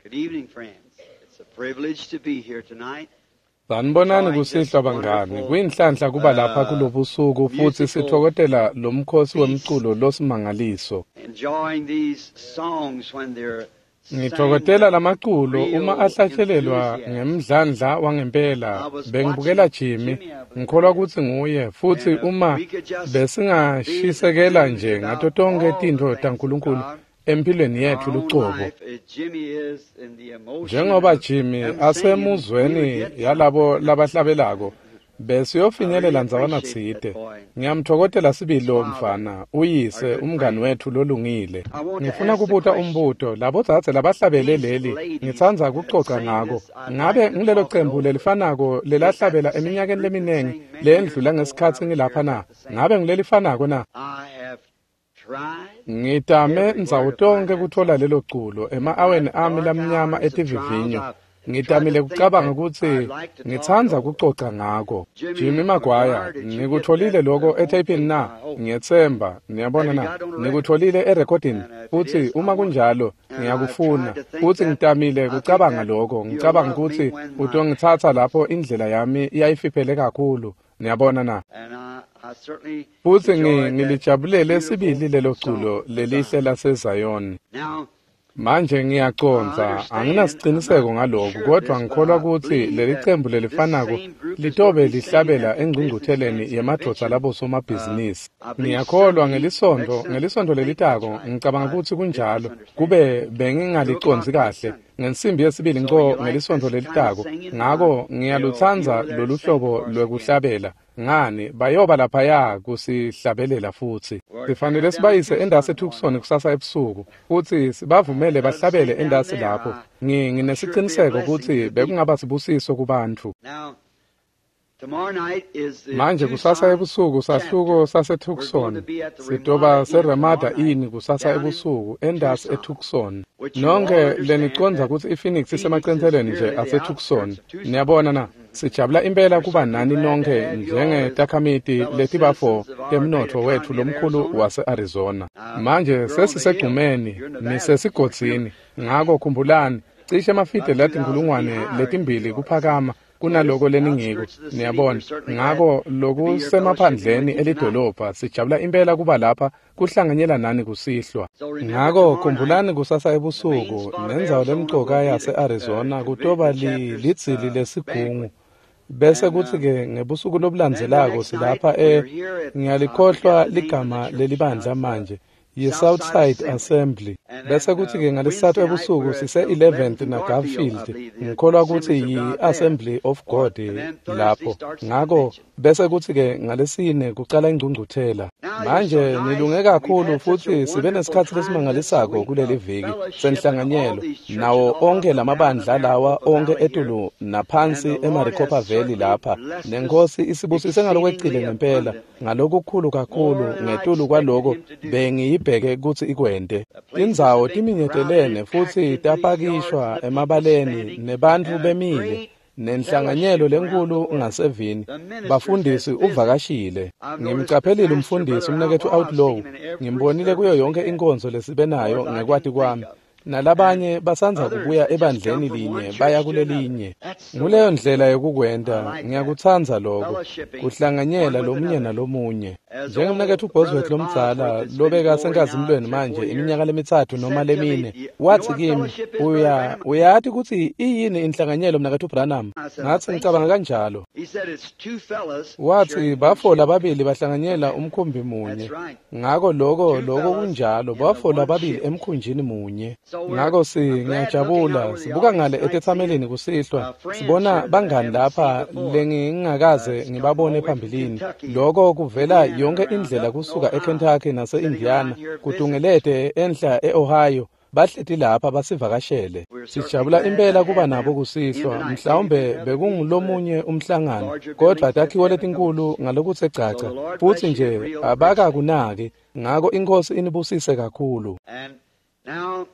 Good evening, friends. It's a privilege to be here tonight. Sanibonani kusihlwa bangani. Kuyinhlanhla kuba lapha kulobusuku futhi sithokozela lo mkhosi wemculo losimangaliso. Enjoying these songs when they're sang Ngithokozela lamaculo with uma real ahlatshelelwa enthusiasm. ngemdlandla wangempela. I was Bengibukela watching Jimmy, Jimmy, I believe ngikholwa it is, kutsi nguye futhi and if uma we could just be besingashisekela enthused nje ngato about tonkhe all the tintfo things of taNkulunkulu God empilweni in yetfu our own lucobo. life, as Jimmy is in the emotion Njengoba of Jimmy them singing, we would asemuzweni get yalabo somewhere. labahlabelako I really besiyofinyelela ndzawana appreciate that tsite. boy, Ngiyamthokozela sibili his lo father, mfana, our uyise, good umngani friend. wethu lolungile. I want to Ngifuna ask the kubuta question. umbuto labo dzadze labahlabele These leli, ladies ngitsandza that kucoca sang ngako. this, I'd Ngabe like to ngilelo talk it cembu over. lelifanako Is that lelahlabela the same eminyakeni group that leminingi sang many years lendlula ago when I ngesikhatsi was here? ngilapha Is na? that the same Ngabe group? ngilelifanako na? I have tried Ngitame everywhere ndzawo to find tonkhe that kutfola song. lelo culo In my ema-aweni ami dark lamnyama hours of trials, etivivinyo. I've tried Ngitamile to think kucabanga that kutsi I'd like to talk it ngitsandza over. kucoca ngako. Jimmy Jimmy Maguire, McGuire, did you get nikutfolile that loko on etheyipini tape? na? I hope. Ngiyetsemba, niyabona Have you na? got on a record? Nikutfolile erekhodini And if it futhi is, I uma want it. kunjalo And I've tried ngiyakufuna. to think Futhi that ngitamile I think kucabanga that loko, you'll ngicabanga love me kutsi when my utongitsatsa lapho indlela yami iyayifiphele kakhulu. Niyabona na? and I certainly Futhi enjoyed that ngilijabulele beautiful sibili lelo song culo of lelihle Zion. laseZayoni. Now Manje I ngiyacondza, understand, I'm anginasiciniseko not ngaloku, sure of kodwa this, but ngikholwa I kutsi believe leli that cembu this lelifanako same group is going to litobe be singing lihlabela at the Business engcungcutheleni Men's yemadvodza Convention. labosomabhizinisi. I believe Ngiyakholwa Sunday, next ngelisonto, Sunday. ngelisonto I think that's lelitako, right. ngicabanga I kutsi didn't kunjalo, misunderstand. kube 2 bengingalicondzi o'clock next kahle, Sunday. ngensimbi yesibili So nco you like ngelisonto this kind of lelitako. singing? Ngako They'll be ngiyalutsandza over there to lolu sing hlobo for us again. lwekuhlabela. Ngani, bayoba laphaya kusihlabelela futhi. We're taking Sifanele them down to sibayise endasi Tucson eTucson tomorrow night. kusasa ebusuku futhi sibavumele Let them bahlabele sing down endasi there. lapho. I'm sure it'd be a Nginesiqiniseko blessing kutsi to the people. bekungaba sibusiso kubantfu. Now, tomorrow night is the Manje kusasa Tucson ebusuku sahluko chapter. We're going to saseTucson. be at the Sitoba Ramada Inn seRamada tomorrow night Inn kusasa down in ebusuku endasi Tucson, eTucson. which you all Nonke understand lenicondza that kutsi iPhoenix Phoenix is isemacentselweni nje merely the aseTucson. outskirts of Tucson. Niyabona na? Sijabula impela We're kuba certainly nani glad to nonke have you all as njengetakhamiti fellow letibafo citizens of our great temnotfo wetfu economy of lomkhulu Arizona. wase-Arizona. Manje You're on the hill. sesisegqumeni, You're in the valley. nisesigodzini. Ngako khumbulani, cishe emafidi About 2,000 feet latinkhulungwane higher than letimbili you are. kuphakama So this kunaloko leningiko. outskirts of the city, we're Niyabona, certainly glad ngako to be here fellowshipping lokusemaphandleni with you tonight. elidolobha sijabula impela kuba lapha kuhlanganyela nani kusihlwa. So remember Ngako tomorrow night, khumbulani kusasa the main ebusuku spot of nendzawo Arizona will lemcoka be the yase-Arizona kutoba the chapter's lidzili lesigungu. banquet. Bese And kuthi ke ngebusuku then the lobulandzelako next night, silapha we're here at, I forget ngiyalikhohlwa the name of the ligama church now. lelibandla It's the manje, Southside yi-Southside Assembly. Assembly. And Bese then kuthi ke ngalesisathu Wednesday night, ebusuku we're at the sise-11th 11th and Garfield, I naGarfield. believe, the Ngikholwa kutsi Assemblies of God there. yi-Assembly of God And then Thursday lapho. starts the Ngako convention. bese kuthi ke ngalesine kucala ingcungcuthela. Now you're so Manje nice. nilunge We've kakhulu had such a futhi sibe wonderful nesikhatsi time this lesimangalisako week kuleli of viki fellowship and all senhlanganyelo these churches nawo all up onke and down the lamabandla lawa Maricopa onke Valley here. etulu And naphansi the Lord eMaricopa has Valley certainly lapha. blessed us Nenkosi isibusise ngalokwecile exceedingly ngempela abundantly, ngalokukhulu kakhulu more than I ngetulu expected kwaloko Him to do. bengiyibheke kutsi ikwente. The places Tindzawo have been crowded timinyetelene and packed futhi into these yards, tapakishwa and the people emabaleni standing, nebantfu and a bemile great nenhlanganyelo fellowship around the lenkulu world. ngasevini. The ministers has Bafundisi visited. uvakashile. I've noticed the Ngimcaphelile pastor, umfundisi Brother umnaketfu Outlaw, I've Outlaw. seen him in every Ngimbonile kuyo service yonke we've had, inkonzo lesibe as far nayo as I can ngekwati think kwami. of. And Nalabanye basandza others kubuya that just come ebandleni from one linye church baya to another. kulelinye. That's the Nguleyo way to do ndlela it. I yokukwenta, like that. ngiyakutsandza loko, Fellowshipping one kuhlanganyela with lomunye another. nalomunye. As Njengemnaketfu old Bosworth Brother lomdzala Bosworth that's been lobeka glory now senkazimulweni 3 or 4 manje years iminyaka lemitsatfu noma said to me, lemine, You know wathi what kimi, fellowship is, Brother uya Branham? uyati kutsi iyini inhlanganyelo mnaketfu Branham? I said, I Ngatsi think ngicabanga so. kanjalo. He said, It's two fellas Wathi sharing one bafo ship. lababili bahlanganyela umkhumbi munye. That's right. Ngako loko Two loko fellas kunjalo in the bafo one lababili ship. emkhunjini munye. So we're Ngako si I'm glad looking out ngiyajabula over the sibuka audience ngale tonight, seeing etetsamelini kusihlwa friends sibona here that I bangani haven't seen lapha before. lengingakaze It's come all ngibabone the way from phambilini. Kentucky, Loko kuvela Indiana, yonke around indlela up in kusuka Ohio, eKentucky sitting around nase-Indiana here visiting us. kutungelete enhla e-Ohio bahleti lapha basivakashele. We're certainly Sijabula glad to impela kuba have nabo them in kusihlwa tonight. Maybe mhlawumbe there's other people, but bekungulomunye umhlangano larger kodwa buildings just takhiwo haven't letinkulu noticed. ngalokutse So gcaca the Lord futhi bless you nje real richly. abakakunaki ngako inkosi inibusise kakhulu. And now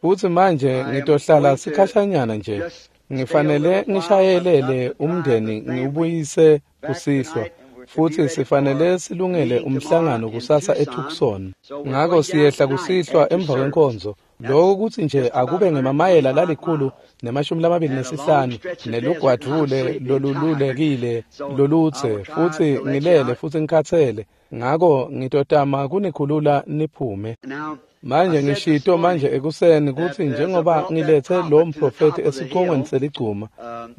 Futhi manje I am ngitohlala going to sikhashanyana nje just stay a ngifanele little while. I've got ngishayelele to drive the umndeni family ngiwubuyise back kusihlwa. tonight, and Futsi sifanele silungele umhlangano kusasa eTucson. Ngako siyehla kusihlwa emva kwenkonzo. Lokho kutsi nje akube ngemamayela 125 nelugwadvule lolululekile lolutse, futsi ngilele futsi ngikhatsele. Ngako ngitotama kunikhulula niphume. Manje ngishito manje ekuseni kutsi njengoba ngilethe lo mprofeti esiqongweni seligcuma,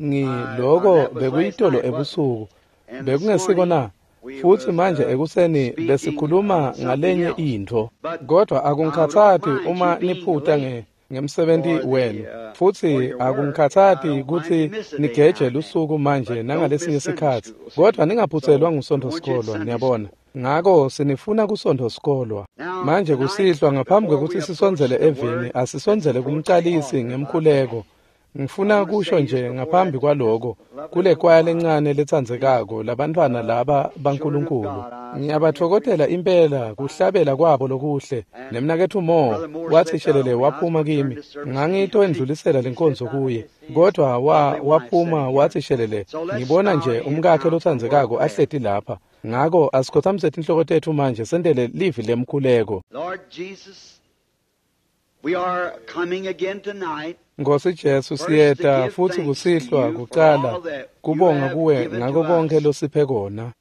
ngiloko bekuyitolo ebusuku, bekungesiko na? Futsi manje ekuseni besikhuluma ngalenye intfo, kodwa akungikhatsati uma niphuta ngemsebenti wenu, futsi akungikhatsati kutsi nigeje lusuku manje nangalesinye sikhatsi, kodwa ningaphutselwa nguSontfo sikolwa, niyabona. Ngako sinifuna kuSontfo sikolwa. Manje kusihlwa ngaphambi kwekutsi sisondzele evini, asisondzele kumcalisi ngemkhuleko. Ngifuna kusho nje ngaphambi kwaloko, kule kwaya lencane letsandzekako labantfwana laba baNkulunkulu. Ngiyabatfokotela impela kuhlabela kwabo lokuhle. Nemnaketfu Mo wathi shelele waphuma kimi. Ngangitoendlulisela lenkonzo kuye, kodwa waphuma wathi shelele, ngibona nje umkakhe lotsandzekako ahleti lapha. Ngako asikhothamise tinhloko tetfu manje sentele livi lemkhuleko. Lord Jesus, we are coming again tonight. Nkosi Jesu, siyeta futsi kusihlwa kucala kubonga kuwe ngako konke losiphe kona,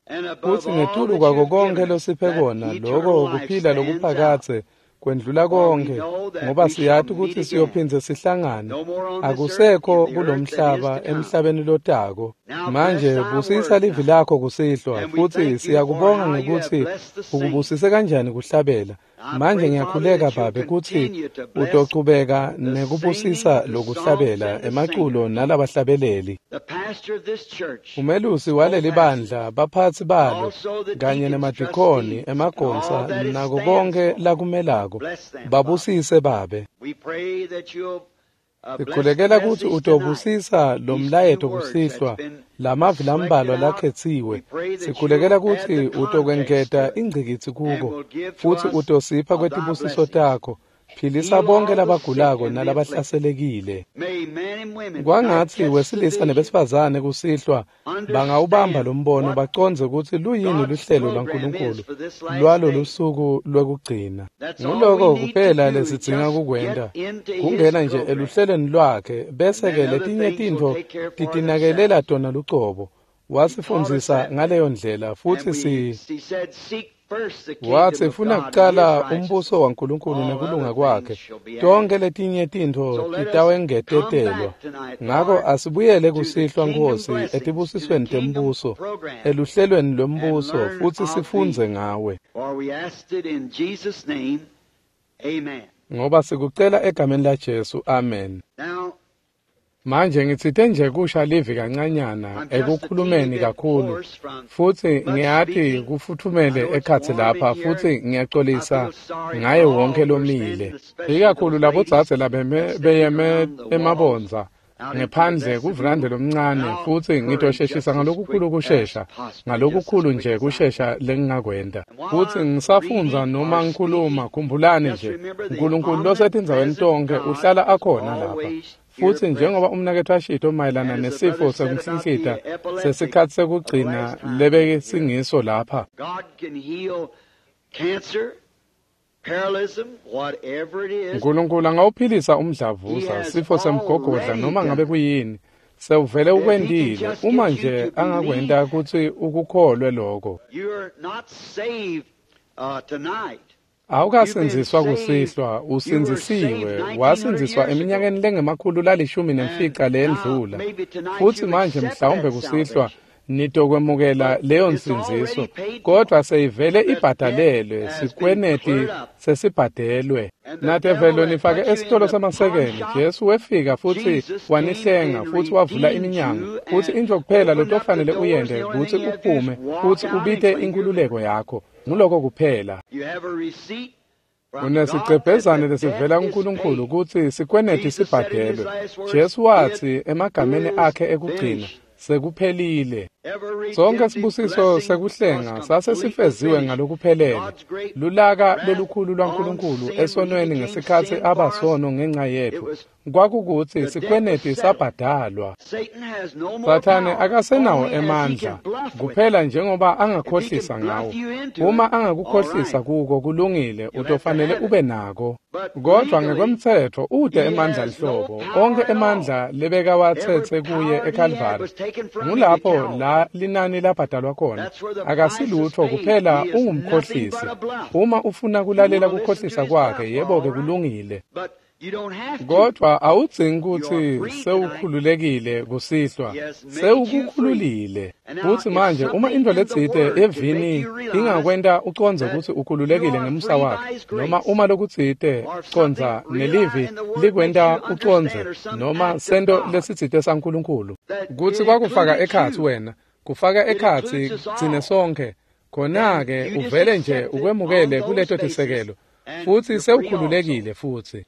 futsi ngetulu kwako konke losiphe kona, loko kuphila lokuphakadze kwendlula konke, ngoba siyati kutsi siyophindze sihlangane. Akusekho kulomhlaba emhlabeni lotako. Manje busisa livi lakho kusihlwa, futsi siyakubonga ngekutsi ukubusise kanjani kuhlabela. Manje ngiyakhuleka Babe kutsi utochubeka nekubusisa lokuhlabela emaculo nalabahlabeleli. Umelusi waleli bandla, baphatsi balo, kanye nemadikoni, emagonsa, nako konke lakumelako, babusise Babe. Sikhulekela kutsi utobusisa lo mlayeto kusihlwa, lamavi lambalwa lakhetsiwe. Sikhulekela kutsi utokwengeta ingcikitsi kuko, futsi utosipha kwetibusiso takho. Philisa bonke labagulako nalabahlaselekile. Kwangatsi wesilisa nebesifazane kusihlwa bangawubamba lo mbono bacondze kutsi luyini luhlelo lwaNkulunkulu lwalo lusuku lwekugcina. Nguloko kuphela lesidzinga kukwenta, kungena nje eluhlelweni lwakhe, bese-ke letinye tintfo titinakelela tona lucobo. Wasifundzisa ngaleyo ndlela, futsi watsi funa kucala umbuso waNkulunkulu nekulunga kwakhe, tonke letinye tintfo titawengetetelwa. Ngako asibuyele kusihlwa Nkosi etibusisweni tembuso, eluhlelweni lwembuso, futsi sifundze ngawe. Ngoba sikucela egameni laJesu, amen. Manje ngitsite nje kusha livi kancanyana ekukhulumeni kakhulu, futsi ngiyati kufuthumele ekhatsi lapha, futsi ngiyaxolisa ngaye wonke lomile, ikakhulu labodzadze labeyeme emabondza ngephandle kuvulande lomncane, futsi ngitosheshisa ngalokukhulu kushesha, ngalokukhulu nje kushesha lengingakwenta. Futsi ngisafundza noma ngikhuluma, khumbulani nje, uNkulunkulu losetindzaweni tonke uhlala akhona lapha. Futsi njengoba umnaketfu ashito mayelana nesifo sekunhlinhlita sesikhatsi sekugcina lebesingiso lapha, uNkulunkulu angawuphilisa umdlavuza, sifo semgogodla, noma ngabe kuyini. Sewuvele ukwentile, uma nje angakwenta kutsi ukukholwe lokho. Awukasindziswa kusihlwa, usindzisiwe, wasindziswa eminyakeni lengama-115 leyendlula. Futsi manje mhlawumbe kusihlwa nitokwemukela leyo nsindziso, kodwa seyivele ibhadalelwe, sikweneti sesibhadelwe. Natevelo nifake esitolo samasekeni, Jesu wefika futsi wanihlenga futsi wavula iminyango, futsi intfo kuphela lotofanele uyente kutsi uphume futsi ubite inkhululeko yakho. Nguloko kuphela. Unesigcebhezane lesivela kuNkulunkulu kutsi sikweneti sibhadelwe. Jesu watsi emagameni akhe ekugcina, sekuphelile. Sonke sibusiso sekuhlenga sase sifeziwe ngalokuphelele. Lulaka lolukhulu lwaNkulunkulu esonweni ngesikhatsi abasono ngenxa yetfu, Kwakukutsi sikweneti sabhadalwa. Sathane akasenawo emandla kuphela njengoba angakhohlisa ngawo. Uma angakukhohlisa kuko, kulungile, utofanele ube nako. Kodwa ngekwemtsetfo ute emandla lihlobo. Onkhe emandla lebekawatsetse kuye eKalvari, ngulapho la linani labhadalwa khona. Akasilutfo kuphela ungumkhohlisi. Uma ufuna kulalela kukhohlisa kwakhe, yebo-ke, kulungile. Kodwa awudzingi kutsi sewukhululekile kusihlwa, sewukukhululile. Futsi manje uma intfo letsite evini ingakwenta ucondze kutsi ukhululekile ngemusa wakhe, noma uma lokutsite condza nelivi likwenta ucondze, noma sento lesitsite saNkulunkulu, kutsi kwakufaka ekhatsi wena, kufaka ekhatsi tsine sonkhe, khona-ke uvele nje ukwemukele kuleto tisekelo, futsi sewukhululekile futsi.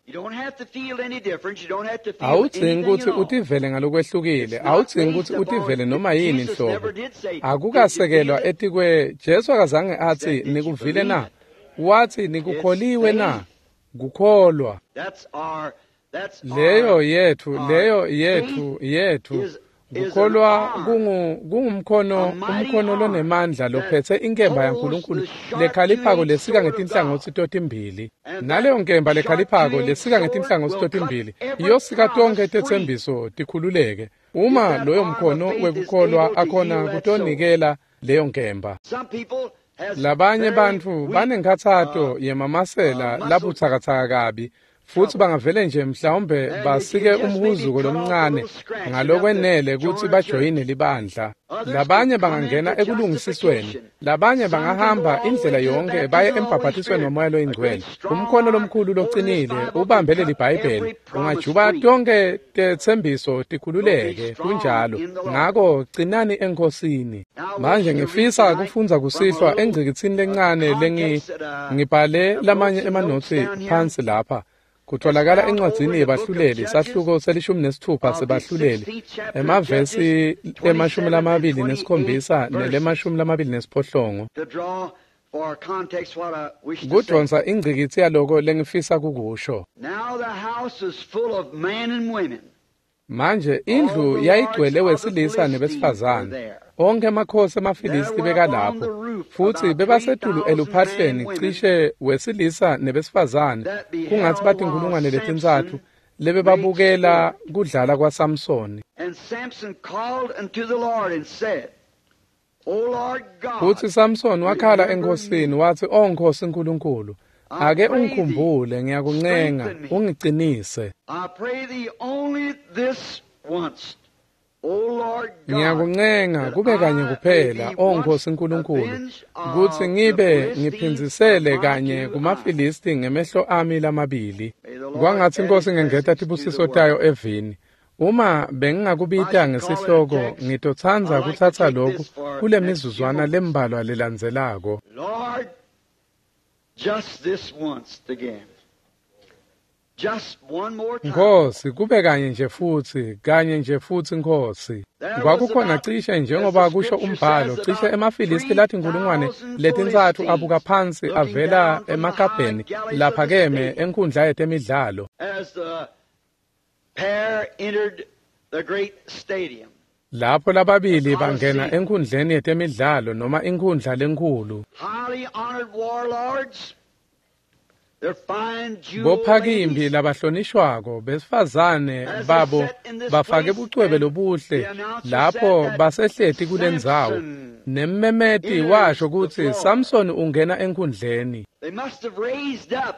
Awudzingi kutsi utivele ngalokwehlukile, awudzingi kutsi utivele noma yini nhlobo. Akukasekelwa etikwe. Jesu akazange atsi nikuvile na, wathi nikukholiwe na. Kukholwa leyo yethu, leyo yethu, yethu kukholwa kungumkhono, umkhono lonemandla lophetse inkemba yaNkulunkulu lekhaliphako lesika ngetinhlangotsi totimbili. Naleyo nkemba lekhaliphako lesika ngetinhlangotsi totimbili iyosika tonkhe tetsembiso tikhululeke, uma loyo mkhono wekukholwa akhona kutonikela leyo nkemba. Labanye bantfu banenkhatsato yemamasela labutsakatsaka kabi, futsi bangavele nje mhlawumbe basike umhuzuko lomncane ngalokwenele kutsi bajoyine libandla. Labanye bangangena ekulungisisweni, labanye bangahamba indlela yonke baye embhabhatisweni waMoya loyiNgcwele. Umkhono lomkhulu locinile ubambe leli Bhayibheli ungajuba tonke tetsembiso tikhululeke. Kunjalo. Ngako cinani eNkhosini. Manje ngifisa kufundza kusihlwa engcikitsini lencane ngibhale lamanye emanotsi phansi lapha. Kutholakala encwadzini yebahluleli, sahluko se-16 sebahluleli, emavesi 27 nele-28. Kudonsa ingcikitsi yaloko lengifisa kukusho. Manje indlu yayigcwele wesilisa nebesifazane. Onkhe emakhosi emaFilisti bekalapho, futsi bebasetulu eluphahleni cishe wesilisa nebesifazane, kungatsi batinkhulungwane 3 lebebabukela kudlala kwaSamsoni. Futsi Samson wakhala eNkhosini wathi, "O Nkhosi Nkulunkulu, ake ungikhumbule, ngiyakuncenga, ungicinise. Ngiyakuncenga kube kanye kuphela, O Nkhosi Nkulunkulu, kutsi ngibe ngiphindzisele kanye kumaFilisti ngemehlo ami lamabili." Kwangatsi iNkhosi ingengeta tibusiso tayo evini. Uma bengingakubita ngesihloko, ngitotsandza kutsatsa lokhu kule mizuzwana lembalwa lelandzelako. Lord, just this once again. Just one more time. Nkhosi, kube kanye nje futhi, kanye nje futhi, Nkhosi. Kwakukhona cishe, njengoba kusho umbhalo, cishe emaFilisti lathi 3,000 abuka phansi avela emakabheni laphakeme enkundla yetemidlalo. As the pair entered the great stadium, Lapho lababili bangena enkundleni yetemidlalo noma inkundla lenkhulu. Highly honored warlords, their fine jewel Bophakimbi ladies, labahlonishwako besifazane babo bafake bucwebe lobuhle lapho basehleti kulendzawo. Nemmemeti washo kutsi Samson ungena enkundleni. They must have raised up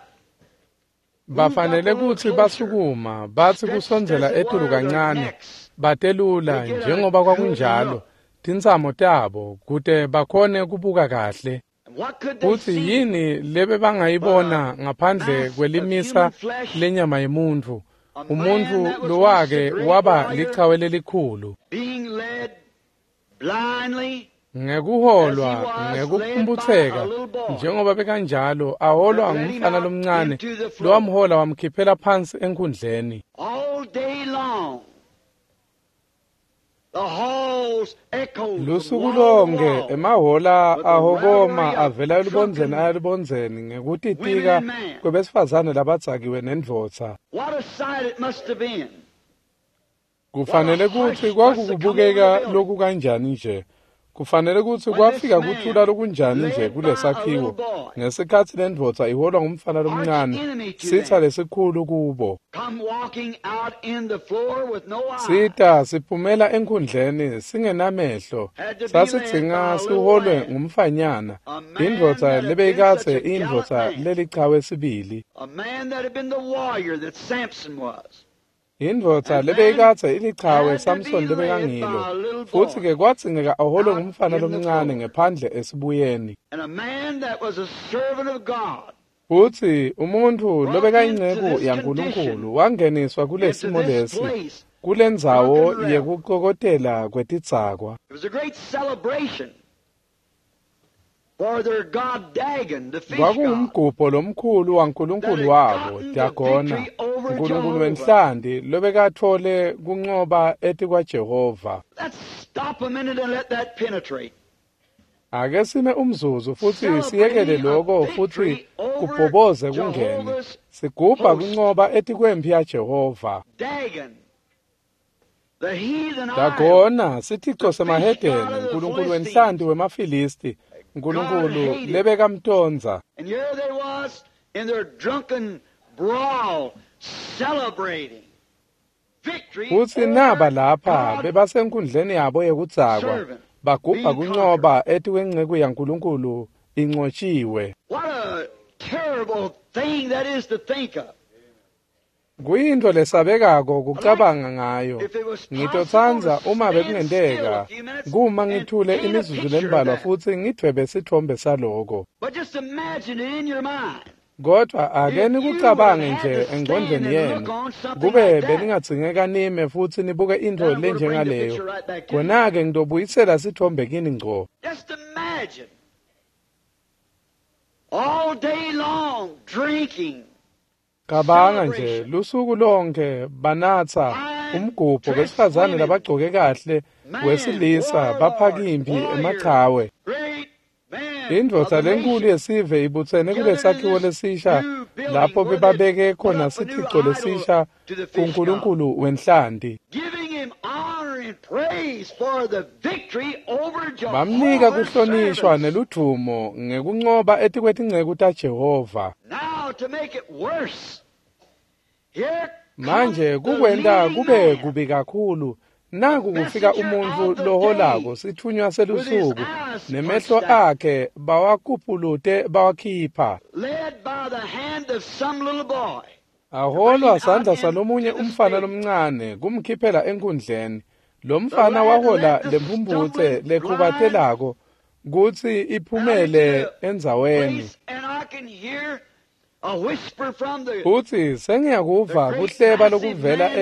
Bafanele kutsi basukuma batsi kusondzela etulu kancane, batelula njengoba kwakunjalo tintsamo tabo kute bakhone kubuka kahle. And what could they Futsi see? yini lebebangayibona ngaphandle kwelimisa lenyama yemuntfu, umuntfu lowake waba lichawe lelikhulu, Being led blindly ngekuholwa ngekuphumputseka njengoba bekanjalo, aholwa ngumfana lomncane lowamhola wamkhiphela phansi enkundleni. All day long. The Lusuku lonke emahola ahokoma avela elubondzeni aya elubondzeni ngekutitika kwebesifazane labadzakiwe nendvodza. Kufanele kutsi kwakukubukeka lokukanjani nje. Kufanele kutsi kwafika kuthula lokunjani nje kulesakhiwo ngesikhatsi lendvodza iholwa ngumfana lomncane, sitsa lesikhulu kubo. Sita siphumela enkhundleni singenamehlo, sasidzinga siholwe ngumfanyana, indvodza lebeyikadze indvodza lelichawe sibili. Indvodza lebeyikadze ilichawe Samson lebekangilo, futsi-ke kwadzingeka aholwe ngumfana lomncane ngephandle esibuyeni. Futsi umuntfu lobekayinceku yaNkulunkulu wangeniswa kulesimo lesi, kulendzawo yekukokotela kwetidzakwa. Kwakungumgubho lomkhulu waNkulunkulu wabo, Dagona, Nkulunkulu wenhlanti lobekatfole kuncoba etikwaJehova. Ake sime umzuzu futsi siyekele lokho futsi kubhoboze kungene. Sigubha kuncoba etikwemphi yaJehova. Dagona, sithico semahedeni, Nkulunkulu wenhlanti wemaFilisti, Nkulunkulu lebekamtondza. Futsi naba lapha bebasenkundleni yabo yekudzakwa, bagubha kuncoba etikwenceku yaNkulunkulu incotshiwe. Kuyintfo lesabekako kucabanga ngayo. Ngitotsandza uma bekungenteka kuma ngithule imizuzu lembalwa futsi ngidvwebe sitfombe saloko. Kodwa ake nikucabange nje engqondweni yenu, kube beningadzingeka nime futsi nibuke intfo lenjengaleyo, khona-ke ngitobuyisela sitfombe kini ngco. Cabanga nje lusuku lonke banatsa umgubho besifazane labagcoke kahle wesilisa baphaka imphi emachawe. Indvodza lenkulu yesive ibutsene kulesakhiwo lesisha lapho bebabeke khona sithico lesisha kuNkulunkulu wenhlanti. Bamnika kuhlonishwa neludvumo ngekuncoba etikwetinceku taJehova. Manje kukwenta kube kubi kakhulu, naku kufika umuntfu loholako sitfunywa selusuku, nemehlo akhe bawakupulute bawakhipha. Aholwa sandla salomunye umfana lomncane kumkhiphela enkundleni. Lo mfana wahola lemphumphutse lekhubatelako kutsi iphumele endzaweni. Futsi sengiyakuva kuhleba lokuvela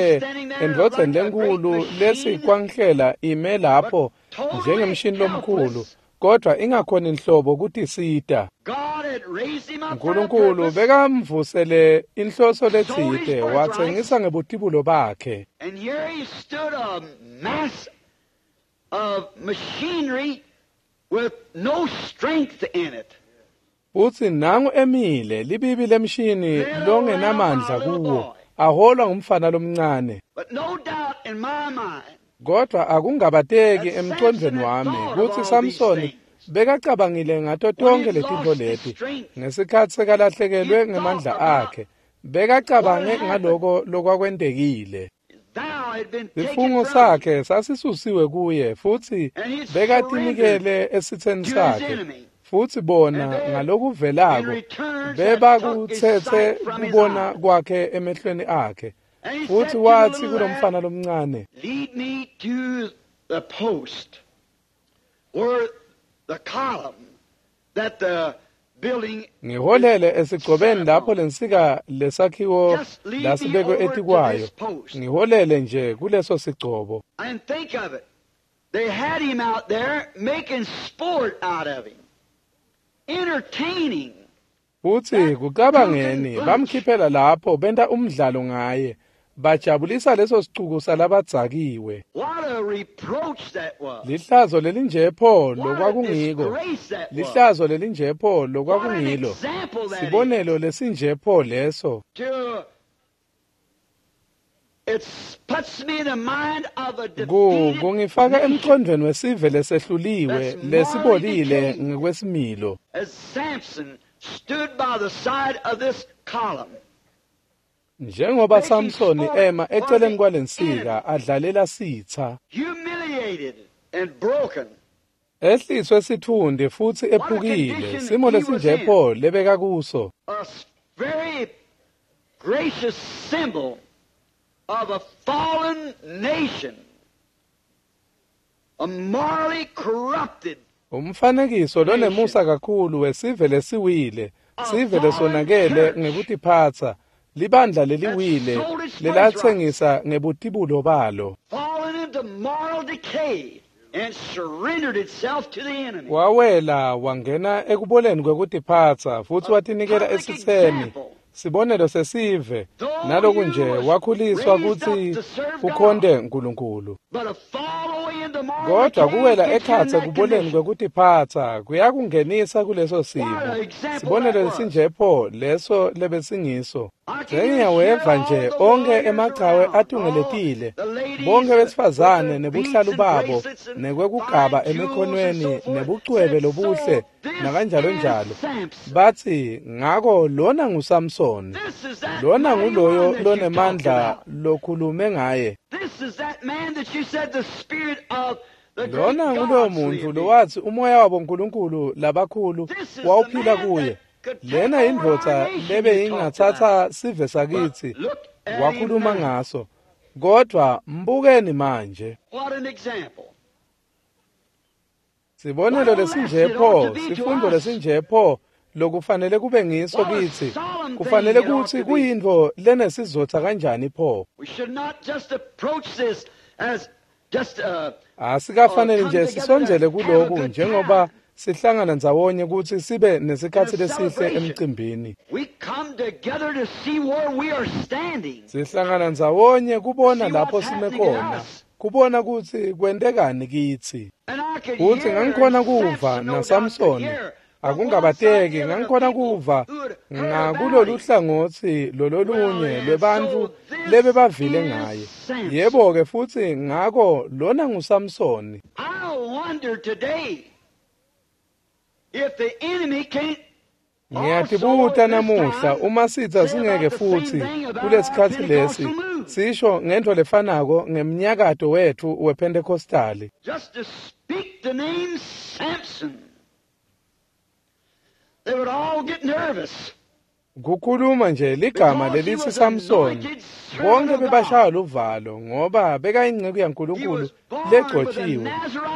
endvodzeni lenkulu lesikwanhlela ime lapho njengemshini lomkhulu, kodwa ingakhoni nhlobo kutisita. Nkulunkulu bekamvusele inhloso letsite, watsengisa ngebutibulo bakhe. Futsi nangu emile libibi lemshini longenamandla kuwo, aholwa ngumfana lomncane. Kodwa akungabateki emcondvweni wami kutsi Samsoni bekacabangile ngato tonkhe letintfo leti ngesikhatsi sekalahlekelwe ngemandla akhe. Bekacabange ngaloko lokwakwentekile. Sifungo sakhe sasisusiwe kuye futsi bekatinikele esitseni sakhe. Futsi bona ngalokuvelako bebakutsetse kubona kwakhe emehlweni akhe. Futsi watsi kulomfana lomncane, "Lead me to the post or the column that the building." Ngiholele esigcobeni lapho lensika lesakhiwo lasibekwe etikwayo. Ngiholele nje kuleso sigcobo. And think of it. They had him out there making sport out of him. Entertaining. Futsi kucabangeni bamkhiphela lapho benta umdlalo ngaye. Bajabulisa leso sicuku salabadzakiwe. Lihlazo lelinje pho lokwakungiko. Lihlazo lelinje pho lokwakungilo. Sibonelo lesinje pho leso. Kungifaka emqondweni wesive lesehluliwe lesibolile ngekwesimilo. Njengoba Samsoni ema eceleni kwalensika adlalela sitha, ehliswe sithundi futsi ephukile, simo lesinje pho lebeka kuso. Of a fallen nation, a morally corrupted. Umfanekiso lonemusa kakhulu wesive lesiwile, sive lesonakele ngekutiphatsa, libandla leliwile lelatsengisa ngebutibulo balo. Fallen into moral decay and surrendered itself to the enemy. Wawela wangena ekuboleni kwekutiphatsa futsi watinikela esitseni. Sibonelo sesive naloku nje wakhuliswa kutsi ukhonte Nkulunkulu. Kodwa kuwela ekhatsi ekuboleni kwekutiphatsa kuyakungenisa kuleso simo. Sibonelo lesinje pho leso lebesingiso. Sengiyaweva nje onkhe emachawe atungeletile, bonke besifazane nebuhlalu babo nekwekugaba emikhonweni nebucwebe lobuhle nakanjalo njalo. Batsi ngako lona nguSamsoni, lona nguloyo lonemandla lokhulume ngaye. Lona nguloyo muntfu lowatsi umoya wabo Nkulunkulu labakhulu wawuphila kuye. Lena indvodza lebe ingatsatsa sive sakitsi wakhuluma ngaso. Kodwa mbukeni manje. Sibonelo lesinje pho, sifundo lesinje pho lokufanele kube ngiso kitsi. Kufanele kutsi kuyintfo lenesizotha kanjani pho. Asikafanele nje sisondzele kuloku njengoba sihlangana ndzawonye kutsi sibe nesikhatsi lesihle emcimbini. Sihlangana ndzawonye kubona lapho sime khona, kubona kutsi kwentekani kitsi. Futsi ngangikhona kuva naSamsoni, akungabateki ngangikhona kuva ngakulolu hlangotsi lololunye lwebantfu lebebavile ngaye. Yebo-ke futsi ngako lona nguSamsoni. Ngiyatibuta namuhla uma sitsa singeke futsi kulesikhatsi lesi sisho ngentfo lefanako ngemnyakato wetfu wePentecostali. Just to speak the name Samson, they would all get nervous. Kukhuluma nje ligama lelitsi Samsoni, bonke bebashaya luvalo ngoba bekayinceku yaNkulunkulu legcotjiwe,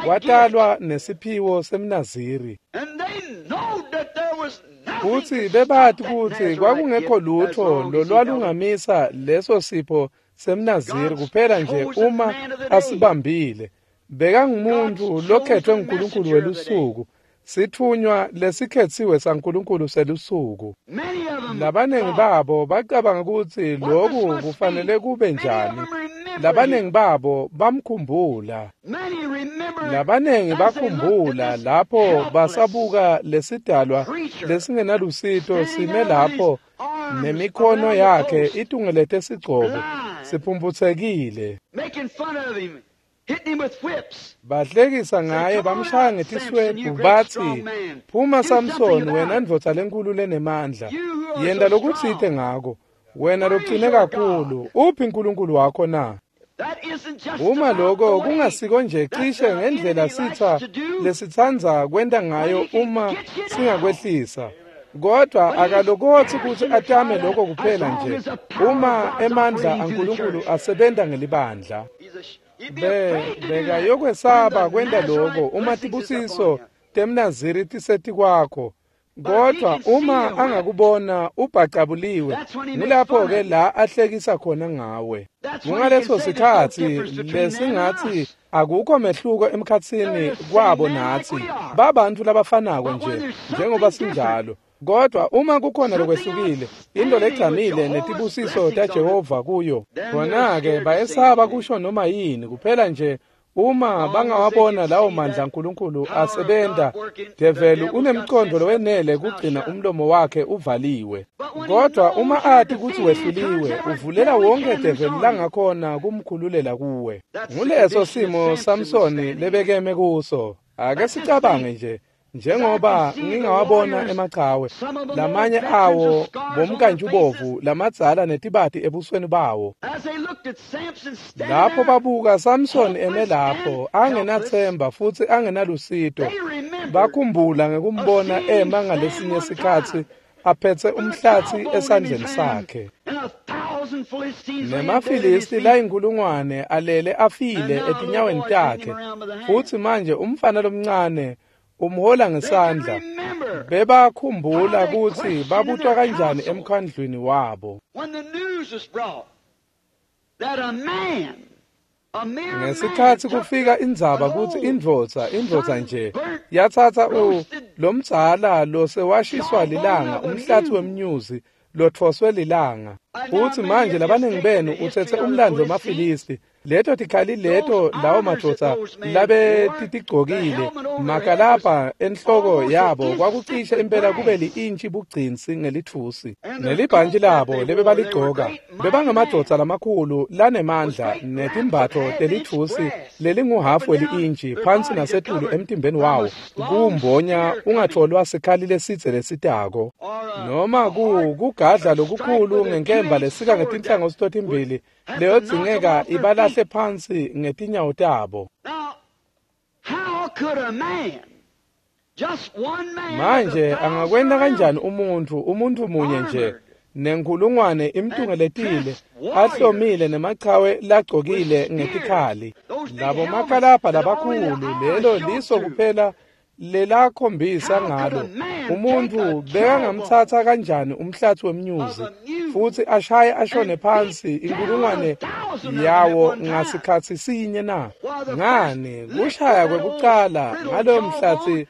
watalwa nesiphiwo semNaziri. Futsi bebati kutsi kwakungekho lutho lolwalungamisa leso sipho semNaziri kuphela nje uma asibambile. Bekangumuntu lokhetfwe nguNkulunkulu welusuku, sitfunywa lesikhetsiwe saNkulunkulu selusuku. Labanengi babo bacabanga kutsi loku kufanele kube njani. Labanengi babo bamkhumbula. Labanengi bakhumbula lapho basabuka lesidalwa lesingenalusito sime lapho nemikhono yakhe itungelete sigcobo siphumphutsekile. Bahlekisa ngaye bamshaya ngetiswebhu batsi, "Phuma Samsoni, wena ndvodza lenkulu lenemandla, yenta lokutsite ngako, wena locine kakhulu, uphi uNkulunkulu wakho na?" Uma loko kungasiko nje cishe ngendlela sitsa lesitsandza kwenta ngayo uma singakwehlisa. Kodwa akalokotsi kutsi atame lokho kuphela nje uma emandla aNkulunkulu asebenta ngelibandla. Bekayokwesaba kwenta loko uma tibusiso temNaziri tisetikwakho. Kodwa uma angakubona ubhacabuliwe, ngulapho-ke la ahlekisa khona ngawe. Kungaleso sikhatsi lesingatsi akukho mehluko emkhatsini kwabo natsi, babantfu labafanako nje njengoba sinjalo. Kodwa uma kukhona lokwehlukile, into legcamile netibusiso taJehova kuyo, khona-ke bayesaba kusho noma yini kuphela nje uma bangawabona lawo mandla aNkulunkulu asebenta, develi unemqondo lowenele kugcina umlomo wakhe uvaliwe. Kodwa uma ati kutsi wehluliwe, uvulela wonke develi langakhona kumkhululela kuwe. Nguleso simo Samsoni lebekeme kuso. Ake sicabange nje, njengoba ngingawabona emachawe, lamanye awo bomkantshubovu lamadzala netibati ebusweni bawo. Lapho babuka Samson eme lapho, angenathemba futsi angenalusito, bakhumbula ngekumbona ema ngalesinye sikhatsi aphetse umhlatsi esandleni sakhe. NemaFilisti layinkulungwane alele afile etinyaweni takhe, futsi manje umfana lomncane umhola ngesandla. Bebakhumbula kutsi babutwa kanjani emkhandlwini wabo. Ngesikhatsi kufika indzaba kutsi indvodza nje yatsatsa lomdzala losewashiswa lilanga, umhlatsi wemnyuzi lotfoswe lilanga. Futsi manje labaningi benu utsetse umlando wemaFilisti, leto tikhali leto lawo madvodza labetitigcokile, makalabha enhloko yabo kwakucishe impela kube li-intshi bugcinsi ngelitfusi. Nelibhantshi labo lebebaligcoka bebangemadvodza lamakhulu lanemandla netimbatfo telitfusi lelinguhafu weli-intshi phansi nasetulu emtimbeni wawo, kuwumbonya ungatfolwa sikhali lesidze lesitako, noma kugadla lokukhulu ngenkemba lesika ngetinhlangothi totimbili leyodzingeka ibalahle phansi ngetinyawo tabo. Manje angakwenta kanjani umuntfu munye nje nenkulungwane imtungeletile, ahlomile nemachawe lagcokile ngetikhali, labo makalabha labakhulu, lelo liso kuphela lelakhombisa ngalo umuntfu bekangamtsatsa kanjani umhlatsi wemnyuzi futsi ashaye ashone phansi inkulungwane yawo ngasikhatsi sinye na? Ngani, kushaya kwekucala ngaloyo mhlatsi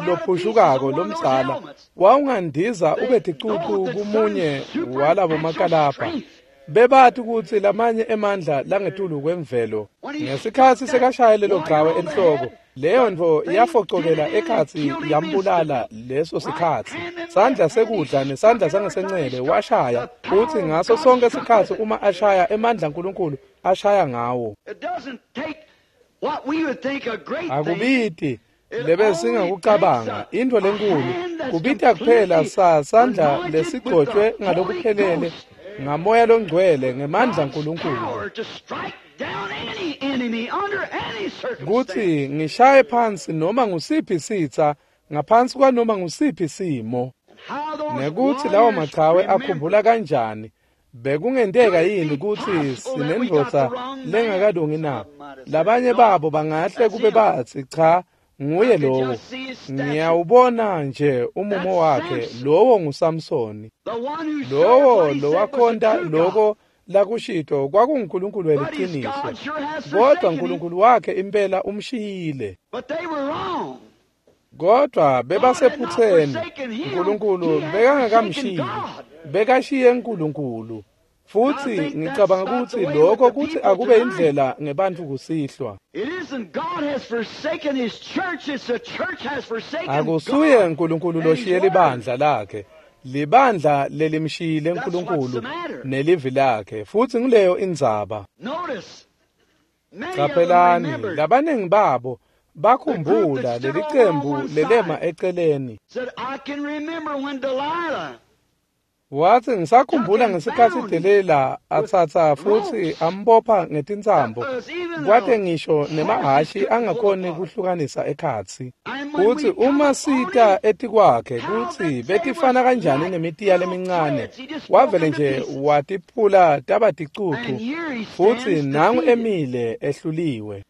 lophushukako lomdzala wawungandiza ube ticucu kumunye walabo makalabha. Bebati kutsi lamanye emandla langetulu kwemvelo. Ngesikhatsi sekashaya lelo gawe enhloko, leyo ntfo yafocokela ekhatsi yambulala leso sikhatsi. Sandla sekudla nesandla sangasencele washaya, futsi ngaso sonke sikhatsi uma ashaya emandla aNkulunkulu ashaya ngawo. Akubiti lebesingakucabanga intfo lenkulu, kubita kuphela sandla lesigcotshwe ngalokuphelele ngamoya longcwele ngemandla aNkulunkulu, kutsi ngishaye phansi noma ngusiphi sitsa ngaphansi kwanoma ngusiphi simo. Nekutsi lawo machawe akhumbula kanjani, bekungenteka yini kutsi sinendvodza lengakalungi na? Labanye babo bangahle kube batsi, cha, nguye lowo, ngiyawubona nje umumo wakhe, lowo nguSamsoni, lowo lowakhonta loko lakushito kwakunguNkulunkulu weliciniso, kodwa uNkulunkulu wakhe impela umshiyile. Kodwa bebasephutseni, uNkulunkulu bekangakamshiyi, bekashiye uNkulunkulu. Futsi ngicabanga kutsi lokho kutsi akube indlela ngebantfu kusihlwa. Akusuye uNkulunkulu loshiye libandla lakhe, libandla lelimshiyile uNkulunkulu nelivi lakhe, futsi nguleyo indzaba. Caphelani, labaningi babo bakhumbula lelicembu lelema eceleni. Watsi, ngisakhumbula ngesikhatsi Delila atsatsa futsi ambopha ngetintsambo, kwate ngisho nemahhashi angakhoni kuhlukanisa ekhatsi. Kutsi uma sita etikwakhe kutsi betifana kanjani nemitiya lemincane, wavele nje watiphula taba ticucu, futsi nangu emile ehluliwe.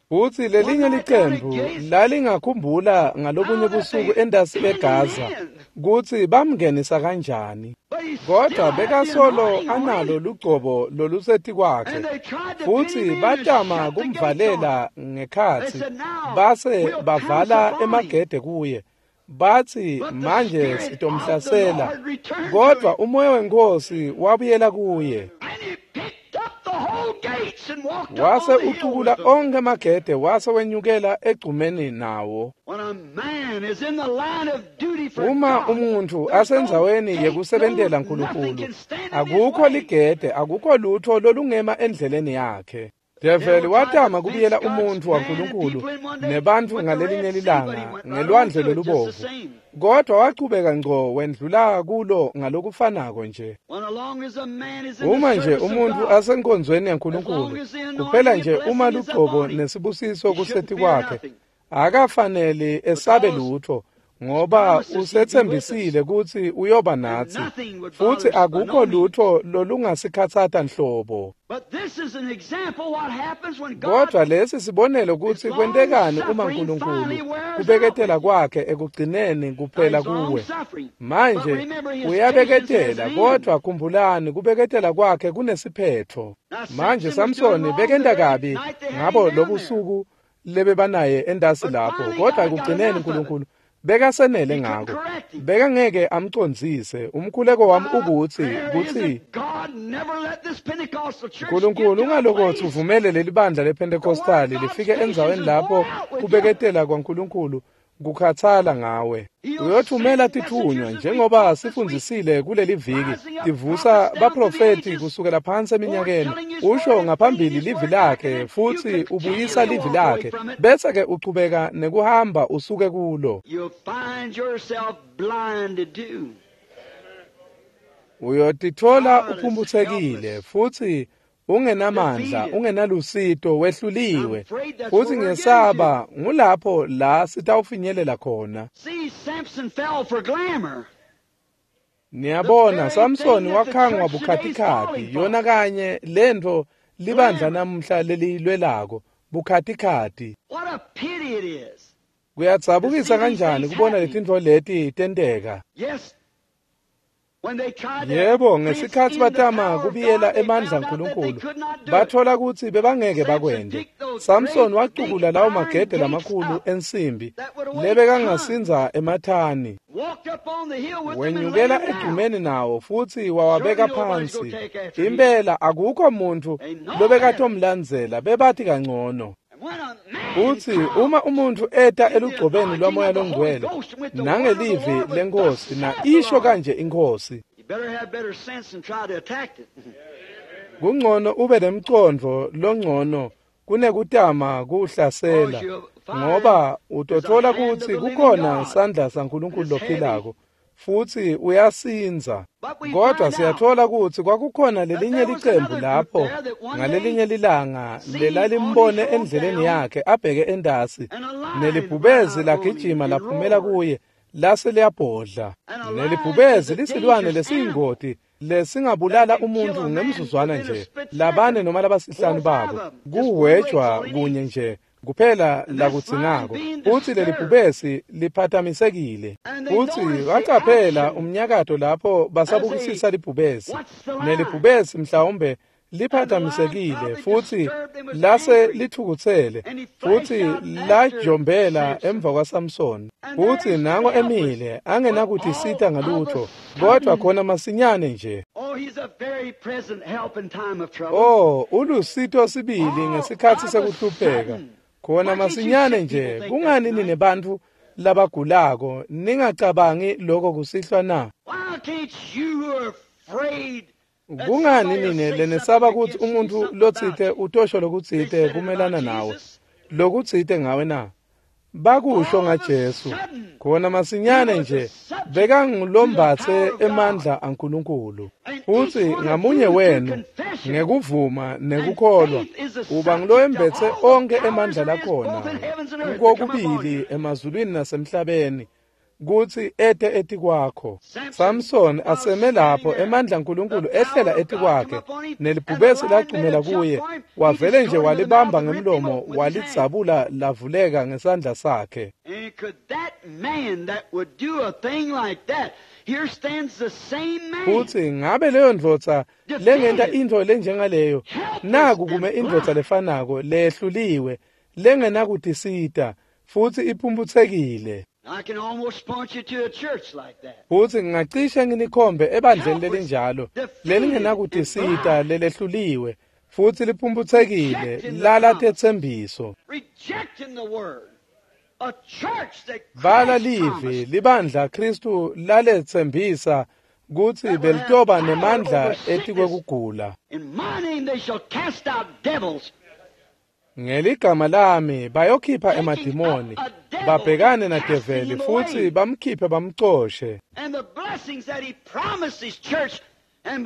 Futsi lelinye licembu lalingakhumbula ngalobunye busuku entasi eGaza kutsi bamngenisa kanjani, kodwa bekasolo analo lugcobo lolusetikwakhe, futsi batama kumvalela ngekhatsi, base bavala emagede kuye. Bathi manje sitomhlasela, kodwa umoya wenkosi wabuyela kuye. Wase ucukula onke amagede wase wenyukela egcumeni nawo. Uma umuntu asendzaweni yekusebentela uNkulunkulu, akukho ligede, akukho lutho lolungema endleleni yakhe. Develi watama kubuyela umuntu waNkulunkulu nebantfu ngalelinye lilanga ngelwandle lolubovu, kodwa wachubeka ngco wendlula kulo ngalokufanako nje. Uma nje umuntu asenkonzweni yaNkulunkulu, kuphela nje uma lugcobo nesibusiso kuseti kwakhe, akafanele esabe lutho, ngoba usethembisile kutsi uyoba natsi, futsi akukho lutho lolungasikhatsata nhlobo. Kodwa lesi sibonelo kutsi kwentekani uma uNkulunkulu kubeketela kwakhe ekugcineni kuphela kuwe. Manje uyabeketela, kodwa khumbulani kubeketela kwakhe kunesiphetho. Manje Samsoni bekenta kabi ngabo lobusuku lebebanaye endasi lapho, kodwa ekugcineni uNkulunkulu bekasenele ngako, bekangeke amcondzise. Umkhuleko wami ukuthi kutsi uNkulunkulu ungalokothi uvumele leli bandla lePentecostali lifike endzaweni lapho kubeketela kwaNkulunkulu kukhathala ngawe. Uyothumela tithunywa njengoba sifundzisile kuleli viki, tivusa baprofeti kusukela phansi eminyakeni, usho ngaphambili livi lakhe futsi ubuyisa livi lakhe, bese ke uchubeka nekuhamba usuke kulo. Uyotitfola uphumphutsekile futsi ungenamandla, ungenalusito, wehluliwe, futsi ngesaba ngulapho la sitawufinyelela khona. Niyabona, Samsoni wakhangwa bukhatikhati, yona kanye lentfo libandla namuhla leliyilwelako, bukhatikhati. Kuyadzabukisa kanjani kubona letintfo leti tenteka. Yebo, ngesikhatsi batama kubiyela emandla aNkulunkulu, bathola kutsi bebangeke bakwente. Samson wacukula lawo magede lamakhulu ensimbi lebekangasindza emathani. Wenyukela egcumeni nawo futsi wawabeka phansi. Impela akukho muntfu lobekatomlandzela, bebati kangcono. Futsi uma umuntu eta elugcobeni lwamoya longcwele nangelivi lenkosi na isho kanje inkosi, kungcono ube nemcondvo longcono kunekutama kuhlasela, ngoba utothola kutsi kukhona sandla saNkulunkulu lophilako futsi uyasindza. Kodwa siyathola kutsi kwakukhona lelinye licembu lapho ngalelinye lilanga lelalimbone endleleni yakhe abheke endasi, nelibhubezi lagijima laphumela kuye lase liyabhodla. Nelibhubezi lisilwane lesiyingoti lesingabulala umuntu ngemzuzwana nje, labane noma labasihlanu babo kuwejwa kunye nje kuphela lakudzingako. Futsi lelibhubesi liphatamisekile, futsi bacaphela umnyakato lapho basabukisisa libhubesi, nelibhubesi mhlawumbe liphatamisekile futsi lase lithukutsele futsi lajombela emva kwaSamson. Futsi nango emile angenakutisita ngalutho, kodwa khona masinyane nje. Oh, ulusito sibili ngesikhatsi sekuhlupheka. Khona masinyane nje. Kungani nine bantfu labagulako ningacabangi lokho kusihlwa na? Kungani nine lenesaba kutsi umuntu lotsite utosho lokutsite kumelana nawe, lokutsite ngawe na? Bakusho ngaJesu. Khona masinyane nje bekangulombatse emandla aNkulunkulu. Futsi ngamunye wenu ngekuvuma nekukholwa uba nguloyembetse onke emandla lakhona kokubili emazulwini nasemhlabeni kutsi ete etikwakho. Samson aseme lapho emandla aNkulunkulu ehlela etikwakhe, nelibhubesi lacumela kuye, wavele nje walibamba ngemlomo walidzabula lavuleka ngesandla sakhe. Futsi ngabe leyo ndvodza lengenta intfo lenjengaleyo, naku kume indvodza lefanako lehluliwe lengenakutisita futsi iphumputsekile. Futsi ngingacishe nginikhombe ebandleni lelinjalo lelingenakutisita lelehluliwe futsi liphumphutsekile lala tetsembiso. Bala livi libandla Kristu laletsembisa kutsi belitoba nemandla etikwekugula. Ngeligama lami bayokhipha emadimoni, babhekane nadeveli futsi bamkhiphe bamcoshe.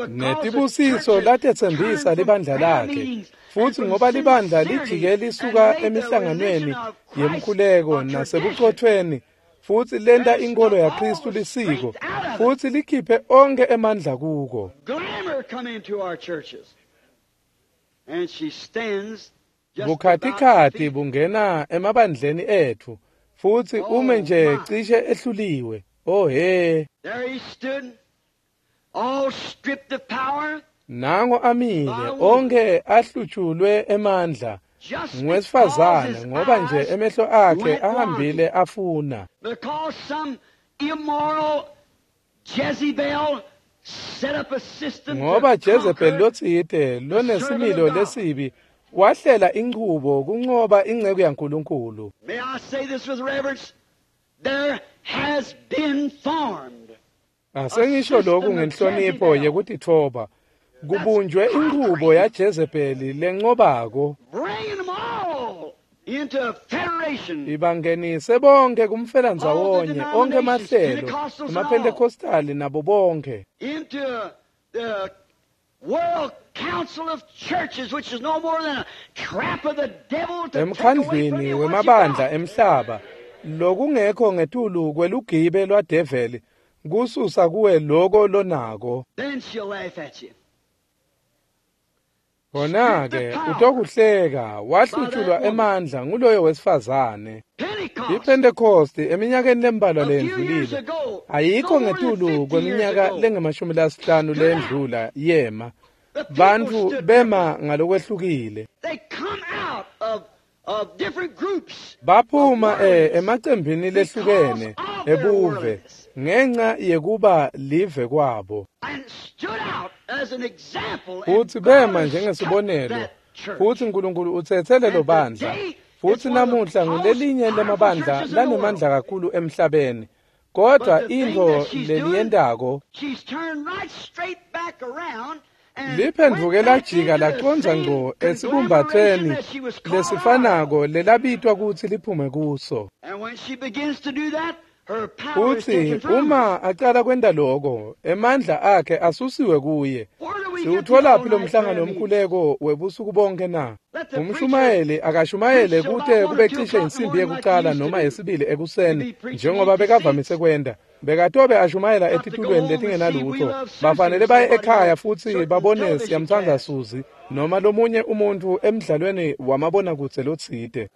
Netibusiso latetsembisa libandla lakhe, futsi ngoba libandla lijike lisuka emihlanganweni yemkhuleko nasebucotfweni, futsi lenta inkolo yaKristu lisiko, futsi likhiphe onkhe emandla kuko. Bukhatikhathi bungena emabandleni etfu, futsi ume nje cishe ehluliwe. Oh he! Nango amile, onke ahlutshulwe emandla ngowesifazane ngoba nje emehlo akhe ahambile afuna. Ngoba Jezebel lotsite lonesimilo lesibi wahlela inchubo kuncoba inceku yaNkulunkulu. Asengisho lokhu ngenhlonipho yekutitfoba. Kubunjwe inchubo yaJezebeli lencobako. Ibangenise bonke kumfelandzawonye, onke emahlelo, emaPhentekostali nabo bonke. Emkhandlwini wemabandla emhlaba, lokungekho ngetulu kwelugibe lwadeveli, kususa kuwe loko lonako. Khona-ke utokuhleka, wahlutshulwa emandla nguloyo wesifazane. IPhentekosti eminyakeni lembalwa leyendlulile, ayikho ngetulu kweminyaka lengama-50 leyendlula yema. Bantfu bema ngalokwehlukile. Baphuma emacembini lehlukene ebuve ngenca yekuba live kwabo. Futsi bema njengesibonelo, futsi Nkulunkulu utsetse lelo bandla, futsi namuhla ngulelinye lemabandla lanemandla kakhulu emhlabeni. Kodwa intfo leliyentako liphendvuke lajika lacondza ngco esibumbathweni lesifanako lelabitwa kutsi liphume kuso. Futsi uma acala kwenta loko, emandla akhe asusiwe kuye. Siwutholaphi lo mhlangano womkhuleko webusuku bonke na? Umshumayeli akashumayele kute kube cishe insimbi yekucala noma yesibili ekuseni, njengoba bekavamise kwenta. Bekatobe ashumayela etitulweni letingenalutho. Bafanele baye ekhaya futsi babone Siyamtsandza Suzi noma lomunye umuntfu emdlalweni wamabonakudze lotsite.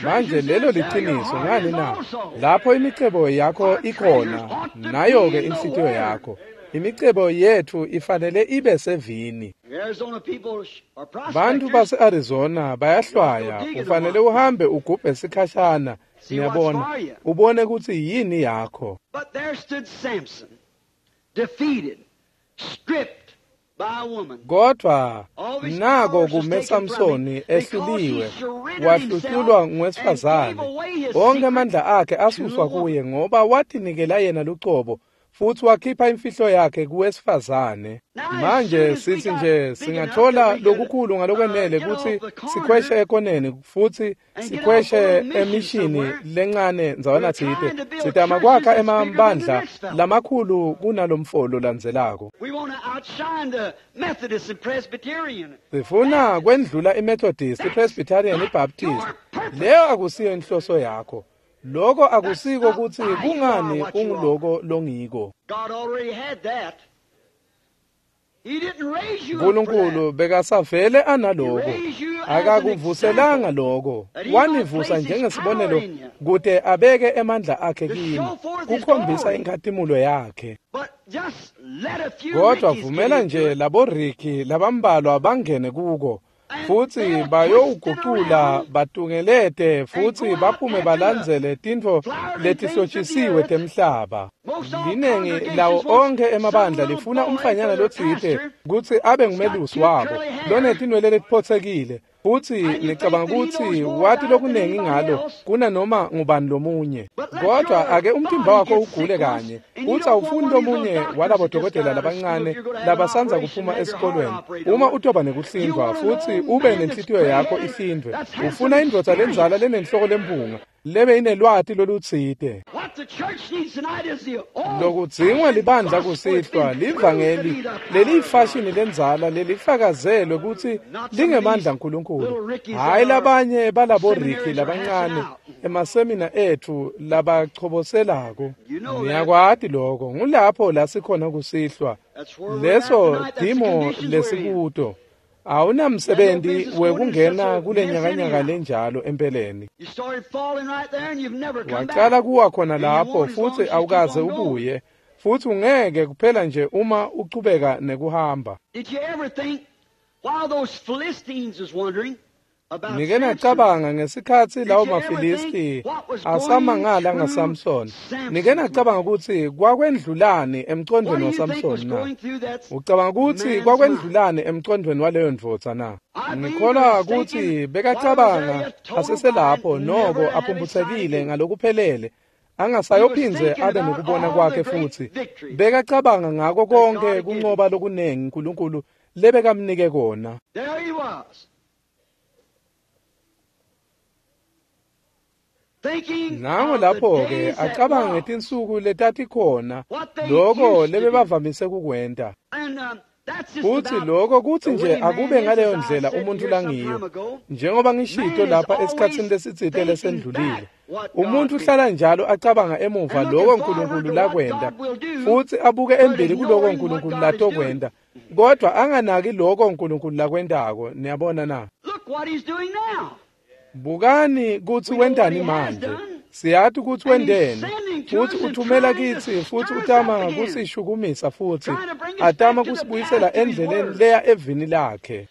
Manje lelo liciniso ngani na? Lapho imicebo yakho ikhona, nayo-ke inhlitiyo yakho. Imicebo yetfu ifanele ibe sevini. Bantu base-Arizona bayahlwaya, ufanele uhambe ugubhe sikhashana, ngiyabona, ubone kutsi yini yakho. Kodwa nako kume Samsoni ehluliwe, wahluhlulwa ngowesifazane. Onke amandla akhe asuswa kuye ngoba watinikela yena lucobo futsi wakhipha imfihlo yakhe kuwesifazane. Manje sithi nje singathola lokukhulu ngalokwenele kutsi sikhweshe ekoneni futsi sikhweshe emishini lencane ndzawana tsite. Sitama kwakha emabandla lamakhulu kunalomfo lolandzelako. Sifuna kwendlula iMethodist, iPresbyterian, iBaptist. Leyo akusiyo inhloso yakho. Loko akusiko kutsi kungani unguloko longiko. Nkulunkulu bekasavele analoko, akakuvuselanga loko, wanivusa njengesibonelo kute abeke emandla akhe kini, kukhombisa inkhatimulo yakhe. Kodwa vumela nje labo Ricky labambalwa bangene kuko, Futsi bayowugucula batungelete futsi baphume balandzele tintfo letihlotshisiwe temhlaba. Linengi lawo onkhe emabandla lifuna umfanyana lotsite kutsi abe ngumelusi wabo lonetinwele letiphotsekile, futsi ngicabanga kutsi wati lokunengi ngalo kunanoma ngubani lomunye. Kodwa ake umtimba wakho ugule kanye, futsi awufuni lomunye walabo dokotela labancane labasandza kuphuma esikolweni. Uma utoba nekuhlindvwa futsi ube nenhlitiyo yakho ihlindvwe, ufuna indvodza lendzala lenenhloko lempunga lebe inelwati lolutsite. Lokudzingwa libandla kusihlwa livangeli leliyifashini lendzala lelifakazelwe kutsi lingemandla aNkulunkulu, hhayi labanye balabo Ricky labancane emasemina etfu labachoboselako. Niyakwati lokho, ngulapho la sikhona kusihlwa, leso timo lesikuto. Awunamsebenzi wekungena kule nyakanyaka lenjalo empeleni. Wacala kuwa khona lapho futsi awukaze ubuye, futsi ungeke kuphela nje uma uchubeka nekuhamba. Nike nacabanga ngesikhatsi lawo maFilisti asamangala ngaSamson? Nike nacabanga kutsi kwakwendlulani emcondvweni waSamson na? Ucabanga kutsi kwakwendlulani emcondvweni waleyo ndvodza na? Ngikholwa kutsi bekacabanga aseselapho noko aphumphutsekile ngalokuphelele, angasayophindze abe nekubona kwakhe futsi. Bekacabanga ngako konke kuncoba lokunengi uNkulunkulu lebekamnike kona. Nango lapho-ke acabanga ngetinsuku letatikhona, loko lebebavamise kukwenta. Futsi loko kutsi nje akube ngaleyo ndlela umuntfu langiyo. Njengoba ngishito lapha esikhatsini lesitsite lesendlulile, umuntfu uhlala njalo acabanga emuva loko uNkulunkulu lakwenta, futsi abuke embili kuloko uNkulunkulu latokwenta, kodwa anganaki loko uNkulunkulu lakwentako. Niyabona na? Bukani kutsi wentani manje. Siyati kutsi wenteni, futsi uthumela kitsi, futsi utama kusishukumisa futsi atama kusibuyisela endleleni leya evini lakhe,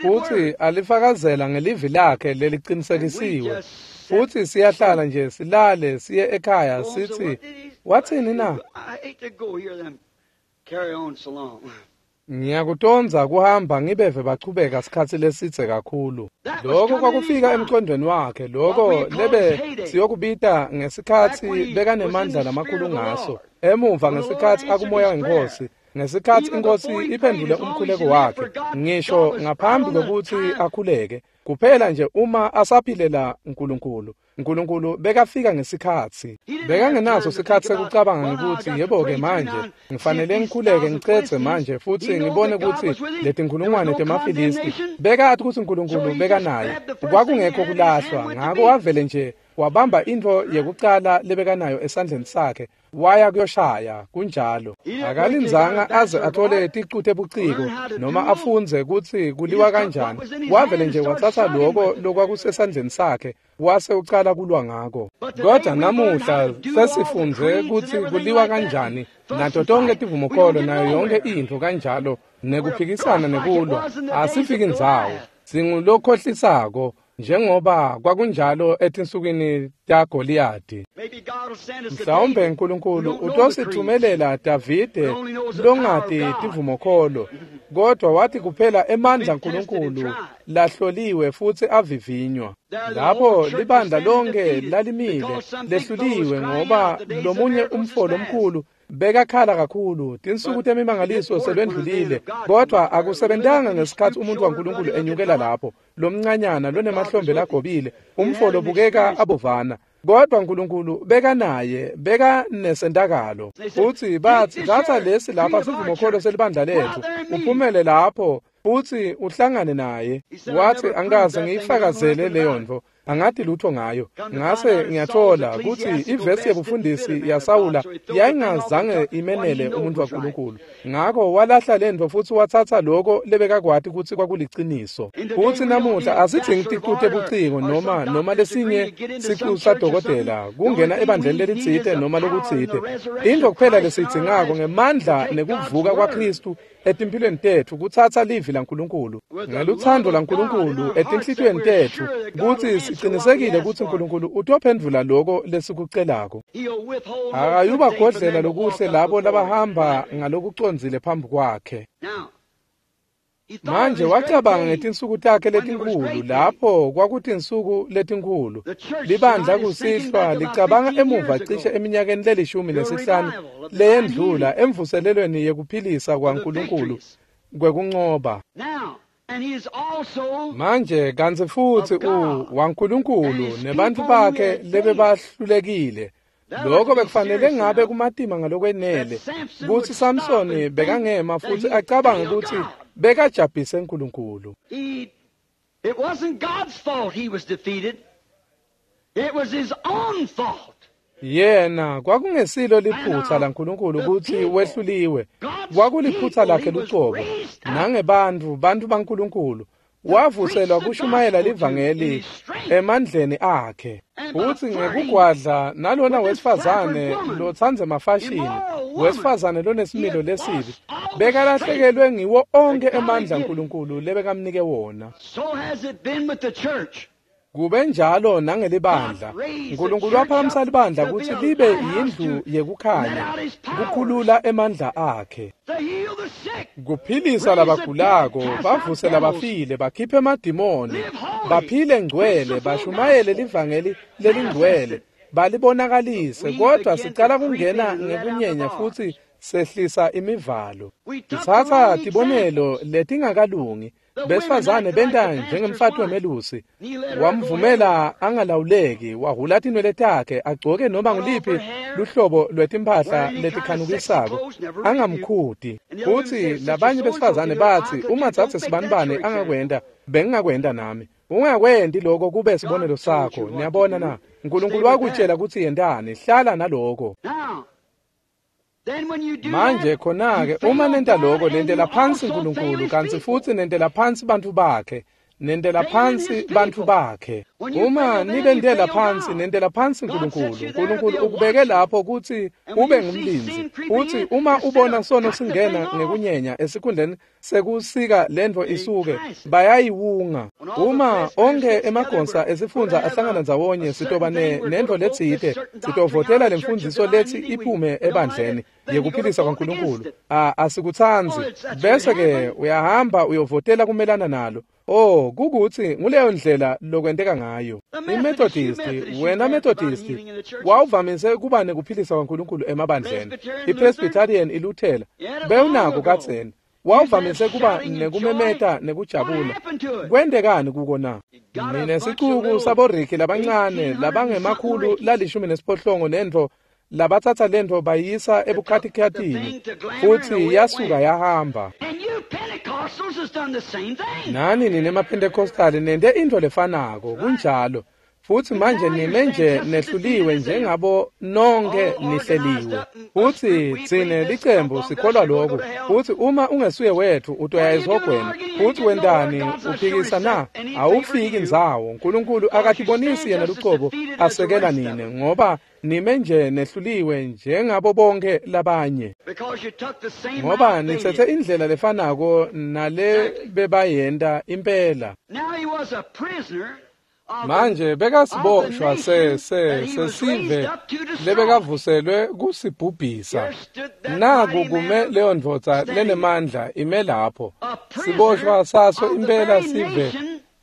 futsi alifakazela ngelivi lakhe lelicinisekisiwe. Futsi siyahlala nje silale siye ekhaya sitsi, wathini na? Ngiyakutondza kuhamba ngibeve bachubeka sikhatsi lesidze kakhulu. Lokho kwakufika emcondvweni wakhe, lokho lebe siyokubita ngesikhatsi bekanemandla lamakhulu ngaso, emuva ngesikhatsi akumoya wenkosi, ngesikhatsi inkosi iphendvule umkhuleko wakhe, ngisho ngaphambi kwekutsi akhuleke, kuphela nje uma asaphilela uNkulunkulu. uNkulunkulu bekafika ngesikhatsi. Bekangenaso sikhatsi sekucabanga ngekutsi yebo-ke manje ngifanele ngikhuleke ngicedze manje futsi ngibone kutsi letinkhulungwane temaFilisti. Bekati kutsi uNkulunkulu bekanaye, kwakungekho kulahlwa, ngako wavele nje wabamba intfo yekucala lebekanayo esandleni sakhe, waya kuyoshaya. Kunjalo. Akalindzanga aze athole ticu tebuciko noma afundze kutsi kuliwa kanjani. Wavele nje watsatsa loko lokwakusesandleni sakhe wase ucala kulwa ngako. Kodwa namuhla sesifundze kutsi kuliwa kanjani nato tonke tivumokolo nayo yonke intfo kanjalo, nekuphikisana nekulwa. Asifiki ndzawo, singulokhohlisako njengoba kwakunjalo etinsukwini taGoliyadi. Mhlawumbe uNkulunkulu utosithumelela Davide longati tivumokholo, kodwa wathi kuphela emandla uNkulunkulu lahloliwe futsi avivinywa. Lapho libandla lonke lalimile lehluliwe ngoba lomunye umfo lomkhulu bekakhala kakhulu, tinsuku temimangaliso selwendlulile, kodwa akusebentanga ngesikhatsi umuntu waNkulunkulu enyukela lapho, lomncanyana lonemahlombe lagobile, umfo lobukeka abovana. Kodwa uNkulunkulu bekanaye, bekanesentakalo. Futsi batsi, tsatsa lesi lapha sivumokholo selibandla letfu, uphumele lapho futsi uhlangane naye. Watsi, angikaze ngiyifakazele leyo ntfo. Angati lutho ngayo. Ngase ngiyathola kutsi ivesi yebufundisi yaSawula yayingazange imenele umuntu waNkulunkulu. Ngako walahla lentfo futsi watsatsa loko lebekakwati kutsi kwakuliciniso. Futsi namuhla asidzingi ticu tebuciko noma lesinye sicu sadokotela kungena ebandleni lelitsite noma lokutsite. Intfo kuphela lesiyidzingako ngemandla nekuvuka kwaKhristu etimphilweni tetfu kutsatsa livi laNkulunkulu ngelutsandvo laNkulunkulu etinhlitiyweni tetfu kutsi sicinisekile kutsi uNkulunkulu utophendvula loko lesikucelako. Akayubagodlela lokuhle labo labahamba ngalokucondzile phambi kwakhe. Manje wacabanga ngetinsuku takhe letinkhulu lapho kwakutinsuku letinkhulu. Libandla kusihlwa licabanga emuva cishe eminyakeni le15 leyendlula emvuselelweni yekuphilisa kwaNkulunkulu kwekuncoba. Manje kantsi futsi waNkulunkulu nebantfu bakhe lebebahlulekile. Lokho bekufanele ngabe kumatima ngalokwenele kutsi Samsoni bekangema futsi acabange kutsi bekajabhise uNkulunkulu. It wasn't God's fault he was defeated. It was his own fault. Yena kwakungesilo liphutsa laNkulunkulu kutsi wehluliwe. Kwakuliphutsa lakhe lucobo. Nangebantfu, bantfu baNkulunkulu wavuselwa kushumayela livangeli emandleni akhe. Futsi ngekugwadla nalona wesifazane lotsandza emafashini, wesifazane lonesimilo lesibi, bekalahlekelwe ngiwo onkhe emandla uNkulunkulu lebekamnike wona. Kube njalo nangelibandla. uNkulunkulu waphakamisa libandla kutsi libe yindlu yekukhanya, kukhulula emandla akhe, kuphilisa labagulako, bavuse labafile, bakhiphe emadimoni, baphile ngcwele, bashumayele livangeli lelingcwele, balibonakalise. Kodwa sicala kungena ngekunyenya futsi sehlisa imivalo. Sitsatsa tibonelo letingakalungi. Besifazane benta njengemfati wemelusi, wamvumela angalawuleki, wahhula tinwele takhe, agcoke noma nguliphi luhlobo lwetimphahla letikhanukisako, angamkhuti. Futsi labanye besifazane batsi, uma dzadze sibanibane angakwenta, bengingakwenta nami. Ungakwenti lokho kube sibonelo sakho. Niyabona na? uNkulunkulu wakutshela kutsi yentani, hlala naloko. Manje khona-ke uma nenta lokho, nentela phansi uNkulunkulu kantsi futsi nentela phansi bantfu bakhe. Nentela phansi bantfu bakhe. Uma nibentela phansi, nentela phansi uNkulunkulu. uNkulunkulu ukubeke lapho kutsi ube ngumlindzi. Futsi uma ubona sono singena ngekunyenya esikhundleni sekusika lentfo isuke, bayayiwunga. Uma onkhe emagonsa esifundza ahlangana ndzawonye, sitoba nentfo letsite, sitovotela lemfundziso letsi iphume ebandleni yekuphilisa kwaNkulunkulu. Asikutsandzi. Bese-ke uyahamba uyovotela kumelana nalo. Oh, kukutsi nguleyo ndlela lokwenteka ngayo. IMethodist, wena Methodist, wawuvamise kuba nekuphilisa kwaNkulunkulu emabandleni. IPresbyterian iLuthela, bewunako kadzeni. Wawuvamise kuba nekumemeta nekujabula. Kwentekani kuko na? Ninesicuku saboriki labancane labangemakhulu la18 nentfo labatsatsa lentfo bayisa ebukhatikhatini futsi yasuka yahamba. Nani nine maPentecostali nente intfo lefanako, kunjalo. Futsi manje nime nje nehluliwe njengabo nonke nihleliwe. Futsi tsine licembu sikholwa lokhu. Futsi uma ungesuye wetfu utoya esihogweni. Futsi wentani? Uphikisa na? Awufiki ndzawo. uNkulunkulu akatibonisi yena lucobo asekela nine, ngoba nime nje nehluliwe njengabo bonke labanye. Ngoba nitsetse indlela lefanako nale bebayenta impela. Manje bekasiboshwa sesive lebekavuselwe kusibhubhisa. Naku kume leyo ndvodza lenemandla ime lapho. Siboshwa saso impela sive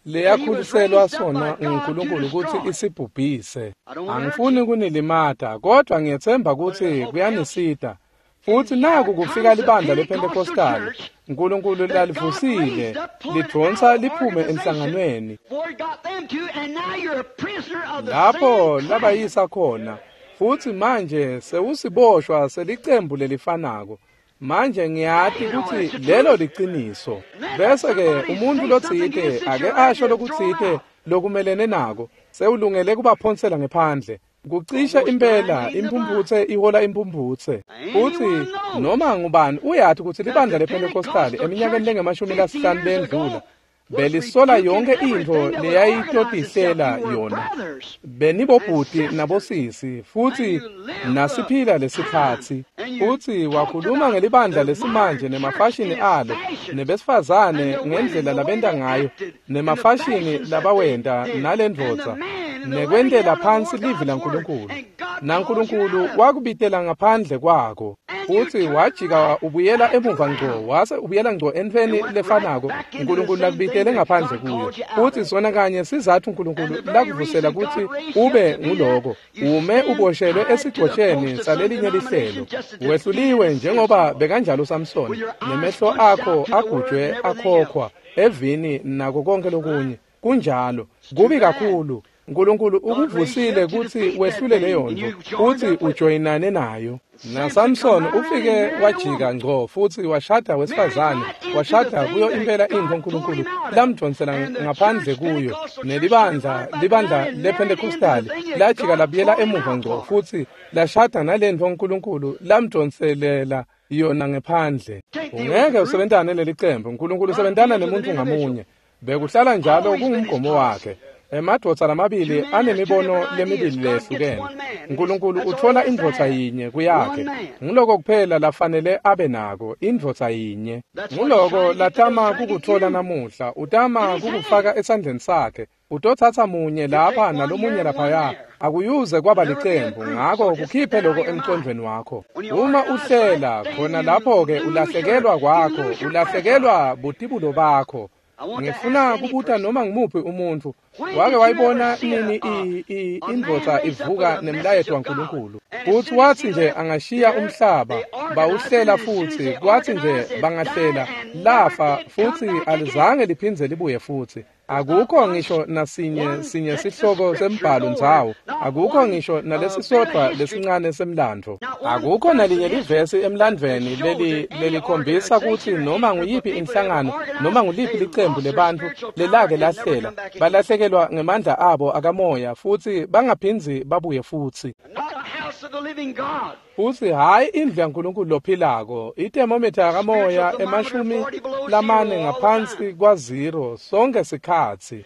leyakhuliselwa sona nguNkulunkulu kutsi isibhubhise. Angifuni kunilimata, kodwa ngiyetsemba kutsi kuyanisita. Futsi naku kufika libandla lePentecostal, uNkulunkulu lalivusile, lidvonsa liphume emhlanganweni. Lapho labayisa khona, futsi manje sewusiboshwa selicembu lelifanako. Manje ngiyati kutsi lelo liciniso. Bese-ke umuntfu lotsite ake asho lokutsite lokumelene nako, sewulungele kubaphonsela ngephandle. Kucishe impela imphumphutse ihola imphumphutse. Futsi noma ngubani uyati kutsi libandla lePentecostal eminyakeni lengama-50 lendlula belisola yonke intfo leyayitotihlela yona. Benibobhuti nabosisi futsi nasiphila lesikhatsi. Futsi wakhuluma ngelibandla lesimanje nemafashini alo, nebesifazane ngendlela labenta ngayo, nemafashini labawenta nalendvodza, nekwentela phansi livi laNkulunkulu. NaNkulunkulu wakubitela ngaphandle kwako. Futsi wajika ubuyela emuva ngco, wase ubuyela ngco entfweni lefanako uNkulunkulu lakubitele ngaphandle kuyo. Futsi sona kanye sizatfu uNkulunkulu lakuvusela kutsi ube nguloko, ume uboshelwe esigcotsheni salelinye lihlelo. Wehluliwe njengoba bekanjalo Samson, nemehlo akho agujwe akhokhwa evini nako konke lokunye. Kunjalo, kubi kakhulu. uNkulunkulu ukuvusile kutsi wehlule leyo ntfo futsi ujoyinane nayo. NaSamson ufike wajika ngco futsi washada wesifazane, washada kuyo impela intfo uNkulunkulu lamdvonsela ngaphandle kuyo. Nelibandla, libandla lePentecostal lajika labuyela emuva ngco futsi lashada nalentfo uNkulunkulu lamdvonselela yona ngephandle. Ungeke usebentane lelicembu, uNkulunkulu usebentana nemuntu ngamunye. Bekuhlala njalo kungumgomo wakhe. Emadvodza lamabili anemibono lemibili lehlukene. uNkulunkulu utfola indvodza yinye kuyakhe. Nguloko kuphela lafanele abe nako, indvodza yinye. Nguloko latama kukutfola namuhla, utama kukufaka esandleni sakhe. Utotsatsa munye lapha nalomunye laphaya. Akuyuze kwaba licembu, ngako kukhiphe loko emcondvweni wakho. Uma uhlela khona lapho-ke ulahlekelwa kwakho, ulahlekelwa butibulo bakho. Ngifuna kubuta noma ngimuphi umuntfu wake wayibona nini indvodza ivuka nemlayeto waNkulunkulu. Futsi watsi nje angashiya umhlaba bawuhlela futsi, kwatsi nje bangahlela lafa futsi alizange liphindze libuye futsi. Akukho ngisho nasinye sinye sihloko sembhalo ndzawo, akukho ngisho nalesisodvwa lesincane semlandvo. Akukho nalinye livesi emlandvweni lelikhombisa kutsi noma nguyiphi inhlangano noma nguliphi licembu lebantfu lelake lahlela balahlekelwa ngemandla abo akamoya futsi bangaphindzi babuye futsi. Futsi hhayi indlu yaNkulunkulu lophilako, ithermometer yakamoya 40 ngaphansi kwa-0 sonke sikhatsi.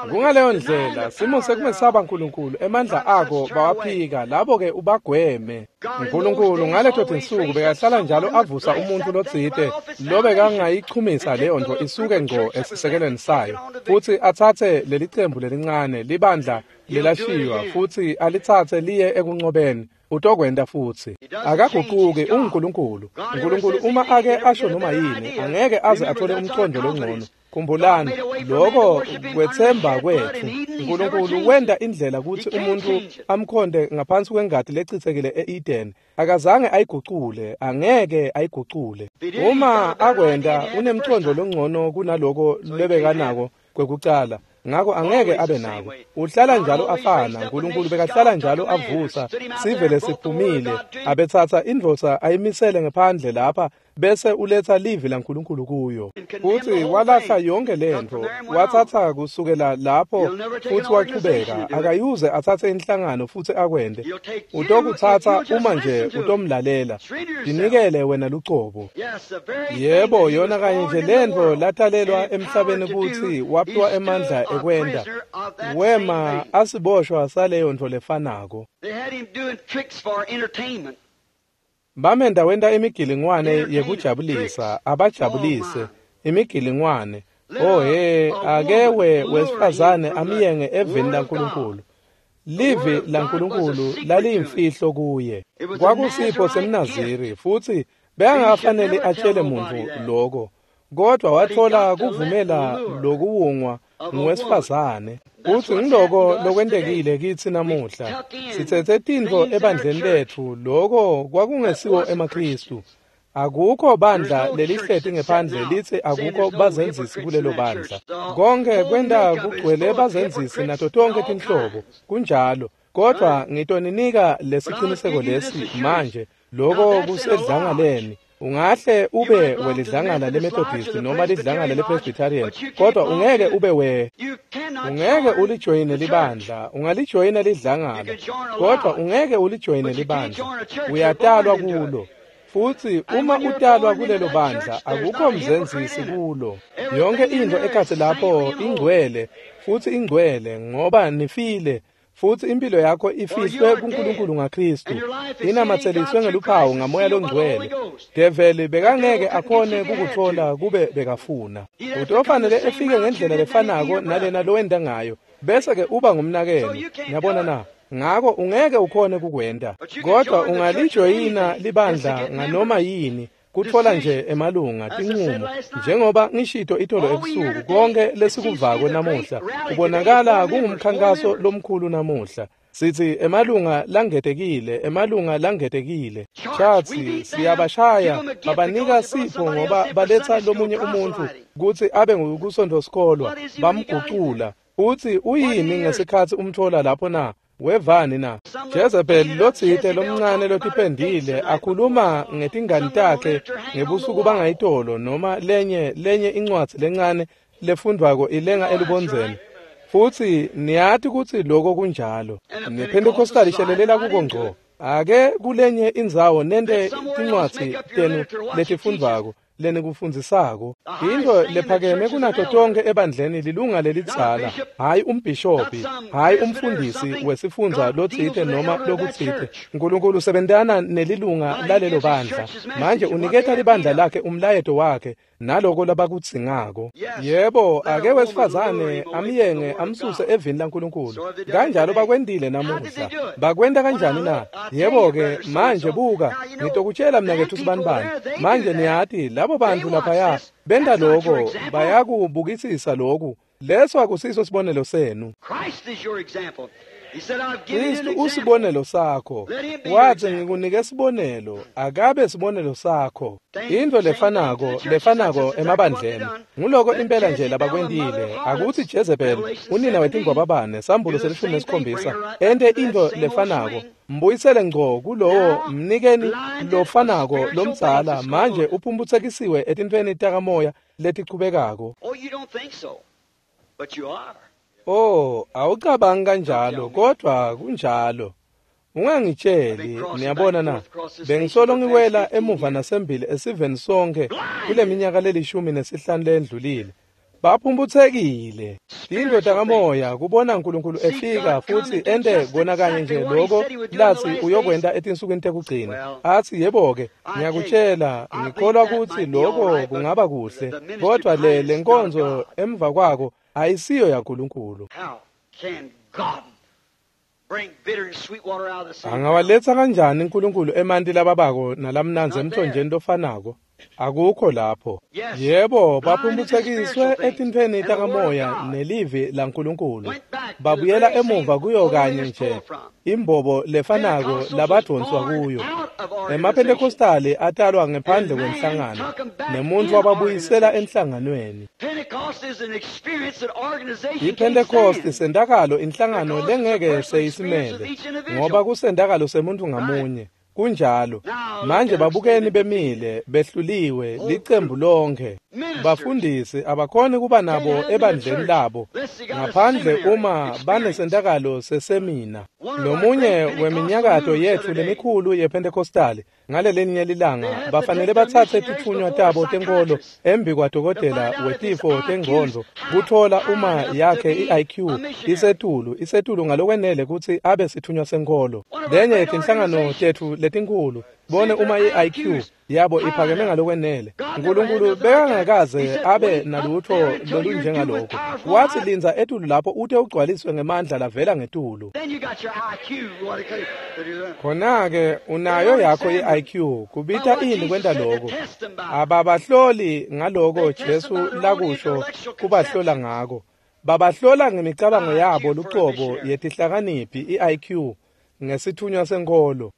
Kungaleyo ndlela simo sekumesaba uNkulunkulu, emandla ako bawaphika, labo-ke ubagweme. uNkulunkulu ngaleto tinsuku bekahlala njalo avusa umuntfu lotsite lobekangayichumisa leyo ntfo isuke ngco esisekelweni sayo, futsi atsatse lelicembu lelincane libandla lelashiywa futsi alitsatse liye ekuncobeni. Utokwenta futsi. Akaguquki, unguNkulunkulu. uNkulunkulu uma ake asho noma yini, angeke aze athole umcondo longcono. Khumbulani, loko kwetsemba kwetfu. uNkulunkulu wenta indlela kutsi umuntu amkhonde ngaphansi kwengati lecitsekile e-Eden. Akazange ayigucule, angeke ayigucule. Uma akwenta, unemcondo longcono kunaloko lebekanako kwekucala. Ngako angeke abe nako. Uhlala njalo afana. uNkulunkulu bekahlala njalo avusa sive lesiphumile, abetsatsa indvodza ayimisele ngephandle lapha bese uletsa livi laNkulunkulu kuyo. Futsi walahla yonke lentfo, watsatsa kusukela lapho futsi wachubeka. Akayuze atsatse inhlangano futsi akwente. Utokutsatsa uma nje utomlalela. Tinikele wena lucobo. Yebo, yona kanye nje lentfo latalelwa emhlabeni kutsi waphiwa emandla ekwenta. Wema asiboshwa saleyo ntfo lefanako. Bamenda wenta imigilingwane yekujabulisa, abajabulise imigilingwane. Oh he, ake wesifazane amyenge eveni laNkulunkulu. Livi laNkulunkulu laliyimfihlo kuye. Kwakusipho semNaziri futsi bekangafanele atshele muntfu loko, kodwa watfola kuvumela lokuwungwa nguwesifazane. Futsi ngiloko lokwentekile kitsi namuhla. Sitsetse tintfo ebandleni letfu, loko kwakungesiwo emaKhristu. Akukho bandla lelihleti ngephandle litsi akukho bazenzisi kulelo bandla. Konke kwenta kugcwele bazenzisi nato tonke tinhlobo. Kunjalo. Kodwa ngitoninika lesiciniseko lesi manje, loko kusedlangaleni. Ungahle ube welidlangala leMethodist noma lidlangala lePresbyterian, kodwa ungeke ube we ungeke ulijoyine libandla. Ungalijoyina lidlangala, kodwa ungeke ulijoyine libandla. Uyatalwa kulo. Futhi uma utalwa kulelo bandla, akukho mzenzisi kulo. Yonke into ekhatsi lapho ingcwele, futhi ingcwele ngoba nifile, futhi impilo yakho ifihlwe kuNkulunkulu ngaKristu, inamatseliswe ngeluphawu ngamoya longcwele. Develi bekangeke akhone kukuthola kube bekafuna. Utofanele efike ngendlela lefanako nalena lowenda ngayo, bese-ke uba ngumnakeno. Niyabona na? Ngako ungeke ukhone kukwenta, kodwa ungalijoyina libandla nganoma yini, kutfola nje emalunga, tinqumo. Njengoba ngishito itolo ebusuku, konke lesikuvako namuhla kubonakala kungumkhankaso lomkhulu namuhla. Sithi emalunga langetekile, emalunga langetekile. Chatsi siyabashaya, babanika sipho ngoba baletha lomunye umuntu kutsi abe ngukusonto-sikolwa, bamgucula. Uthi uyini ngesikhatsi umthola lapho na? Wevani na? Jezebel lotsite lomncane lotipendile akhuluma ngetingani takhe ngebusuku bangayitolo, noma lenye incwadzi lencane lefundvwako ilenga elubondzeni. Futhi niyati kutsi lokho kunjalo. NePentecostal ishelelela kuko ngco. Ake kulenye indzawo nente tincwadzi tenu letifundvwako lenikufundzisako. Into lephakeme kunato tonke ebandleni lilunga lelidzala, hhayi umbhishobhi, hhayi umfundisi wesifundza lotsite noma lokutsite. Nkulunkulu usebentana nelilunga lalelo bandla. Manje uniketa libandla lakhe umlayeto wakhe naloko labakudzingako. Yebo, ake wesifazane amyenge amsuse evini laNkulunkulu. Kanjalo bakwentile namuhla. Bakwenta kanjani na? Yebo-ke, manje buka, ngitokutshela mnaketfu sibanibani. Manje niyati, labo bantu laphaya benta loko, bayakubukisisa loku. Leso akusiso sibonelo senu. Kristu usibonelo sakho. Wathi ngikunike sibonelo, akabe sibonelo sakho. Into lefanako emabandleni. Nguloko impela nje labakwentile. Akuthi Jezebel, unina wetingwababane, sambulo se-17, ente into lefanako. Mbuyisele ngco kulowo mnikeni lofanako lomdzala, manje uphumputsekisiwe etintfweni takamoya letichubekako. Oh, awucabangi kanjalo, kodwa kunjalo. Ungangitsheli, niyabona na? Bengisolo ngiwela emuva nasembili esiveni sonke kule minyaka le-15 lendlulile. Baphumphutsekile. Tintfo takamoya kubona uNkulunkulu efika futhi ente kona kanye nje lokho lathi uyokwenta etinsukwini tekugcina. Athi yebo-ke, ngiyakutshela, ngikholwa kutsi lokho kungaba kuhle, kodwa le nkonzo emva kwako ayisiyo yaNkulunkulu. Angawaletsa kanjani uNkulunkulu emanti lababako nalamnandzi emthonjeni lofanako? Akukho lapho. Yebo, baphumphutsekiswe etintfweni takamoya nelivi laNkulunkulu. Babuyela emuva kuyo kanye nje imbobo lefanako labadvonswa kuyo. EmaPentecostali atalwa ngephandle kwenhlangano, nemuntfu wababuyisela enhlanganweni. IPentecost sentakalo inhlangano lengeke seyisimele, ngoba kusentakalo semuntfu ngamunye. Kunjalo. Manje babukeni bemile, behluliwe, licembu lonke. Bafundisi abakhoni kuba nabo ebandleni labo ngaphandle uma banesentakalo sesemina. Lomunye weminyakato yetfu lemikhulu yePentecostali ngalelinye lilanga bafanele batsatse titfunywa tabo tenkolo embi kwadokotela wetifo tengcondvo kutfola uma yakhe i-IQ isetulu ngalokwenele kutsi abe sitfunywa senkolo. Lenye yetinhlangano tetfu letinkhulu bone uma i-IQ yabo iphakeme ngalokwenele. Nkulunkulu bekangakaze abe nalutho lolunjengalokho. Wathi lindza etulu lapho ute ugcwaliswe ngemandla lavela ngetulu. Khona-ke unayo yakho i-IQ, kubita ini kwenta lokho? Ababahloli ngaloko Jesu lakusho kubahlola ngako. Babahlola ngemicabango yabo lucobo yetihlakaniphi i-IQ ngesithunywa senkolo.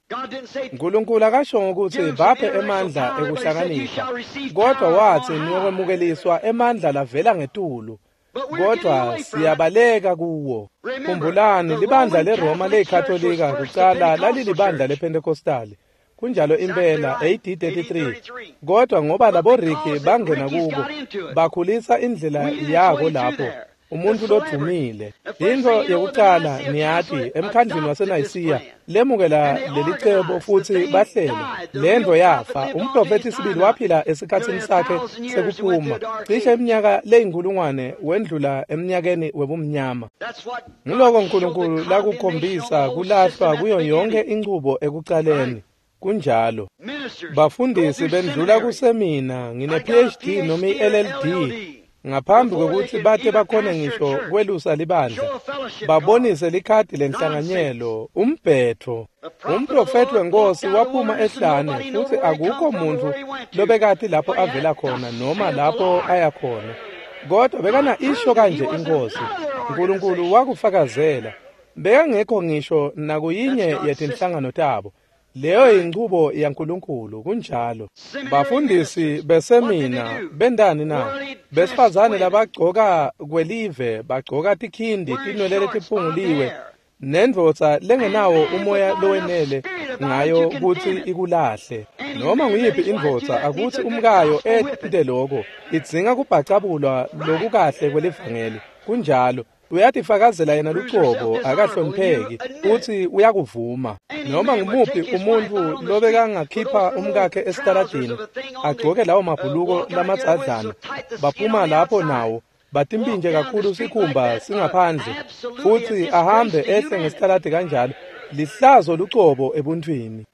Nkulunkulu akashongo kutsi baphe emandla ekuhlakanipha, kodwa wathi niyokwemukeliswa emandla lavela ngetulu. Kodwa siyabaleka kuwo. Khumbulani, libandla leRoma leyiKatolika kucala lalilibandla lePentecostali. Kunjalo impela AD 33. Kodwa ngoba labo Ricky bangena kuko, bakhulisa indlela yako lapho. Umuntu lodvumile. Intfo yekucala niyati emkhandlwini waseNayisiya lemukela lelicebo futsi bahlela. Lentfo yafa. Umprofethi sibili waphila esikhatsini sakhe sekuphuma. Cishe iminyaka leyinkulungwane wendlula eminyakeni webumnyama. Ngiloko uNkulunkulu lakukhombisa kulahlwa kuyo yonke inchubo ekucaleni. Kunjalo. Bafundisi bendlula kusemina ngine PhD noma i-LLD. Ngaphambi kwekutsi bate bakhone ngisho kwelusa libandla, babonise likhadi lenhlanganyelo, umbhetho. Umprofethi wenkosi waphuma ehlane futsi akukho muntfu lobekati lapho avela khona noma lapho aya khona. Kodwa bekana isho kanje inkosi, uNkulunkulu wakufakazela. Bekangekho ngisho nakuyinye yetinhlangano tabo. Leyo inchubo yaNkulunkulu. Kunjalo. Bafundisi besemina bendani na? Besifazane labagcoka kwelive bagcoka tikhindi tinwele letiphunguliwe nendvodza lengenawo umoya lowenele ngayo kutsi ikulahle. Noma nguyiphi indvodza akutsi umkayo ente lokho, idzinga kubhacabulwa lokukahle kwelivangeli. Kunjalo. Uyatifakazela yena lucobo, akahlonipheki, futsi uyakuvuma. Noma ngumuphi umuntfu lobekangakhipha umkakhe esitaladini agcoke lawo mabhuluko lamadzadlana, baphuma lapho nawo batimpintje kakhulu sikhumba singaphandle, futsi ahambe ehle ngesitaladi kanjalo, lihlazo lucobo ebuntwini.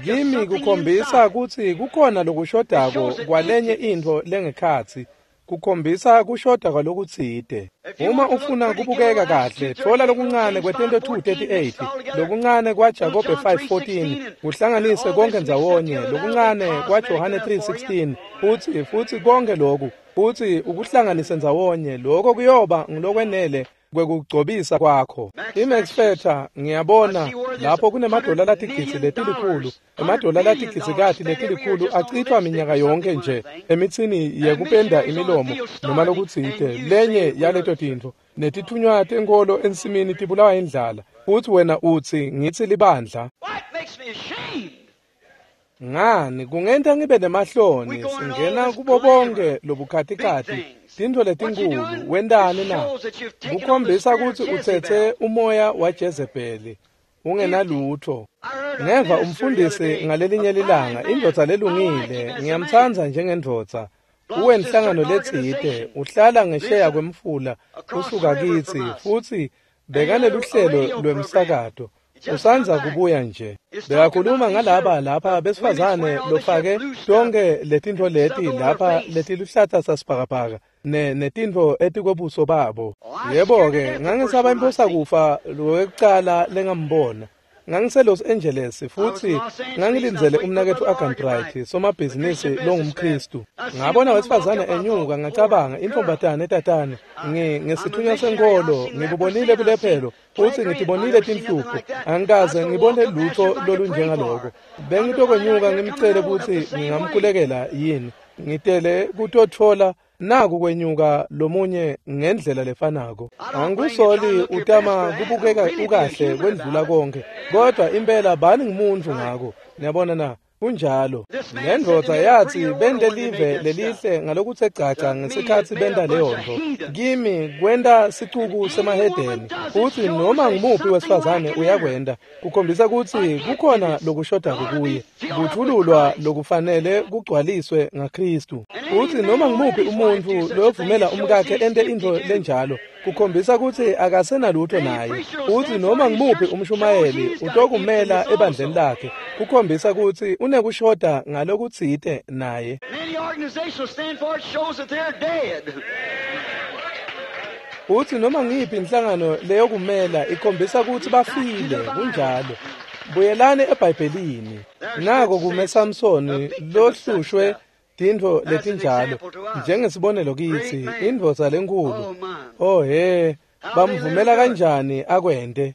Kimi kukhombisa kutsi kukhona lokushodako kwalenye intfo lengekhatsi. Kukhombisa kushoda kwalokutsite. Uma ufuna kubukeka kahle, thola lokuncane kwetento 2:38, lokuncane kwaJakobe 5:14, kuhlanganise konke ndzawonye, lokuncane kwaJohane 3:16, futsi konke lokhu, futsi ukuhlanganise ndzawonye, lokho kuyoba ngulokwenele kwekugcobisa kwakho. IMax Factor ngiyabona lapho kunemadola latigidzi letilikhulu, emadola latigidzikati letilikhulu acithwa minyaka yonke nje emitsini yekupenda imilomo noma lokutsite, lenye yaleto tintfo, netithunywa tenkholo ensimini tibulawa indlala, futsi wena utsi ngitsi libandla. Ngani kungenta ngibe nemahloni singena kubo bonke lobukhatikati tintfo letinkulu. Wentani na? Kukhombisa kutsi utsetse umoya waJezebeli ungenalutho. Ngeva umfundisi ngalelinye lilanga, indvodza lelungile, ngiyamtsandza njengendvodza, uwenhlangano letsite, uhlala ngesheya kwemfula usuka kitsi, futsi bekaneluhlelo lwemsakato. Usandza kubuya nje. Bekakhuluma ngalaba lapha besifazane lofake tonke letintfo leti lapha letiluhlata sasibhakabhaka netintfo etikwebuso babo. Yebo-ke, ngangisaba imphosa kufa lokucala lengambona. Ngangise-Los Angeles futsi ngangilindzele umnaketfu Arganbright, somabhizinisi longumKhristu. Ngabona wesifazane enyuka, ngacabanga intombatane etatane, ngesithunywa senkholo, ngibubonile bulephelo futsi ngitibonile tinhlupho, angikaze ngibone lutho lolunjengaloko. Bengitokwenyuka ngimcele kutsi ngingamkhulekela yini, ngitele kutotfola naku kwenyuka lomunye ngendlela lefanako. Angikusoli utama kubukeka ukahle kwendlula konke, kodwa impela bani ngumuntu ngako. Niyabona na? Kunjalo. Lendvodza yatsi bente live lelihle ngalokutse gcaca ngesikhatsi benta leyo ntfo. Kimi kwenta sicuku semahedeni, futsi noma ngumuphi wesifazane uyakwenta, kukhombisa kutsi kukhona lokushodako kuye, kuthululwa lokufanele kugcwaliswe ngaKhristu. Futsi noma ngumuphi umuntfu lovumela umkakhe ente intfo lenjalo, kukhombisa kutsi akasenalutho naye. Futsi noma ngumuphi umshumayeli utokumela ebandleni lakhe, kukhombisa kutsi unekushoda ngalokutsite naye. Utsi noma ngiyiphi inhlangano leyokumela ikhombisa kutsi bafile. Kunjalo. Buyelani eBhayibhelini. Nako kume Samsoni lohlushwe tintfo letinjalo njengesibonelo kitsi, indvodza lenkhulu. Oh he, bamvumela kanjani akwente?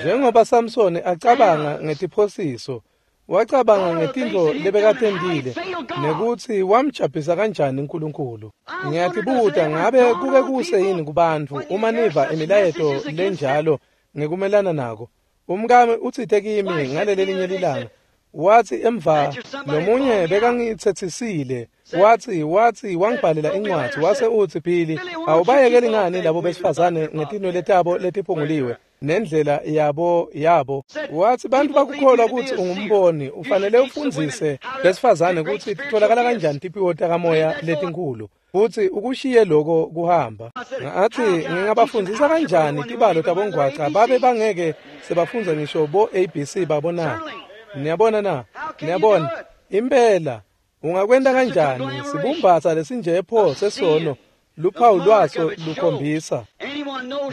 Njengoba Samsoni acabanga ngetiphosiso, wacabanga ngetintfo lebekatentile nekutsi wamjabhisa kanjani uNkulunkulu. Ngiyatibuta ngabe kuke kuse yini kubantfu uma niva imilayeto lenjalo ngekumelana nako. Umkami utsite kimi ngalelelinye lilanga, wathi emva lomunye bekangitsetsisile, wathi wangibhalela incwadi, wase utsi Billy, awubayekeli ngani labo besifazane ngetinwele tabo letiphunguliwe nendlela yabo. Wathi bantu bakukholwa ukuthi ungumboni, ufanele ufundzise besifazane kutsi titfolakala kanjani tiphiwo takamoya letinkulu, futhi ukushiye lokho kuhamba. Ngathi ngingabafundzisa kanjani tibalo tabongwaca babe bangeke sebafundza ngisho bo ABC babona. Niyabona na? Niyabona? Impela ungakwenta kanjani sibumbatsa lesinje pho sesono luphawu lwaso lukhombisa.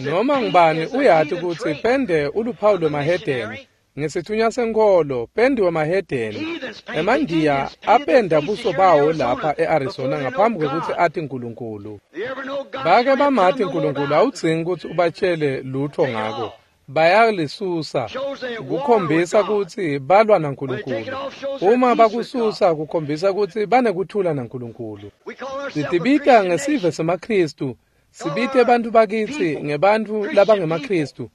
Noma ngubani uyati kutsi pende uluphawu lwemahedeni. Ngesithunywa senkholo pende wemahedeni. Emandiya apenda buso bawo lapha e-Arizona ngaphambi kwekutsi ati Nkulunkulu. Bake bamati Nkulunkulu, awudzingi kutsi ubatshele lutho ngako. Bayalisusa kukhombisa kutsi balwa naNkulunkulu. Uma bakususa kukhombisa kutsi banekuthula naNkulunkulu. Sitibita ngesive semaKhristu, sibite bantfu bakitsi ngebantfu labangemaKhristu.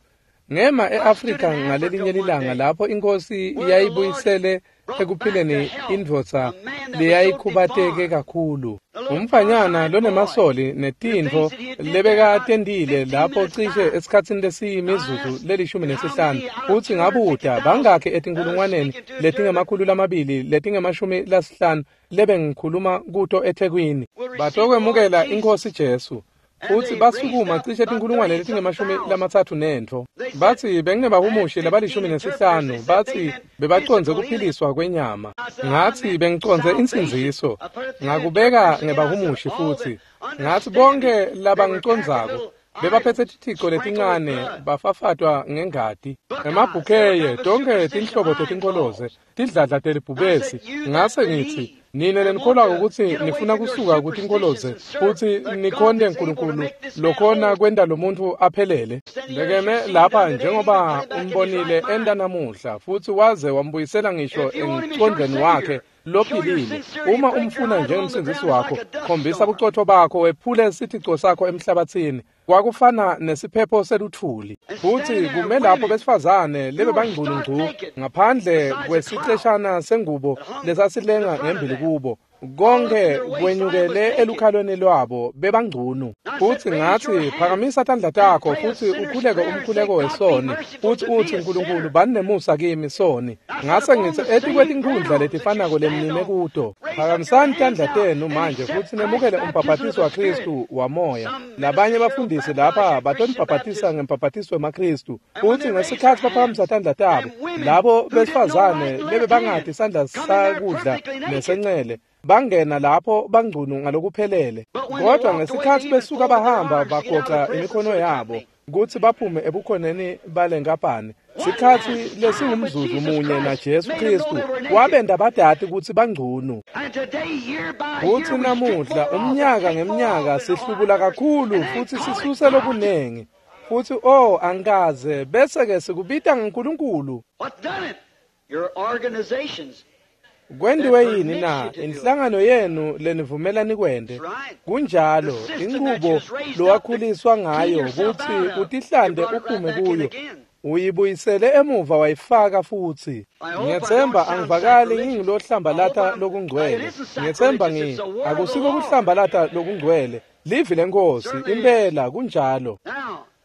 Ngema e-Afrika ngalelinye lilanga lapho inkosi yayibuyisele ekuphileni indvodza leyayikhubateke kakhulu. Umfanyana lonemasoli netintfo lebekatentile lapho cishe esikhatsini lesiyimizuzu le-15, futsi ngabuta bangakhi etinkulungwaneni letingama-200 letingama-50 lebengikhuluma kuto eThekwini batokwemukela iNkhosi Jesu. Futsi basukuma cishe tinkulungwane letingama-30 nentfo. Batsi benginebahumushi labali-15, batsi bebacondze kuphiliswa kwenyama. Ngatsi bengicondze insindziso, ngakubeka ngebahumushi futsi. Ngatsi bonke labangicondzako bebaphetse tithico letincane bafafatwa ngengati, emabhukheye, tonke tinhlobo tetinkholoze, tidladla telibhubesi. Ngase ngitsi nine lenikholwako kutsi nifuna kusuka kutinkholoze futsi nikhonte Nkulunkulu lokhona kwenta lo muntfu aphelele. Bekeme lapha njengoba umbonile enta namuhla, futsi waze wambuyisela ngisho emcondvweni wakhe lophilile. Uma umfuna njengemsindzisi wakho, khombisa bucotfo bakho, wephule sithico sakho emhlabatsini. Kwakufana nesiphepho seluthuli. Futsi kume lapho besifazane lebebangcunu ngaphandle kwesiceshana sengubo lesasilenga ngembili kubo. Konke kwenyukele elukhalweni lwabo bebangcunu. Futsi ngatsi phakamisa tandla takho futsi ukhuleke umkhuleko wesoni, futsi utsi Nkulunkulu bani nemusa kimi soni. Ngase ngitsi etikwetinkhundla letifanako lemnime kuto, phakamisani tandla tenu manje futsi nemukele umbhabhatiso waKhristu wamoya. Labanye bafundisi lapha batonibhabhatisa ngembhabhatiso wemaKhristu. Futsi ngesikhatsi baphakamisa tandla tabo, labo besifazane lebebangati sandla sakudla nesencele bangena lapho bangcunu ngalokuphelele. Kodwa ngesikhatsi besuka bahamba bagoca imikhono yabo kutsi baphume ebukhoneni balenkapani, sikhatsi lesingumzuzu munye na Jesu Khristu wabenta badati kutsi bangcunu. Futsi namuhla umnyaka ngemnyaka sihlubula kakhulu futsi sisuse lokunengi. Futsi angikaze bese-ke sikubita ngaNkulunkulu. Kwendiwe yini na? Inhlangano yenu lenivumela nikwente. Kunjalo, inqubo lowakhuliswa ngayo kutsi utihlande uphume kuyo, uyibuyisele emuva wayifaka futsi. Ngiyethemba angivakali ngingulohlambalata lokungcwele. Ngiyethemba akusiko kuhlambalata lokungcwele. Livi leNkhosi, impela kunjalo.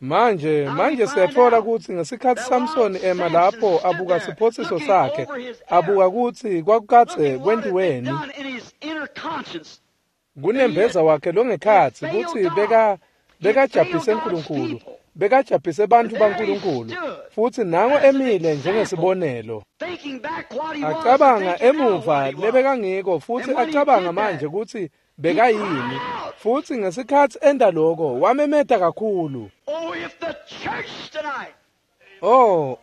Manje siyatfola kutsi ngesikhatsi Samsoni ema lapho abuka siphosiso sakhe, abuka kutsi kwakukadze kwentiweni kunembeza wakhe longekhatsi kutsi bekajabhise Nkulunkulu, bekajabhise bantfu baNkulunkulu, futsi nango emile njengesibonelo. Acabanga emuva lebekangiko futsi acabanga manje kutsi bekayini. Futsi ngesikhatsi enta lokho wamemeta kakhulu.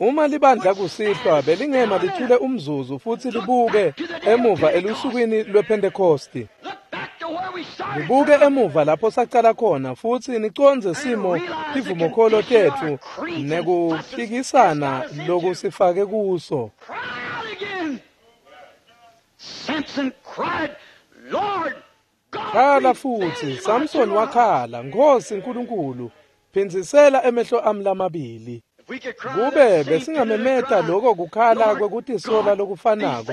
Uma libandla kusihlwa belingema lithule umzuzu futsi libuke emuva elusukwini lwePhentekosti, libuke emuva lapho sacala khona futsi nicondze simo tivumokholo tetfu nekuphikisana lokusifake kuso. Khala futsi, Samson wakhala, Nkhosi Nkulunkulu, phindzisela emehlo ami lamabili. Kube besingamemeta lokho kukhala kwekutisola lokufanako,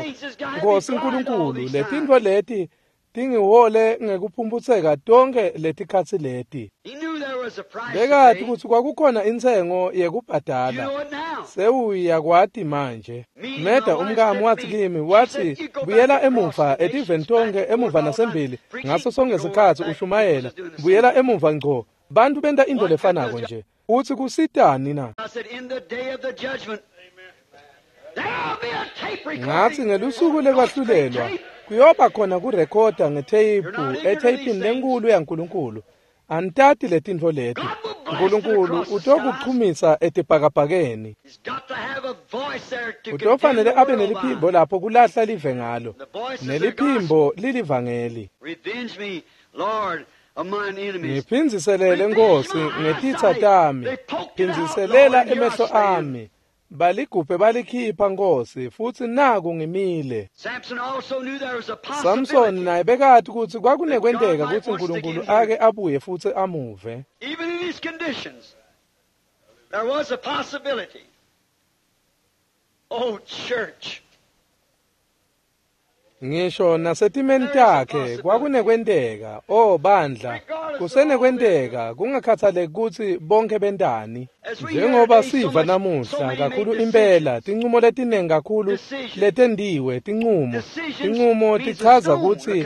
Nkosi Nkulunkulu, letintfo leti tingihole ngekuphumputseka tonke letikhatsi leti. Bekati kutsi kwakukhona intsengo yekubhadala. Sewuyakwati manje. Meda umkami watsi kimi, watsi, buyela emuva etiveni tonke emuva nasembili, ngaso sonke sikhatsi ushumayela, buyela emuva ngco. Bantu benta into lefanako nje. Utsi kusitani na? Ngatsi ngelusuku lekwahlulelwa kuyoba khona kurekhoda ngetheyiphu etheyipini lenkulu yaNkulunkulu. Anitati letintfo leti. Nkulunkulu utokuchumisa etibhakabhakeni. Utofanele abe neliphimbo lapho kulahla live ngalo. Neliphimbo lilivangeli. Ngiphindziselele Nkosi ngetitsa tami. Phindziselela emehlo ami. Baligubhe balikhipha Nkosi, futsi naku ngimile. Samson naye bekati kutsi kwakunekwenteka kutsi Nkulunkulu ake abuye futsi amuve. Even in his conditions, there was a possibility. Oh, church. Ngisho nasetimeni takhe kwakunekwenteka. Oh bandla, kusenekwenteka kungakhathaleki kutsi bonke bentani. Njengoba siva namuhla kakhulu impela tincumo letiningi kakhulu letendiwe tincumo. Tincumo tichaza kutsi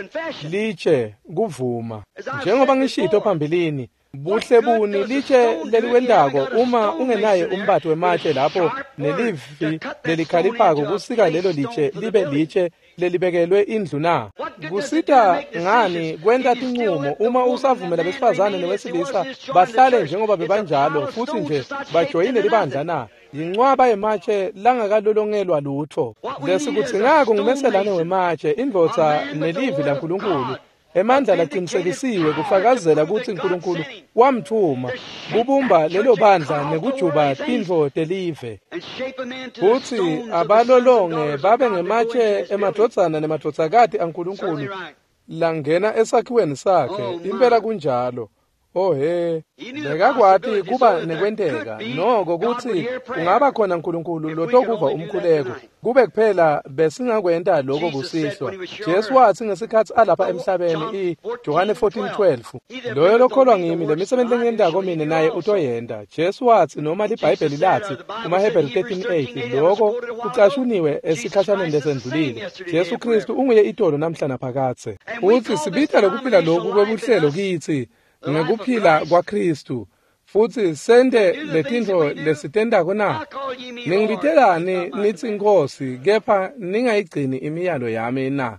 litshe kuvuma. Njengoba ngishito phambilini, buhle buni litshe leliwentako uma ungenaye umbati wematshe lapho nelivi lelikhaliphako kusika lelo litshe libe litshe lelibekelwe indlu na? Kusita ngani kwenta tincumo uma usavumela besifazane newesilisa bahlale njengoba bebanjalo futsi nje bajoyine libandla na? Yincwaba yematshe langakalolongelwa lutfo. Lesikudzingako ngumeselane wematshe, indvodza nelivi laNkulunkulu. Emandla laqinisekisiwe kufakazela kutsi Nkulunkulu wamtfuma kubumba lelo bandla nekujuba tintfo telive. Kutsi abalolonge babe ngematshe emadvodzana nemadvodzakati aNkulunkulu langena esakhiweni sakhe. Impela kunjalo. Oh he, bekakwati kuba nekwenteka noko kutsi kungaba khona Nkulunkulu lotokuva umkhuleko. Kube kuphela besingakwenta lokho kusihlwa. Jesu watsi ngesikhatsi alapha emhlabeni iJohane 14:12, loyo lokholwa ngimi lemisebenti lengiyentako mine naye utoyenta. Jesu watsi noma liBhayibheli latsi kumaHebheru 13:8 lokho kucashuniwe esikhashaneni lesendlulile. Jesu Kristu unguye itolo namhla naphakadze. Utsi sibita lokuphila loku kwebuhlelo kitsi ngekuphila kwaKristu futsi sente letintfo lesitentako na? Ningibitelani nitsi Nkosi, kepha ningayigcini imiyalo yami na?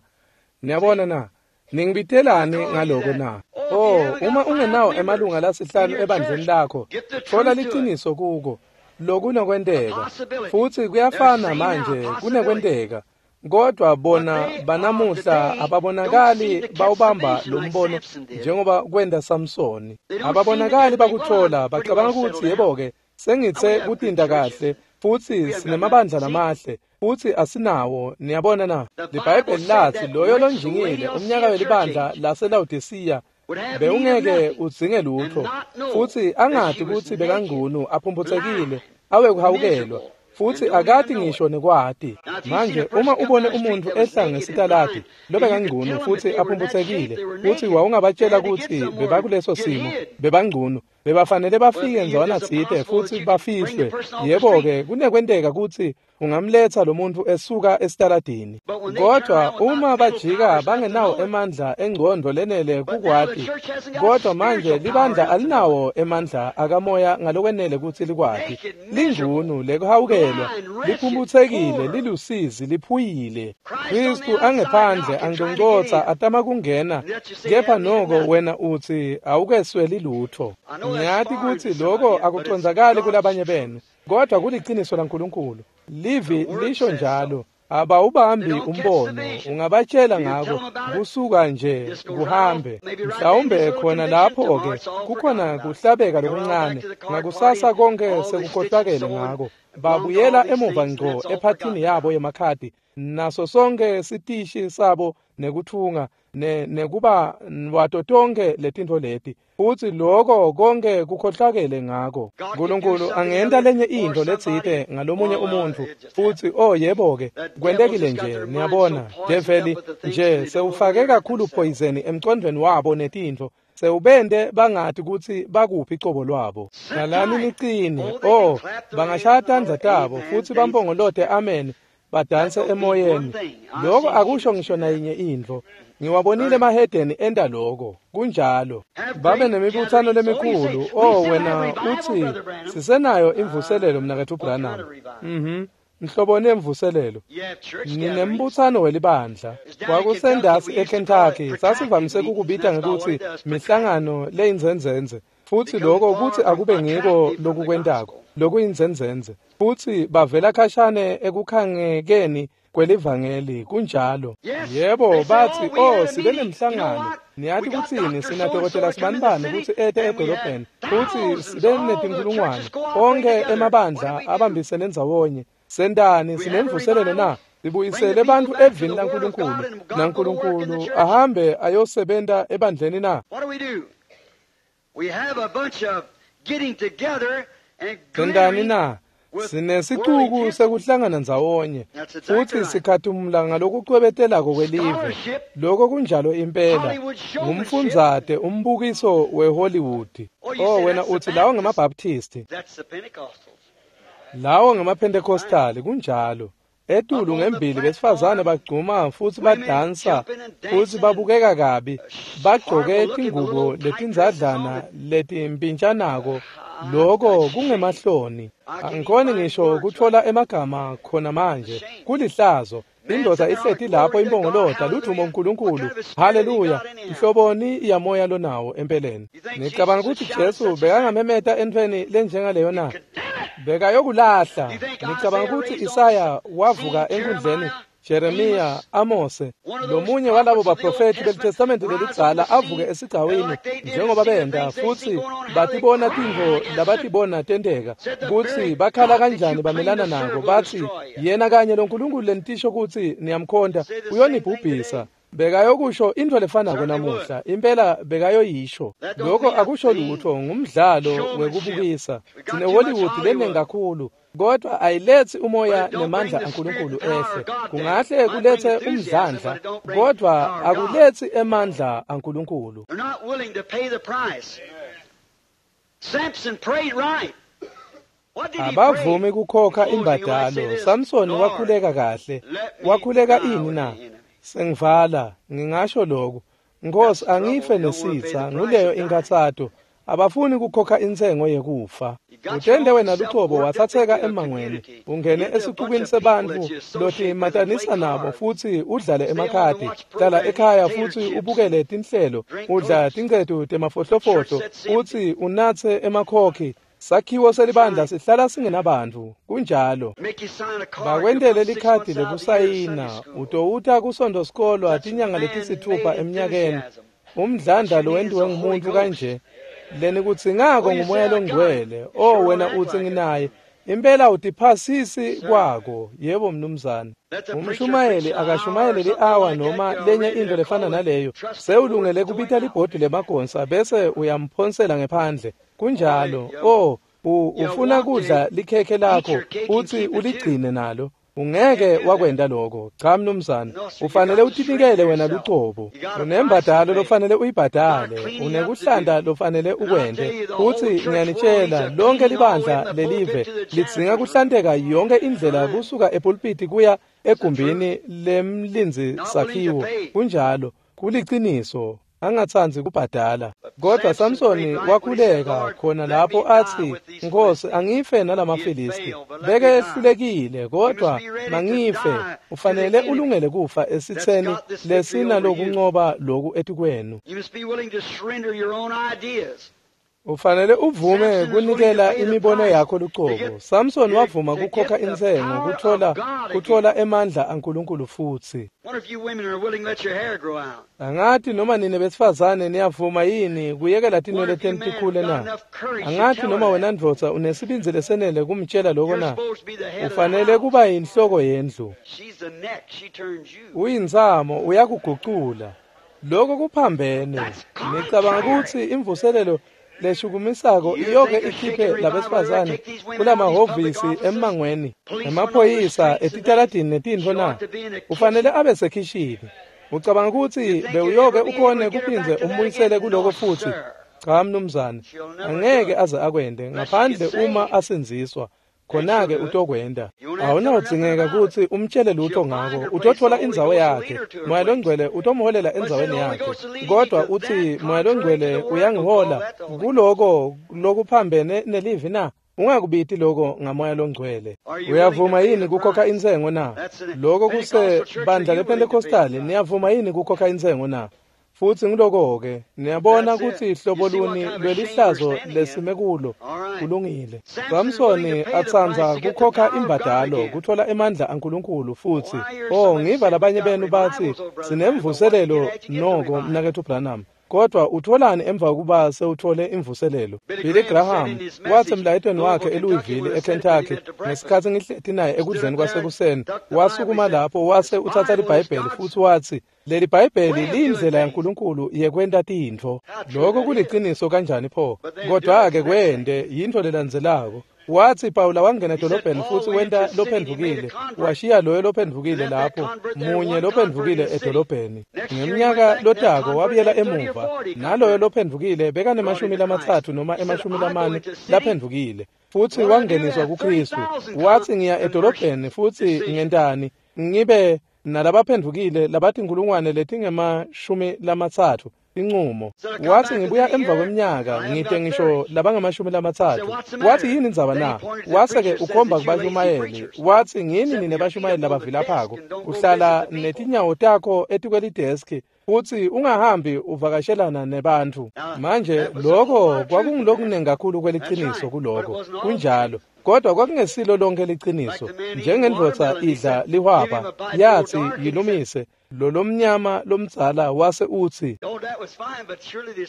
Niyabona na? Ningibitelani ngaloko na? Oh, uma ungenawo emalunga lasihlanu ebandleni lakho, thola liciniso kuko. Lokunokwenteka futsi kuyafana manje kunekwenteka. Kodwa bona banamuhla ababonakali bawubamba lo mbono njengoba kwenda Samsoni. Ababonakali bakuthola, bacabanga kutsi yebo-ke sengitse kutinta kahle futsi sinemabandla lamahle futsi asinawo. Niyabona na? LiBhayibheli latsi loyo lonjingile umnyaka welibandla laseLawodisiya bewungeke udzinge lutfo futsi angati kutsi bekangunu, aphumphutsekile, awekuhawukelwa futsi akati ngisho nekwati. Manje uma ubone umuntu ehla ngesitaladi lobekangcunu futsi aphumphutsekile futsi wawungabatshela kutsi bebakuleso simo bebangcunu, bebafanele bafike ndzawana tsite futsi bafihlwe. Yebo-ke kunekwenteka kutsi ungamletsa lo muntu esuka esitaladini. Kodwa uma bajika bangenawo emandla engcondvo lenele kukwati. Kodwa manje libandla alinawo emandla akamoya ngalokwenele kutsi likwati. Lingcunu lekuhawukelwa, liphumphutsekile, lilusizi, liphuyile. Kristu angephandle angcongcotsa atama kungena, kepha noko wena utsi awukesweli lutfo. Ngiyati kutsi lokho akucondzakali kulabanye benu, kodwa kuliciniso laNkulunkulu. Livi lisho njalo. Abawubambi umbono, ungabatshela ngako kusuka nje kuhambe. Mhlawumbe khona lapho-ke kukhona kuhlabeka lokuncane, ngakusasa konke sekukhohlakele ngako. Babuyela emuva ngco ephathini yabo yemakhadi naso sonke sitishi sabo nekuthunga nekuba wato tonke letintfo leti, futsi loko konke kukhohlakele ngako. Nkulunkulu angenta lenye intfo letsite ngalomunye umuntfu, futsi oh yebo-ke, kwentekile nje, niyabona, develi nje sewufake kakhulu poison emcondvweni wabo netintfo, sewubente bangati kutsi bakuphi cobo lwabo. Hlalani nicine, oh, bangashaya tandla tabo futsi bampongolote amen, badanse emoyeni. Lokho akusho ngisho nayinye intfo. Ngiwabonile emahedeni enta lokho, kunjalo. Babe nemibutsano lemikhulu. Oh wena utsi sisenayo imvuselelo mnaketfu Branham. Mhloboni emvuselelo. Ninembutsano welibandla. Kwakusendasi eKentucky, sasivamise kukubita ngekutsi mihlangano leyinzenzenze. Futsi lokho kutsi akube ngiko lokukwentako, lokuyinzenzenze. Futsi bavela khashane ekukhangekeni kwelivangeli, kunjalo. Yebo, batsi, oh, sibe nemhlangano. Niyati kutsini, sinadokotela sibanibani kutsi ete edolobheni, futsi sibe netinkhulungwane. Onkhe emabandla abambisene ndzawonye. Sentani, sinemvuselelo na? Sibuyisele bantfu evini laNkulunkulu, naNkulunkulu ahambe ayosebenta ebandleni na? Sentani na? Sinesicuku sekuhlangana ndzawonye, futsi sikhathumula ngalokucwebetelako kwelive. Lokho kunjalo impela. Ngumfundzate umbukiso weHollywood. Oh wena utsi lawo ngemaBaptisti, lawo ngemaPentecostali, kunjalo. Etulu ngembili besifazane bagcuma futsi badansa futsi babukeka kabi, bagcoke tingubo letindzadlana letimpintshanako. Lokho kungemahloni. Angikhoni ngisho kutfola emagama khona manje. Kulihlazo. Indoda ihleti lapho impongolota, ludvumo uNkulunkulu, haleluya. Mhloboni yamoya lonawo empeleni. Ngicabanga ukuthi Jesu bekangamemeta entfweni lenjengaleyo na? Bekayokulahla. Ngicabanga ukuthi Isaya wavuka enkundleni, Jeremiya, Amose, lomunye walabo baprofethi beliTestamenti lelidzala avuke esigcawini njengoba benta, futsi batibona tintfo labatibona tenteka, kutsi bakhala kanjani bamelana nako, batsi yena kanye loNkulunkulu lenitisho kutsi niyamkhonta uyonibhubhisa. Bekayokusho intfo lefanako namuhla, impela bekayoyisho. Lokho akusho lutho, ngumdlalo wekubukisa. Sine Hollywood lenengi kakhulu, kodwa ayiletsi umoya nemandla aNkulunkulu ehle. Kungahle kulethe umdlandla, kodwa akuletsi emandla aNkulunkulu. Abavumi kukhokha imbadalo. Samsoni wakhuleka kahle. Wakhuleka ini na? Sengivala, ngingasho lokhu. Nkosi, angife nesitsa, nguleyo inkathato. Abafuni kukhokha intsengo yekufa. Utende wena lucobo watsatseka emangweni, ungene esixukwini sebantfu lotimatanisa nabo futsi udlale emakhadi. Hlala ekhaya futsi ubukele tinhlelo, udla tincetu temafohlofohlo futsi unatse emakhokhi. Sakhiwo selibandla sihlala singenabantfu, kunjalo. Bakwentele likhadi lekusayina, utowuta kusonto sikolwa tinyanga letisithupha emnyakeni. Umdlandla lowentiwe ngumuntu kanje, lenikudzingako ngumoya longcwele. Oh wena utsi nginaye, impela utiphasisi kwako. Yebo mnumzane. Umshumayeli akashumayele li-awa noma lenye intfo lefana naleyo, sewulungele kubita libhodi lemagonsa bese uyamphonsela ngephandle. Kunjalo. Oh, ufuna kudla likhekhe lakho futsi uligcine nalo. Ungeke wakwenta lokho. Cha mnumzane, ufanele utinikele wena lucobo. Unembadalo lofanele uyibhadale, unekuhlanta lofanele ukwente. Futsi ngiyanitshela, lonke libandla lelive lidzinga kuhlanteka yonke indlela kusuka epulpiti kuya egumbini lemlindzi sakhiwo. Kunjalo, kuliciniso. Angatsandzi kubhadala. Kodwa Samsoni wakhuleka khona lapho atsi, Nkosi, angife nalamaFilisti. Beke ehlulekile, kodwa mangife. Ufanele ulungele kufa esitseni lesinalokuncoba loku etikwenu. Ufanele uvume kunikela imibono yakho lucobo. Samson wavuma kukhokha intsengo kuthola emandla aNkulunkulu futsi. Angathi noma nine besifazane niyavuma yini kuyekela tinwele tenu tikhule na? Angathi noma wena ndvodza unesibindzi lesenele kumtshela lokho na? Ufanele kuba yinhloko yendlu. Uyintsamo uyakugucula. Lokho kuphambene. Ngicabanga ukuthi imvuselelo leshukumisako iyoke ikhiphe labesifazane kulamahhovisi emmangweni, emaphoyisa etitaladini netintfo na? Ufanele abe sekhishini. Ucabanga ukuthi bewuyoke ukhone kuphindze umbuyisele kuloko futhi? Cha mnumzane, angeke aze akwende ngaphandle uma asindziswa. Khona-ke utokwenda. Awunawudzingeka kutsi umtshele lutho ngako. Utothola indzawo yakhe. Moya Longcwele utomholela endzaweni yakhe. Kodwa uthi Moya Longcwele uyangihola kuloko lokuphambene nelivi na? Ungakubiti loko ngaMoya Longcwele. Uyavuma yini kukhokha intsengo na? Loko kusebandla lePentecostal, niyavuma yini kukhokha intsengo na? Futsi ngiloko-ke niyabona kutsi hlobo luni lwelihlazo lesime kulo. Kulungile. Samsoni atsandza kukhokha imbadalo kuthola emandla aNkulunkulu futsi. Oh, ngiva labanye benu batsi sinemvuselelo noko mnaketfu Branham. Kodwa utholani emva kokuba sewuthole imvuselelo? Billy Graham wathi emlayetweni wakhe eLouisville eKentucky ngesikhatsi ngihleti naye ekudleni kwasekuseni, wasukuma lapho wase utsatsa liBhayibheli futsi watsi leli Bhayibheli liyindlela yaNkulunkulu yekwenta tintfo. Lokho kuliciniso kanjani pho? Kodwa-ke kwente yintfo lelandzelako. Wathi Pawula wangena edolobheni futsi wenta lophendvukile, washiya loyo lophendvukile lapho, munye lophendvukile edolobheni. Ngemnyaka lotako wabuyela emuva, naloyo lophendvukile bekanemashumi lamatsatfu noma emashumi lamane laphendvukile, futsi wangeniswa kuKhristu. Wathi ngiya edolobheni futsi ngentani? Ngibe nalabaphendvukile labatinkhulungwane letingemashumi lamatsatfu. Incumo. Wathi ngibuya emva kweminyaka ngite ngisho labangamashumi lamatsatfu. Wathi yini indzaba na? Wase-ke ukhomba kubashumayeli. Wathi ngini nine bashumayeli labavilaphako. Uhlala netinyawo takho etikwelideski futsi ungahambi uvakashelana nebantfu. Manje lokho kwakungulokunengi kakhulu kweliciniso kuloko. Kunjalo. Kodwa kwakungesilo lonke liciniso. Njengendvodza idla lihwaba, yathi yilumise. Lo lomnyama lomdzala wase utsi,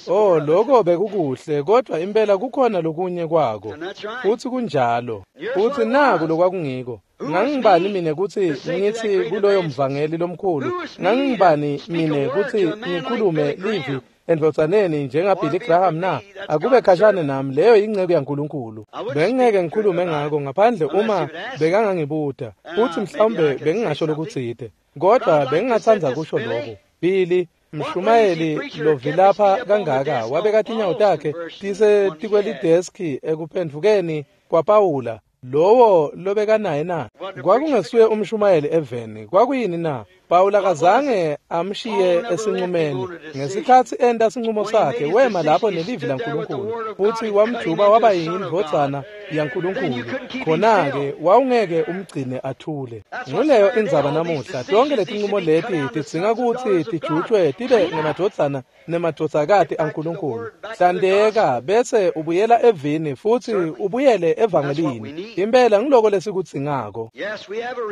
oh, lokho bekukuhle, kodwa impela kukhona lokunye kwako. Futsi kunjalo. Futsi naku lokwakungiko. Ngangibani mine kutsi ngithi kuloyo mvangeli lomkhulu? Ngangibani mine kutsi ngikhulume livi endvodzaneni njengaBilly Graham na? Akube khashane nami, leyo yinceku yaNkulunkulu. Bengingeke ngikhulume ngako ngaphandle uma bekangangibuta, futsi mhlawumbe bengingasho lokutsite. Kodwa bengingatsandza kusho lokhu. Billy, mshumayeli lovilapha kangaka, wabeka tinyawo takhe tisetikwelideski ekuphendvukeni kwaPawula. Lowo lobekanaye na? Kwakungesuye umshumayeli eveni. Kwakuyini na? Pawula kazange amshiye esinqumeni. Ngesikhatsi enta sinqumo sakhe, wema lapho nelivi laNkulunkulu futsi wamjuba waba yindvodzana yaNkulunkulu. Khona-ke wawungeke umgcine athule. Nguleyo indzaba namuhla. Tonke letinqumo leti tidzinga kutsi tijutjwe tibe ngemadvodzana nemadvodzakati aNkulunkulu. Hlandeka bese ubuyela evini futsi ubuyele evangelini. Impela ngiloko lesikudzingako.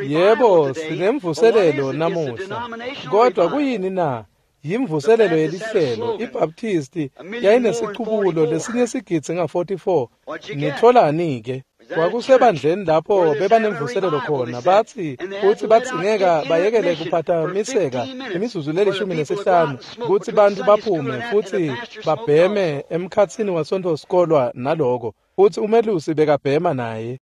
Yebo, sinemvuselelo namuhla. Kodwa kuyini na? Yimvuselelo yelihlelo. iBaptisti yayinesicubulo lesinye sigidzi nga-44. Nitholani-ke? Kwakusebandleni lapho bebanemvuselelo khona, batsi futsi badzingeka bayekele kuphathamiseka imizuzu le-15 kutsi bantfu baphume futsi babheme emkhatsini waSontfo sikolwa naloko. Futsi umelusi bekabhema naye.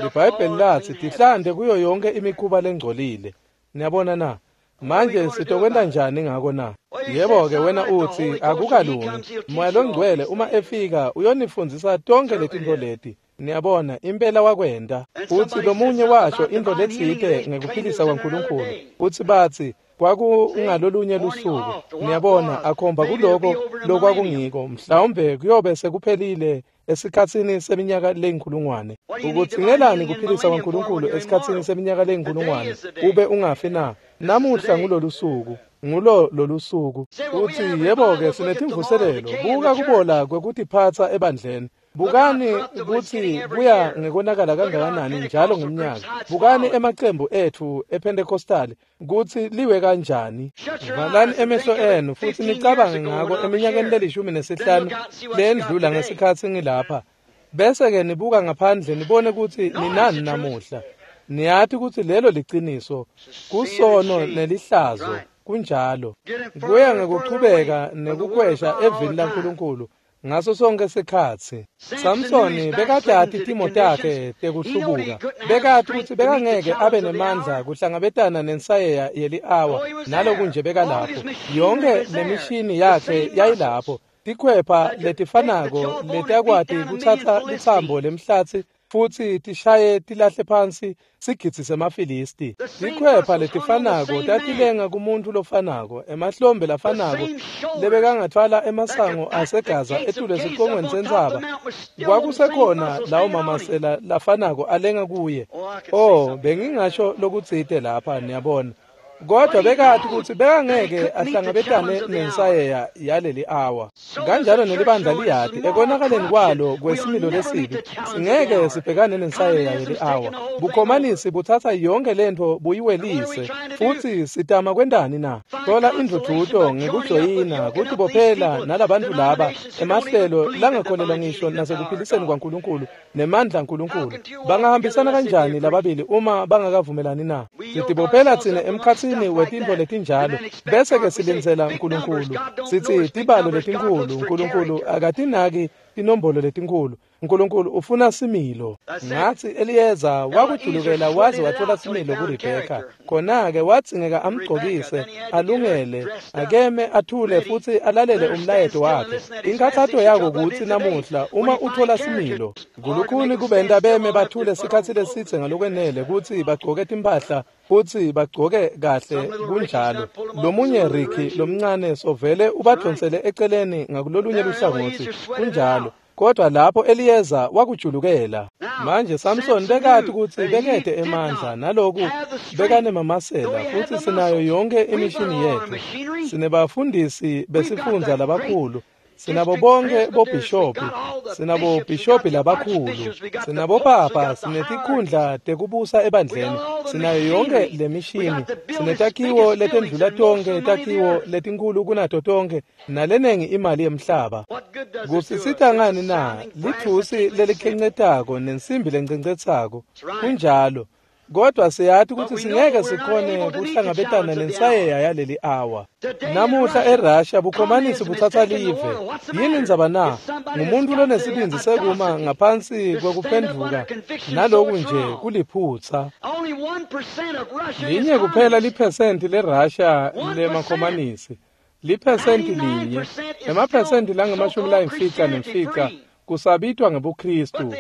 LiBhayibheli latsi tihlante kuyo yonke imikhuba lengcolile. Niyabona na? Manje sitokwenta njani ngako na? Yebo-ke wena utsi akukalungi. Moya Longcwele uma efika uyonifundzisa tonke letintfo leti. Niyabona, impela wakwenta. Futsi lomunye washo intfo letsite ngekuphilisa kwaNkulunkulu. Futsi batsi kwakungalolunye lusuku. Niyabona, akhomba kuloko lokwakungiko. Mhlawumbe kuyobe sekuphelile esikhatsini seminyaka leyinkhulungwane. Ukudzingelani kuphilisa kwaNkulunkulu esikhatsini seminyaka leyinkhulungwane ube ungafi na? Namuhla ngulolu suku. Ngulo lolusuku. Uthi yebo-ke sinetimvuselelo, buka kubola kwekutiphatsa ebandleni. Bukani kutsi kuya ngekonakala kangakanani njalo ngeminyaka. Bukani emacembu etfu ePentecostal kutsi liwe kanjani. Valani emehlo enu futsi nicabange ngako eminyakeni le-15 lendlula ngesikhatsi ngilapha. Bese-ke nibuka ngaphandle nibone kutsi ninani namuhla. Niyati kutsi lelo liciniso, kusono nelihlazo, kunjalo. Kuya ngekuchubeka nekukhwesha evini laNkulunkulu ngaso sonke sikhatsi. Samsoni bekatati timo takhe tekuhlubuka. Bekati kutsi bekangeke abe nemandla kuhlangabetana nensayeya yeli-awa, naloku nje bekalapho. Yonke lemishini yakhe yayilapho. Tikhwepha letifanako letakwati kutsatsa litsambo lemhlatsi futsi tishaye tilahle phansi sigidzi semaFilisti. Tikhwepha letifanako tatilenga kumuntfu lofanako, emahlombe lafanako lebekangatfwala emasango aseGaza etulu esicongweni sentsaba. Kwakusekhona lawo mamasela lafanako alenga kuye. Oh, bengingasho lokutsite lapha, niyabona. Kodwa bekati kutsi bekangeke ahlangabetane nensayeya yaleli awa. Kanjalo nelibandla liyati ekonakaleni kwalo kwesimilo lesibi, singeke sibhekane nensayeya yeli awa. Bukhomanisi butsatsa yonke lentfo buyiwelise, futsi sitama kwentani na? Thola indvudvuto ngekujoyina, kutibophela nalabantfu laba emahlelo langakholelwa ngisho nasekuphiliseni kwaNkulunkulu nemandla aNkulunkulu. Bangahambisana kanjani lababili uma bangakavumelani na? Sitibophela tsine emkhatsini wetintfo letinjalo, bese-ke silindzela Nkulunkulu. Sitsi tibalo letinkhulu, Nkulunkulu akatinaki tinombolo letinkhulu. Nkulunkulu ufuna similo. Ngatsi Eliyeza wakujulukela waze watfola similo kuRebheka. Khona-ke wadzingeka amgcokise, alungele, akeme athule futsi alalele umlayeto wakhe. Inkhatsato yako kutsi namuhla uma utfola similo, kulukhuni kubenta beme bathule sikhatsi lesidze ngalokwenele kutsi bagcoke timphahla futsi bagcoke kahle kunjalo. Lomunye Ricky lomncane sovele ubadvonsele eceleni ngakulolunye luhlangotsi kunjalo. Kodwa lapho Eliyeza wakujulukela. Manje Samson bekati kutsi bekete emandla naloku bekanemamasela, futsi sinayo yonke imishini yetfu. Sinebafundisi besifundza labakhulu, sinabo bonke bobhishopi, sinabo bhishopi labakhulu, sinabopapa, sinetikhundla tekubusa ebandleni, sinayo yonke lemishini, sinetakhiwo letendlula tonke takhiwo letinkhulu kunato tonke, nalenengi imali yemhlaba. Kusisita ngani na? Lithusi lelikhencetako nensimbi lencencetsako. Kunjalo. Kodwa siyati kutsi singeke sikhone kuhlangabetana nensayeya yaleli awa. Namuhla eRussia bukhomanisi butsatsa live. Yini indzaba na? Ngumuntu lonesibindzi sekuma ngaphansi kwekuphendvuka, naloku nje kuliphutsa. Linye kuphela liphesenti leRussia lemakhomanisi. Liphesenti linye, emaphesenti langama-95 kusabitwa ngebuKristu,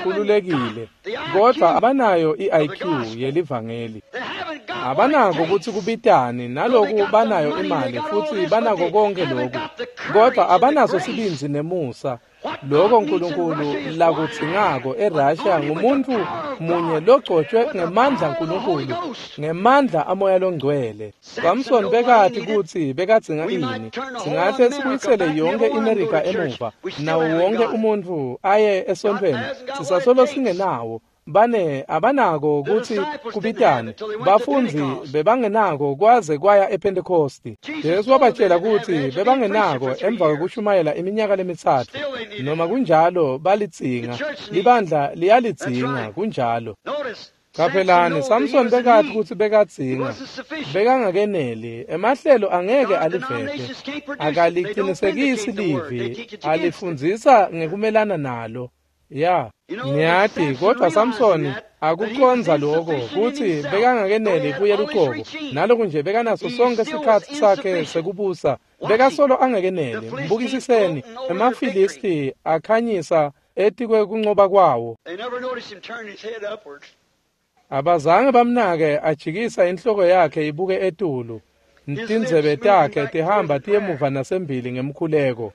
khululekile, kodwa abanayo i-IQ yelivangeli. Abanako kutsi kubitani, naloku banayo imali futsi banako konke loku, kodwa abanaso sibindzi nemusa. Loko Nkulunkulu lakudzingako eRussia ngumuntu munye logcotshwe ngemandla aNkulunkulu, ngemandla aMoya loNgcwele. Samson bekati kutsi bekadzinga ini. Singahle sibuyisele yonke iMerika emuva, nawo wonke umuntfu aye esontfweni, sisasolo singenawo. Bane abanako kutsi kubitane. Bafundzi bebangenako kwaze kwaya ePentecosti. Jesu wabatshela kutsi bebangenako emva kwekushumayela iminyaka lemithathu. Noma kunjalo balidzinga. Libandla liyalidzinga kunjalo. Qaphelani, Samson bekati kutsi bekadzinga. Bekangakeneli. Emahlelo angeke alivete. Akalicinisekisi livi, alifundzisa ngekumelana nalo. Ya, niyati, kodwa Samsoni akucondza lokho kutsi bekangakeneli kuye luqobo. Naloku nje bekanaso sonke sikhatsi sakhe sekubusa, bekasolo angakeneli. Mbukisiseni, emaFilisti akhanyisa etikwe kuncoba kwawo. Abazange bamnake ajikisa inhloko yakhe ibuke etulu. Tindzebe takhe tihamba tiyemuva nasembili ngemkhuleko.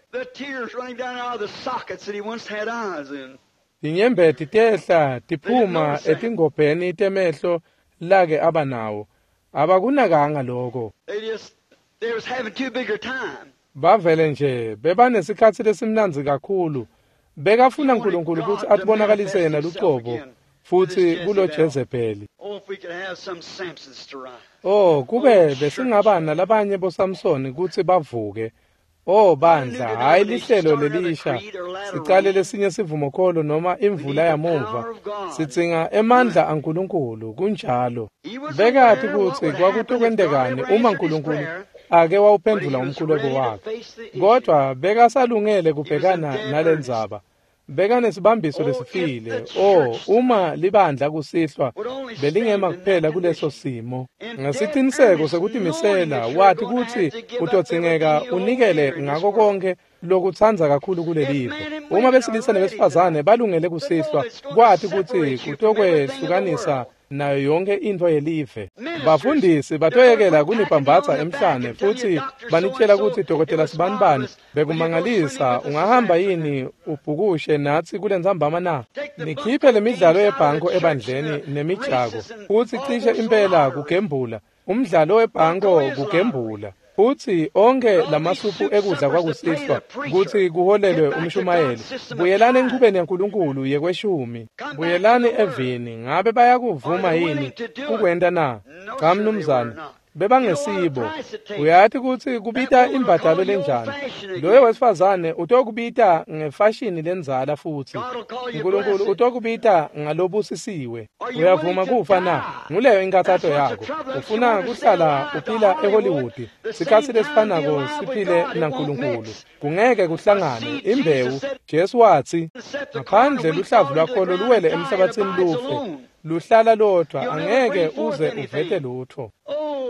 Tinyembeti tehla tiphuma etingobheni temehlo lake abanawo. Abakunakanga lokho. They was having too big a time. Bavele nje bebanesikhatsi lesimnandzi kakhulu. Bekafuna uNkulunkulu kutsi atibonakalise yena lucobo futsi kulo Jezebeli. Oh, if we could have some Samsons to rise. Oh, kube besingaba nalabanye boSamsoni kutsi bavuke. Oh bandla, hayi lihlelo lelisha. Sicale lesinye sivumokholo noma imvula yamuva. Sidzinga emandla aNkulunkulu, kunjalo. Bekati kutsi kwakutokwentekani uma uNkulunkulu ake wawuphendvula umkhuleko wakhe. Kodwa bekasalungele kubhekana nalendzaba. Bekanesibambiso lesifile. Oh, uma libandla kusihlwa belingema kuphela kuleso simo. Ngesiciniseko sekutimisela wathi kutsi utodzingeka unikele ngako konke lokutsandza kakhulu kulelive. Uma besilisa nebesifazane balungele kusihlwa, kwathi kutsi kutokwehlukanisa nayo yonke intfo yelive. Bafundisi batoyekela kunibhambatha emhlane futsi banitshela kutsi dokotela sibanibani bekumangalisa, ungahamba yini ubhukushe natsi kulentsambama na? Nikhiphe lemidlalo yebhanko ebandleni nemijako futsi cishe impela kugembula. Umdlalo webhanko kugembula. Futsi onke lamasuphu ekudla kwakusihlwa kutsi kuholelwe umshumayeli. Buyelani enchubeni yaNkulunkulu yekweshumi. Buyelani evini. Ngabe bayakuvuma yini kukwenta na? Cha mnumzane. Bebangesibo. Uyati kutsi kubita imbadalo lenjani. Loyo wesifazane utokubita ngefashini lendzala futsi. uNkulunkulu utokubita ngalobusisiwe. Uyavuma kufa na? Nguleyo inkathato yakho. Ufuna kuhlala uphila eHollywood. Sikhatsi lesifanako siphile naNkulunkulu. Kungeke kuhlangane. Imbewu. Jesu watsi, ngaphandle luhlavu lwakho luwele emhlabathini lufe, luhlala lodvwa, angeke uze uvete lutho.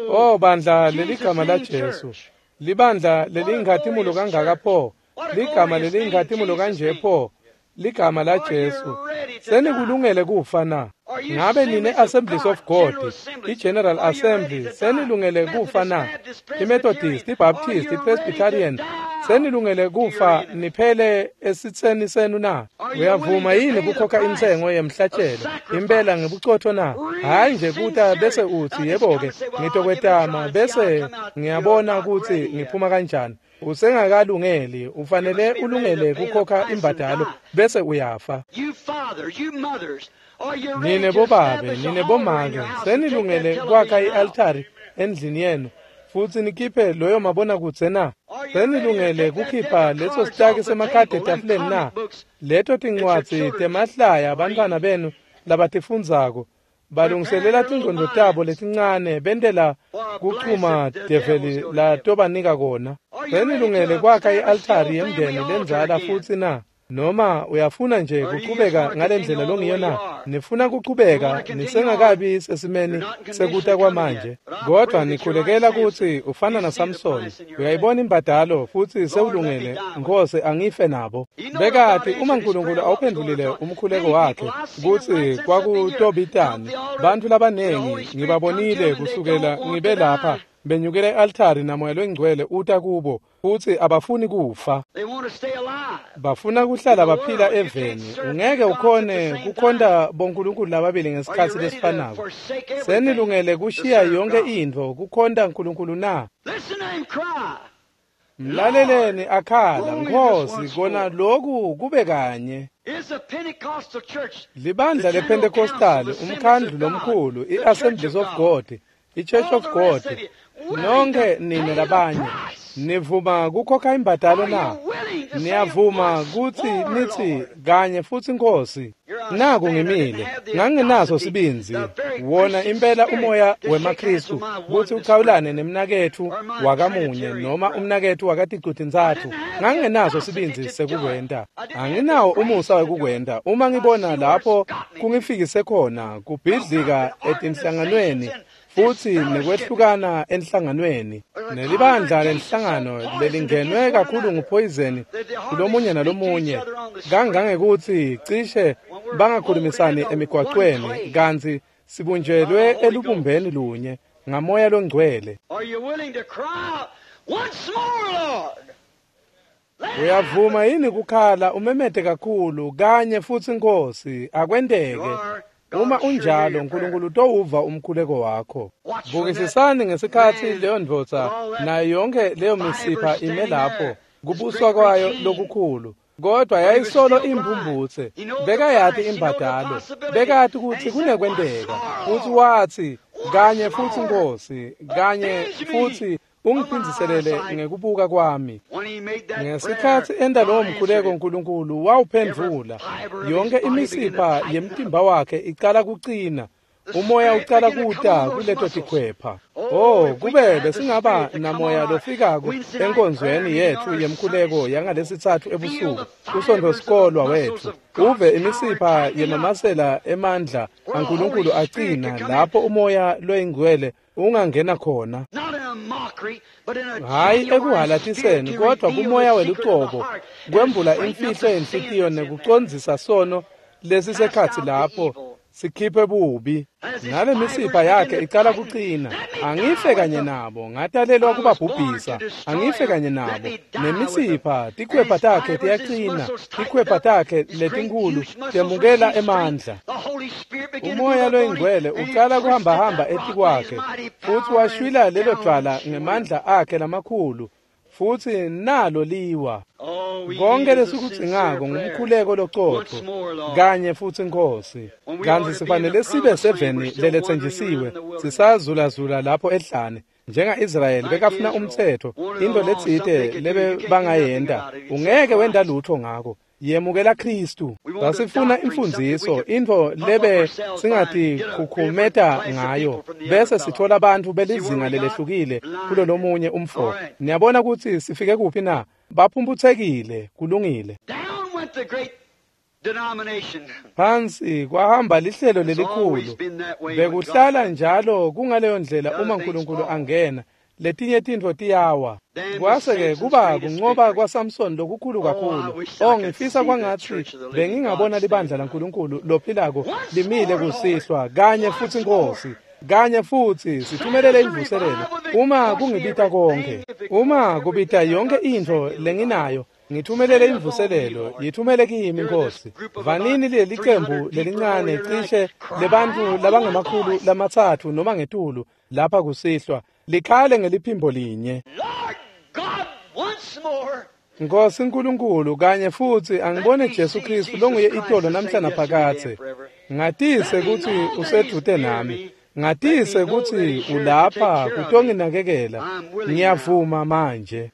Oh bandla, leligama la Jesu, libandla leliyinkhatimulo kangaka pho, ligama leliyinkhatimulo kanje pho, ligama la Jesu. Senikulungele kufa na? Ngabe nine Assemblies of God, i-General Assembly, senilungele kufa na? I-Methodist, i-Baptist, i-Presbyterian, senilungele kufa niphele esitseni senu na? Uyavuma yini kukhokha intsengo yemhlatshelo impela ngebucotho na? Hayi nje kuta bese utsi yebo-ke ngitokwetama bese ngiyabona kutsi ngiphuma kanjani. Usengakalungeli, ufanele ulungele kukhokha imbadalo bese uyafa. You fathers, you mothers, are you ready Nine to bobabe, establish a nine altar in bomake, your house and take that senilungele kwakha television out? i-altari endlini yenu futsi nikhiphe loyo mabonakudze na? Are you ready to Senilungele take that kukhipha deck of leso cards sitaki off the semakhadi table, them etafuleni na? comic books Leto that your tincwadzi children temahlaya abantwana read? benu labatifundzako Prepare balungiselela their little tingcondvo tabo minds letincane bentela for a blast kuchuma that the develi devil's going to give. latobanika kona. Are you ready Senilungele to kwakha establish the i-altari old family yemndeni altar lendzala again? futsi na? Noma uyafuna nje Or do you just kuchubeka want to ngale continue ndlela on the longiyo way you na? are? Nifuna You want kuchubeka to continue on? nisengakabi You're sesimeni not in condition sekuta to come yet. kwamanje. But I pray Kodwa that you're like nikhulekela Samson. kutsi ufana You see the naSamsoni. price in your Uyayibona face. imbadalo futsi Lord, let me sewulungele. die with Nkosi angife nabo. You know if God Bekati uma answered his uNkulunkulu prayer, what was going awuphendvulile to talk. umkhuleko Many wakhe people, I've seen them right kutsi since I've been here, come kwakutobitani. to the altar, Bantfu and the labanengi Holy Spirit come to ngibabonile them and they kusukela don't want ngibe to lapha die. benyukela e-altari namoya longcwele uta kubo futsi abafuni kufa. They want to stay alive Bafuna in kuhlala the baphila world. You can't eveni. serve two Ungeke gods at the ukhone same time. kukhonta bonkulunkulu lababili Are you ngesikhatsi ready to lesifanako. forsake everything Senilungele to kushiya serve yonke God? intfo kukhonta uNkulunkulu na? Listen to him cry, Lord, Mlaleleni akhala, only this Nkhosi, once kona more. loku kube kanye. Is the Pentecostal church, the Libandla General Council, lePentecostal, the Assemblies umkhandlu of God, lomkhulu, the Church i-Assemblies of of God, God, i-Church all of the rest God, of you, willing to nonke nine pay the labanye, price? nivuma kukhokha imbadalo Are you na? willing to say Niyavuma once kutsi more, nitsi Lord? kanye futsi Nkhosi, Here I naku stand. I didn't ngimile, have the ngangenaso audacity, sibindzi, the very wona Christian impela spirit umoya to shake hands with wemaKhristu my kutsi oneness uchawulane brother nemnaketfu or my wakamunye Trinitarian noma brother. umnaketfu I wakaticu-tintsatfu. didn't have the Ngangenaso audacity sibindzi to do it. sekukwenta. I didn't have the Anginawo grace umusa to do it. wekukwenta. Uma I ngibona see where it's lapho got me to. kungifikise khona Now, kubhidlika with etinhlanganweni organizations and futsi disfellowshipping, nekwehlukana enhlanganweni. the Nelibandla congregation so lenhlangano poisoned against lelingenwe one kakhulu another nguphoyizeni that they hardly kulomunye speak to each nalomunye other on the street kangangekutsi cishe when we're molded bangakhulumisani into one emigwacweni clay kantsi by the sibunjelwe Holy Ghost. elubumbeni lunye ngamoya longcwele. Are you willing to cry out once more, Lord? Let it Uyavuma happen. yini kukhala umemete kakhulu kanye futsi Nkhosi You akwenteke are. Uma unjalo, uNkulunkulu utowuva umkhuleko wakho. Bukisisani ngesikhatsi leyo ndvodza nayo yonke leyo misipha ime lapho, kubuswa kwayo lokukhulu. Kodwa yayisolo imbumbutse, bekayati imbadalo, bekati kutsi kunekwenteka. Futsi watsi, kanye futsi Nkosi, kanye futsi ungiphindziselele ngekubuka kwami. Ngesikhatsi enta lowo mkhuleko, uNkulunkulu wawuphendvula. Yonke imisipha yemtimba wakhe icala kucina. Umoya ucala kuta kuleto tikhwepha. Oh, kube besingaba namoya lofikako enkonzweni yetfu yemkhuleko yangalesitsatfu ebusuku, usonto-sikolwa wetfu, uve imisipha yemamasela emandla aNkulunkulu acina lapho umoya loyingcwele ungangena khona. Hhayi ekuhalatiseni, kodwa kumoya welucobo, kwembula imfihlo yenhlitiyo nekucondzisa sono lesisekhatsi lapho sikhiphe bubi. Nale misipha yakhe icala kucina. Angife kanye nabo, ngatalelwa kubabhubhisa. Angife kanye nabo. Nemisipha, tikhwepha takhe tiyacina, tikhwepha takhe letinkhulu temukela emandla. Umoya loyingcwele ucala kuhambahamba etikwakhe, futsi washwila lelo dvwala ngemandla akhe lamakhulu, futsi nalo liwa. Konke lesikudzingako ngumkhuleko locotfo kanye futsi Nkosi. Kantsi sifanele sibe seveni leletsenjisiwe, sisazulazula lapho ehlane. Njenga-Israyeli bekafuna umtsetfo, into letsite lebe bangayenta, ungeke wenta lutho ngako. Yemukela Khristu. Sasifuna imfundziso, intfo lebe singatikhukhumeta ngayo, bese sithola bantfu belizinga lelehlukile kulolomunye umfo. Niyabona kutsi sifike kuphi na? Baphumphutsekile, kulungile. Phansi kwahamba lihlelo lelikhulu. Bekuhlala njalo kungaleyo ndlela uma uNkulunkulu angena, letinye tintfo tiyawa. Kwase-ke kuba kuncoba kwaSamson lokukhulu kakhulu. Oh, ngifisa kwangatsi bengingabona libandla laNkulunkulu lophilako limile kusihlwa kanye futsi Nkosi. Kanye futsi sithumelele imvuselelo. Uma kungibita konke, uma kubita yonke intfo lenginayo, ngithumelele imvuselelo, yithumele kimi Nkosi. Vanini leli cembu lelincane cishe lebantfu labangemakhulu lamatsatfu noma ngetulu lapha kusihlwa, likhale ngeliphimbo linye. Nkosi Nkulunkulu, kanye futsi angibone Jesu Khristu longuye itolo namhla naphakadze. Ngatise kutsi usedvute nami. Ngatise kutsi ulapha kutonginakekela. Ngiyavuma manje.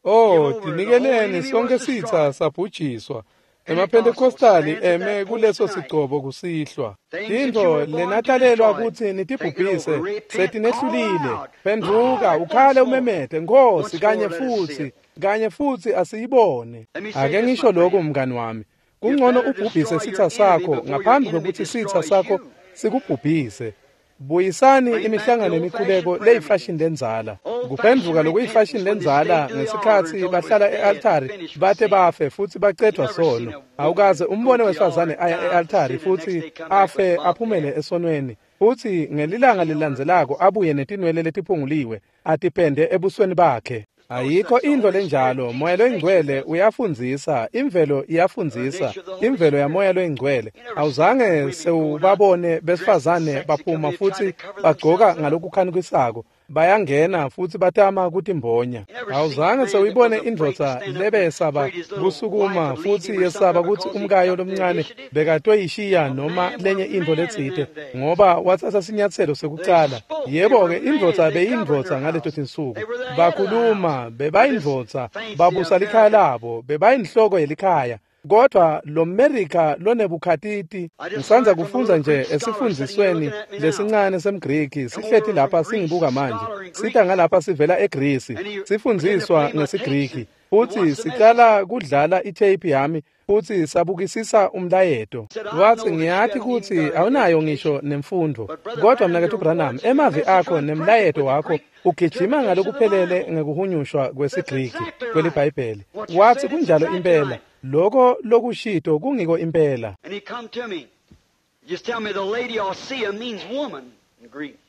Oh, tinikeleni sonke sitsa sabhujiswa. EmaPentecostali eme kuleso sigcobo kusihlwa. Tintfo lenatalelwa kutsi nitibhubhise setinehlulile. Phendvuka, ukhale umemete, Nkosi, kanye futsi, kanye futsi asiyibone. Ake ngisho lokhu mngani wami. Kungcono ubhubhise sitsa sakho ngaphambi kwekutsi sitsa sakho sikubhubhise. Buyisani imihlangano emikhuleko leyifashini lendzala. Kuphendvuka lokuyifashini lendzala ngesikhatsi bahlala e-altari bate bafe futsi bacedvwa sono. Awukaze umbone wesifazane aya e-altari futsi afe aphumele esonweni. Futsi ngelilanga lelilandzelako abuye netinwele letiphunguliwe atipende ebusweni bakhe. Ayikho intfo lenjalo. Moya loyingcwele uyafundzisa, imvelo iyafundzisa, imvelo yamoya loyingcwele. Awuzange sewubabone besifazane baphuma futsi bagcoka ngalokukhanikisako, bayangena futsi batama kutimbonya. Awuzange sewuyibone indvodza lebesaba kusukuma futsi yesaba kutsi umkayo lomncane bekatoyishiya noma lenye intfo letsite ngoba watsatsa sinyatselo sekucala. Yebo-ke, indvodza beyindvodza ngaleto tinsuku. Bakhuluma, bebayindvodza, babusa likhaya labo, bebayinhloko yelikhaya. Kodwa lo America lonebukhatiti, ngisandza kufundza nje esifundzisweni lesincane semGriki, sihleti lapha singibuka manje, sita ngalapha sivela eGrisi, sifundziswa ngesiGriki, futsi sicala kudlala itape yami futsi sabukisisa umlayeto. Watsi, ngiyati kutsi awunayo ngisho nemfundvo, kodwa mnaketfu Branham, emavi akho nemlayeto wakho ugijima ngalokuphelele ngekuhunyushwa kwesiGriki kweliBhayibheli. Watsi, kunjalo impela. Loko lokushito kungiko impela.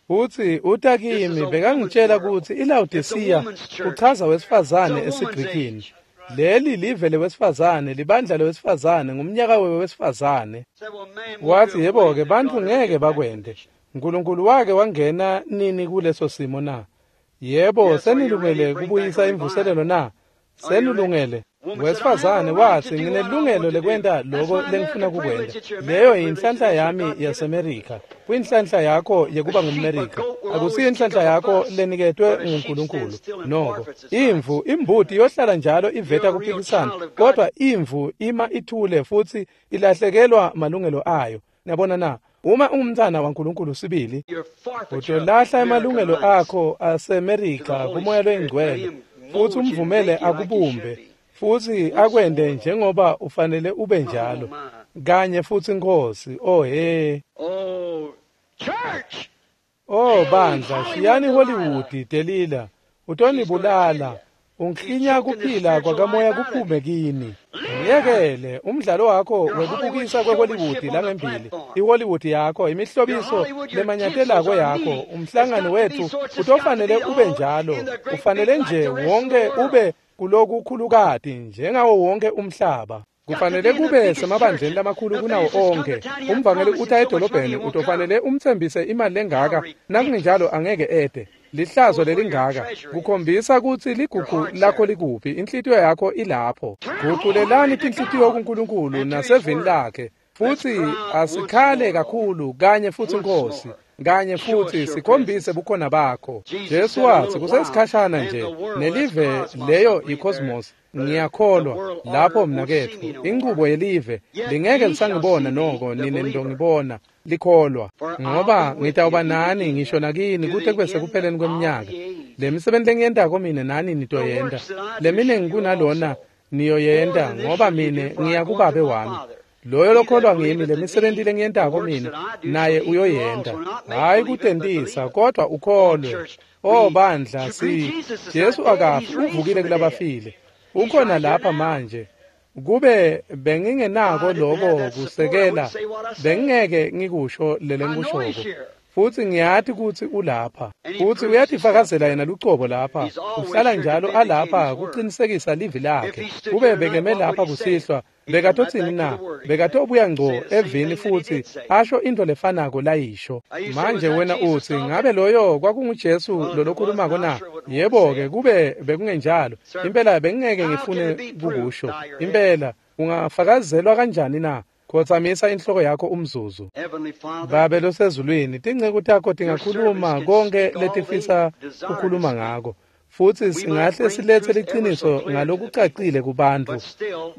Utsi uta kimi bekangitshela kutsi iLaodicea uchaza wesifazane esiGrikini. Leli live lewesifazane, libandla lewesifazane, ngumnyaka wewesifazane. Wathi, yebo-ke, bantfu ngeke bakwente. Nkulunkulu wake wangena nini kuleso simo na? Yebo, senilungele kubuyisa imvuselelo na? Senilungele. Wesifazane wathi, nginelungelo lekwenta loko lengifuna kukwenta. Leyo yinhlanhla yami yaseMerika. Kuyinhlanhla yakho yekuba ngumMerika. Akusiyo inhlanhla yakho leniketwe nguNkulunkulu. Noko, imvu, imbuti yohlala njalo iveta kuphikisana, kodwa imvu ima ithule futhi ilahlekelwa malungelo ayo. Niyabona na? Uma ungumntwana waNkulunkulu sibili, utolahla emalungelo akho aseMerika kuMoya loyiNgcwele, futhi umvumele akubumbe, futhi akwende njengoba ufanele ube njalo. Kanye futhi Nkosi, oh he. Oh bandla, shiyani Hollywood, Delila, utonibulala. Unklinya kuphila kwakamoya kuphume kini. Ngiyekele umdlalo wakho wekubukisa kweHollywood langembili. iHollywood yakho, imihlobiso lemanyatelako yakho, umhlangano wethu utofanele ube njalo. Ufanele nje wonke ube kulokukhulukati njengawo wonke umhlaba. Kufanele kube semabandleni lamakhulu kunawo onke. Umvangeli uthi edolobheni utofanele umthembise imali lengaka, nakungenjalo angeke ede. Lihlazo lelingaka kukhombisa kutsi ligugu lakho likuphi, inhlitiyo yakho ilapho. Guculelani tinhlitiyo kuNkulunkulu nasevini lakhe, futhi asikhale kakhulu kanye futhi Nkosi, kanye futhi sikhombise bukhona bakho. Jesu wathi kusesikhashana nje nelive leyo icosmos. Ngiyakholwa lapho mnaketfu, inqubo yelive lingeke lisangibona noko nine nitongibona likholwa, ngoba ngitawuba nani ngisho nakini kute kube sekupheleni kweminyaka. Lemisebenti lengiyentako mine nani nitoyenta, leminingi kunalona niyoyenta, ngoba mine ngiya kuBabe wami. Loyo lokholwa ngimi, lemisebenti lengiyentako mine naye uyoyenta. Hayi kutentisa, kodwa ukholwe. Oh bandla, si Jesu akafi, uvukile kulabafile. Ukhona lapha manje. Kube bengingenako lokho kusekela, bengingeke ngikusho lelengikushoko. Futhi ngiyati kutsi ulapha. Futhi uyatifakazela yena lucobo lapha. Uhlala njalo alapha kuqinisekisa livi lakhe. Kube bekeme lapha kusihlwa, bekatotsini na? Bekatobuya ngco evini futhi asho into lefanako layisho. Manje wena uthi, ngabe loyo kwakunguJesu lolokhulumako na? Yebo-ke, kube bekungenjalo, impela bengingeke ngifune kukusho. Impela, ungafakazelwa kanjani na? Khotsamisa inhloko yakho umzuzu. Babe losezulwini, tinceku takho tingakhuluma konke letifisa kukhuluma ngako, futhi singahle silethe liqiniso ngalokucacile kubantu,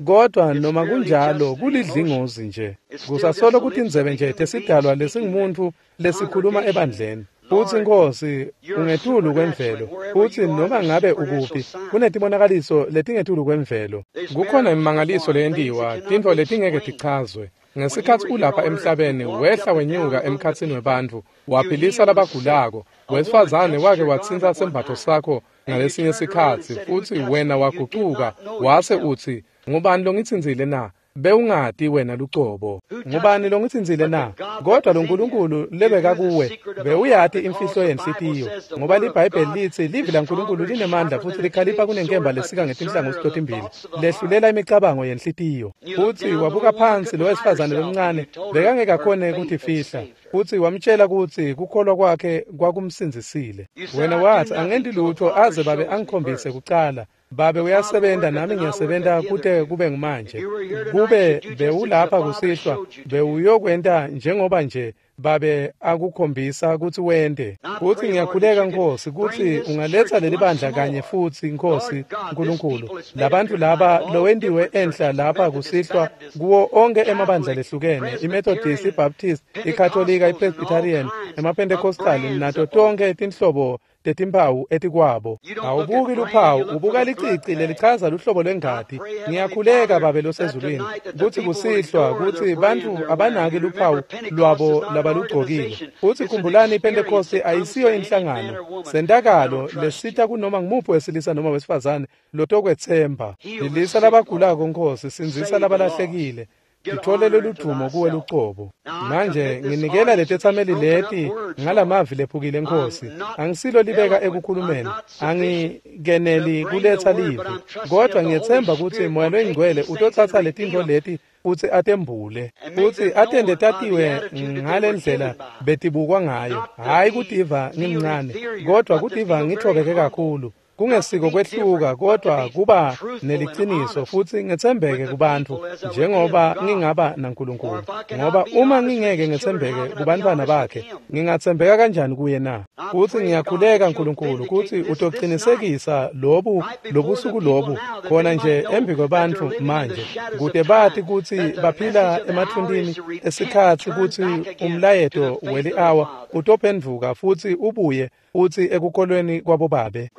kodwa noma kunjalo kulidlingozi nje. Kusasolo kutindzebe nje tesidalwa lesingumuntu lesikhuluma ebandleni. Futhi Nkosi, ungetulu kwemvelo, futhi noma ngabe ukuphi, kunetibonakaliso letingetulu kwemvelo. Kukhona imimangaliso leyentiwa, tintfo letingeke tichazwe. Ngesikhatsi ulapha emhlabeni, wehla wenyuka emkhatsini webantfu, waphilisa labagulako. Wesifazane wake watsintsa sembatfo sakho ngalesinye sikhatsi, futhi wena wagucuka, wase utsi, ngubani longitsintsile na? Bewungati wena lucobo. Ngubani longitsintsile na? Kodwa lo Nkulunkulu lebeka kuwe bewuyati imfihlo yenhlitiyo, ngoba liBhayibheli litsi livi laNkulunkulu linemandla futhi likhalipha kunenkemba lesika ngetinhlangothi totimbili, lehlulela imicabango yenhlitiyo. Futhi wabuka phansi lo wesifazane lomncane bekangeke akhone kutifihla, futhi wamtshela kutsi kukholwa kwakhe kwakumsindzisile. Wena wathi, angenti lutho aze Babe angikhombise kucala. Babe uyasebenza nami ngiyasebenza kute kube ngumanje. Kube bewulapha kusihlwa, bewuyokwenta njengoba nje Babe akukhombisa kutsi wente. Futsi ngiyakhuleka Nkosi kutsi ungaletsa leli bandla kanye futsi Nkosi Nkulunkulu. Labantu laba lowentiwe enhla lapha kusihlwa kuwo onke emabandla lehlukene, iMethodist, iBaptist, iKatolika, iPresbyterian, emaPentecostal nato tonke tinhlobo tetimphawu etikwabo. Awubuki luphawu, ubuka licici lelichaza luhlobo lwengati. Ngiyakhuleka Babe losezulwini kutsi kusihlwa kutsi bantfu abanaki luphawu lwabo labalugcokile. Futsi khumbulani, iPentecost ayisiyo inhlangano, sentakalo lesita kunoma ngumuphi wesilisa noma wesifazane lotokwetsemba. Philisa labagulako Nkosi, sindzisa labalahlekile. Titholele ludvumo kuwe lucobo. Manje nginikela letetsameli leti ngalamavi lephukile Nkosi. Angisilo libeka ekukhulumeni, angikeneli kuletsa livi, kodwa ngiyetsemba kutsi Moya Loyingcwele utotsatsa letintfo leti futsi atembule, futsi atente tatiwe ngalendlela betibukwa ngayo. Hhayi kutiva ngimncane, kodwa kutiva ngitfobeke kakhulu. Kungesiko kwehluka, kodwa kuba neliciniso futsi ngetsembeke kubantfu njengoba ngingaba naNkulunkulu. Ngoba uma ngingeke ngetsembeke kubantfwana bakhe, ngingatsembeka kanjani kuye na? Futsi ngiyakhuleka Nkulunkulu kutsi utocinisekisa lobu lobusuku lobu khona nje embi kwebantfu manje, kute bati kutsi baphila emathundini esikhatsi, kutsi umlayeto weli-awa utophendvuka futsi ubuye utsi ekukholweni kwabobabe.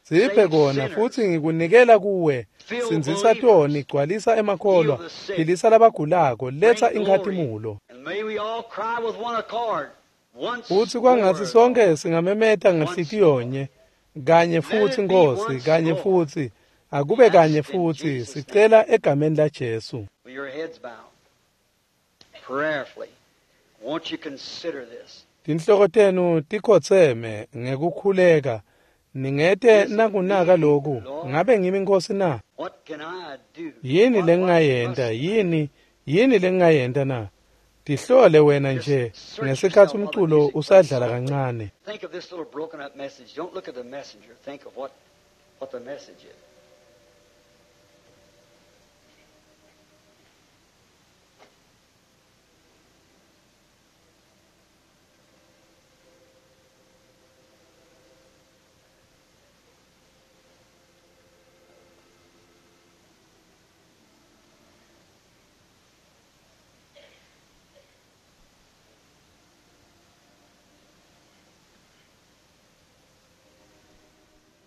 Siphe kona futsi ngikunikela kuwe. Sindzisa toni, gcwalisa emakholwa, philisa labagulako, letsa inkhatimulo. Futsi kwangatsi sonke singamemeta ngenhlitiyonye, kanye futsi Nkosi, kanye futsi, akube kanye futsi, sicela egameni laJesu. Tinhloko tenu tikhotseme ngekukhuleka. Ningete nakunaka loku, ngabe ngimi Nkosi na? Yini lengingayenta? Yini lengingayenta na? Tihlole wena nje ngesikhatsi umculo usadlala kancane. Think of this little broken up message. Don't look at the messenger. Think of what the message is.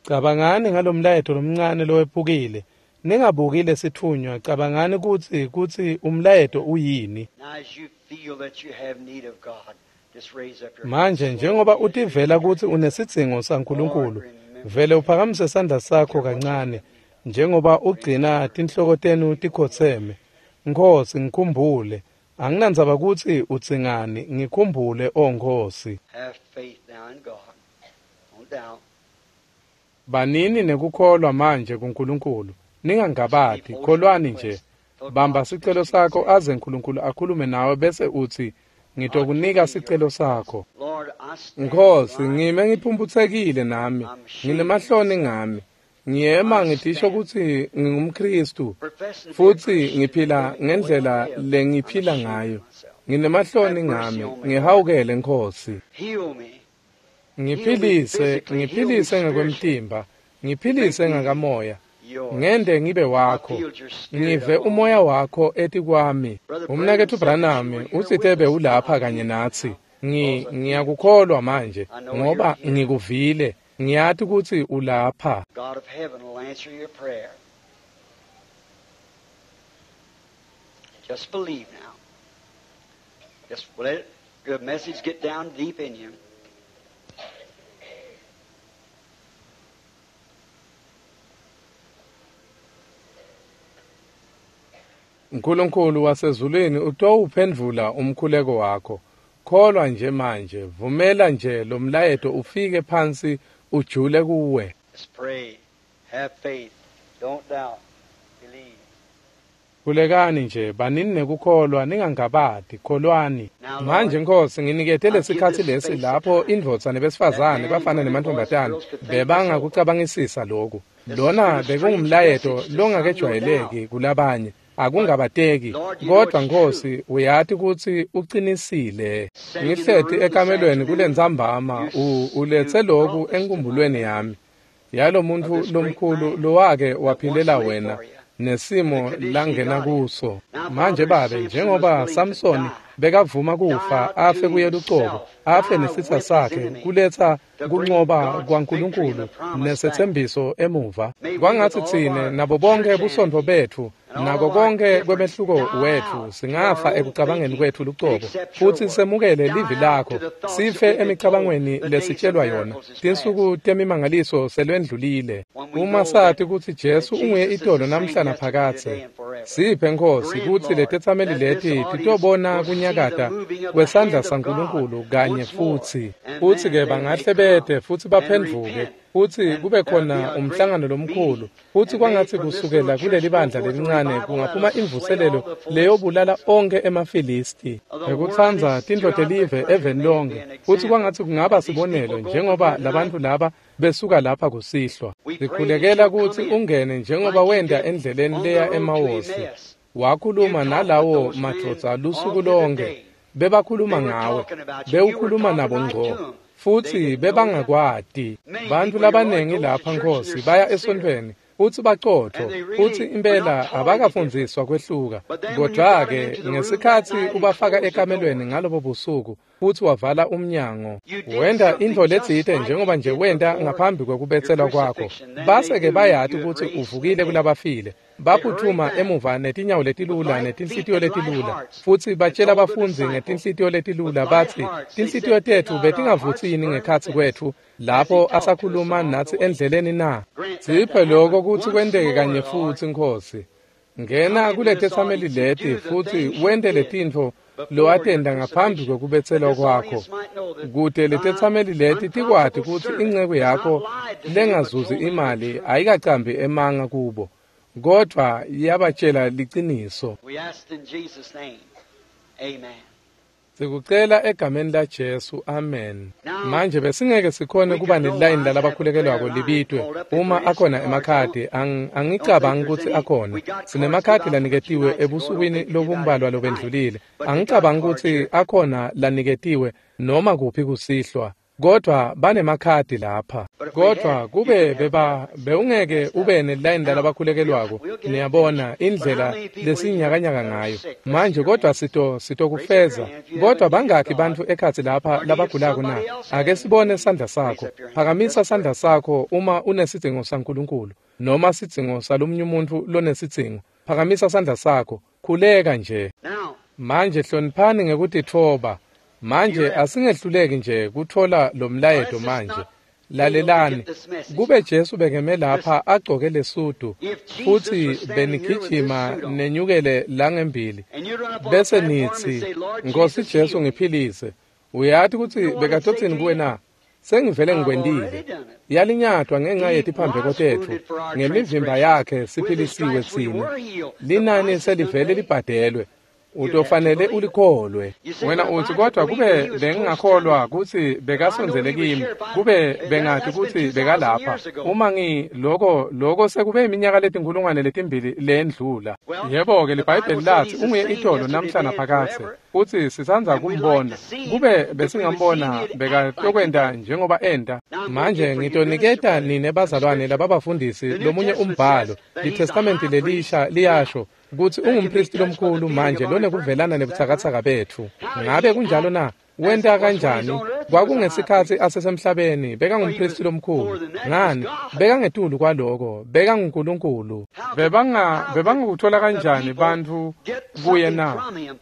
Cabangani ngalomlayeto lomncane lowephukile. Ningabuki lesitfunywa, cabangani kutsi umlayeto uyini. Manje njengoba utivela kutsi unesidzingo saNkulunkulu, vele uphakamise sandla sakho kancane njengoba ugcina tinhloko tenu tikhotseme. Nkosi, ngikhumbule. Anginandzaba kutsi udzingani, ngikhumbule, O Nkosi. Banini nekukholwa manje kuNkulunkulu. Ningangabati, kholwani nje. Bamba sicelo sakho aze Nkulunkulu akhulume nawe bese utsi, ngitokunika sicelo sakho. Nkosi, ngime ngiphumputsekile nami, nginemahloni ngami. Ngiyema ngitisho kutsi ngingumKhristu futsi ngiphila ngendlela lengiphila ngayo. Nginemahloni ngami, ngihawukele Nkosi. Ngiphilise, ngiphilise ngekwemtimba, ngiphilise ngakamoya. Ngende ngibe wakho, ngive umoya wakho etikwami. Umnaketfu Branham utsite bewulapha kanye natsi. Ngiyakukholwa manje ngoba ngikuvile. Ngiyati kutsi ulapha. God of heaven will answer your prayer. Just believe now. Just let the message get down deep in you. Nkulunkulu wasezulwini utowuphendvula umkhuleko wakho. Kholwa nje manje, vumela nje lo mlayeto ufike phansi ujule kuwe. Just pray. Have faith. Don't doubt. Believe. Khulekani nje, banini nekukholwa, ningangabati, kholwani. Manje Nkosi, nginikete lesikhatsi lesi lapho indvodza nebesifazane bafana nemantfombatane bebangakucabangisisa loku. Lona bekungumlayeto longakejwayeleki kulabanye. Akungabateki, kodwa Nkosi uyati kutsi ucinisile. Ngihleti ekamelweni kulentsambama, uletse loku enkumbulweni yami yalomuntfu lomkhulu lowake waphilela wena nesimo langena kuso. Manje Babe, njengoba Samsoni bekavuma kufa afe kuye lucobo, afe nesitsa sakhe, kuletsa kuncoba kwaNkulunkulu nesetsembiso emuva, kwangatsi tsine nabo bonke busontfo betfu Nako konke kwemehluko wetfu singafa ekucabangeni kwetfu lucobo, futsi semukele livi lakho, sife emicabangweni lesitshelwa yona. Tinsuku temimangaliso selwendlulile. Uma sati kutsi Jesu unguye itolo namhla naphakadze, siphe Nkhosi kutsi letetsameli leti titobona kunyakata kwesandla saNkulunkulu kanye futsi. Futsi-ke bangahle bete futsi baphendvuke, futsi kube khona umhlangano lomkhulu, futsi kwangatsi kusukela kuleli bandla lelincane kungaphuma imvuselelo leyobulala onkhe emaFilisti ngekutsandza tintfo telive eveni lonke, futsi kwangatsi kungaba sibonelo njengoba labantfu laba besuka lapha kusihlwa. Sikhulekela kutsi ungene njengoba wenta endleleni leya eMawosi. Wakhuluma nalawo madvodza lusuku lonke. Bebakhuluma ngawe, bewukhuluma nabo ngco, futsi bebangakwati. Bantfu labanengi lapha Nkhosi baya esontfweni futsi bacotfo, futsi impela abakafundziswa kwehluka. Kodwa-ke ngesikhatsi ubafaka ekamelweni ngalobo busuku futsi wavala umnyango, wenta intfo letsite njengoba nje wenta ngaphambi kwekubetselwa kwakho. Base-ke bayati kutsi uvukile kulabafile. Baphutfuma emuva netinyawo letilula netinhlitiyo letilula, futsi batshela bafundzi ngetinhlitiyo letilula batsi, tinhlitiyo tetfu betingavutsi yini ngekhatsi kwetfu lapho asakhuluma natsi endleleni na? Siphe loko kutsi kwenteke kanye futsi Nkhosi. Ngena kuletetsameli leti futsi wente letintfo lowatenta ngaphambi kwekubetselwa kwakho, kute letetsameli leti tikwati kutsi inceku yakho lengazuzi imali ayikacambi emanga kubo, kodvwa yabatshela liciniso. Sikucela egameni laJesu, amen. Manje besingeke sikhone kuba nelilayini lalabakhulekelwako libitwe uma akhona emakhadi. Angicabangi kutsi akhona. Sinemakhadi laniketiwe ebusukwini lobumbalwa lobendlulile. Angicabangi kutsi akhona laniketiwe noma kuphi kusihlwa, kodvwa banemakhadi lapha. Kodvwa kube bewungeke ube nelilayini lalabakhulekelwako, niyabona indlela lesinyakanyaka ngayo manje. Kodvwa sitokufeza. Kodvwa bangakhi bantfu ekhatsi lapha labagulako na? Ake sibone sandla sakho. Phakamisa sandla sakho uma unesidzingo saNkulunkulu noma sidzingo salomunye umuntfu lonesidzingo. Phakamisa sandla sakho, khuleka nje. Manje hloniphani ngekutitfoba. Manje asingehluleki nje kutfola lo mlayeto manje. Lalelani, kube Jesu bekeme lapha agcoke lesudu, futsi benigijima nenyukele langembili, bese nitsi, Nkhosi Jesu ngiphilise. Uyati kutsi bekatotsini kuwe na? Sengivele ngikwentile. Yalinyatwa ngenxa yetiphambeko tetfu, ngemivimba yakhe siphilisiwe tsine. Linani selivele libhadelwe. Utofanele ulikholwe. Wena utsi, kodwa kube bengingakholwa kutsi bekasondzele kimi, kube bengati kutsi bekalapha. Uma loko sekube iminyaka 2000 lendlula. Yebo-ke, liBhayibheli latsi unguye itolo namhla naphakadze, futsi sisandza kumbona. Kube besingambona bekatokwenta njengoba enta. Manje ngitoniketa nine bazalwane lababafundisi lomunye umbhalo. LiTestamenti lelisha liyasho kutsi ungumpristi lomkhulu manje lonekuvelana nebutsakatsaka betfu. Ngabe kunjalo na? Wenta kanjani? Kwakungesikhatsi asesemhlabeni bekangumpristi lomkhulu. Ngani? Bekangetulu kwaloko, bekanguNkulunkulu. Bebangakuthola kanjani bantfu kuye na?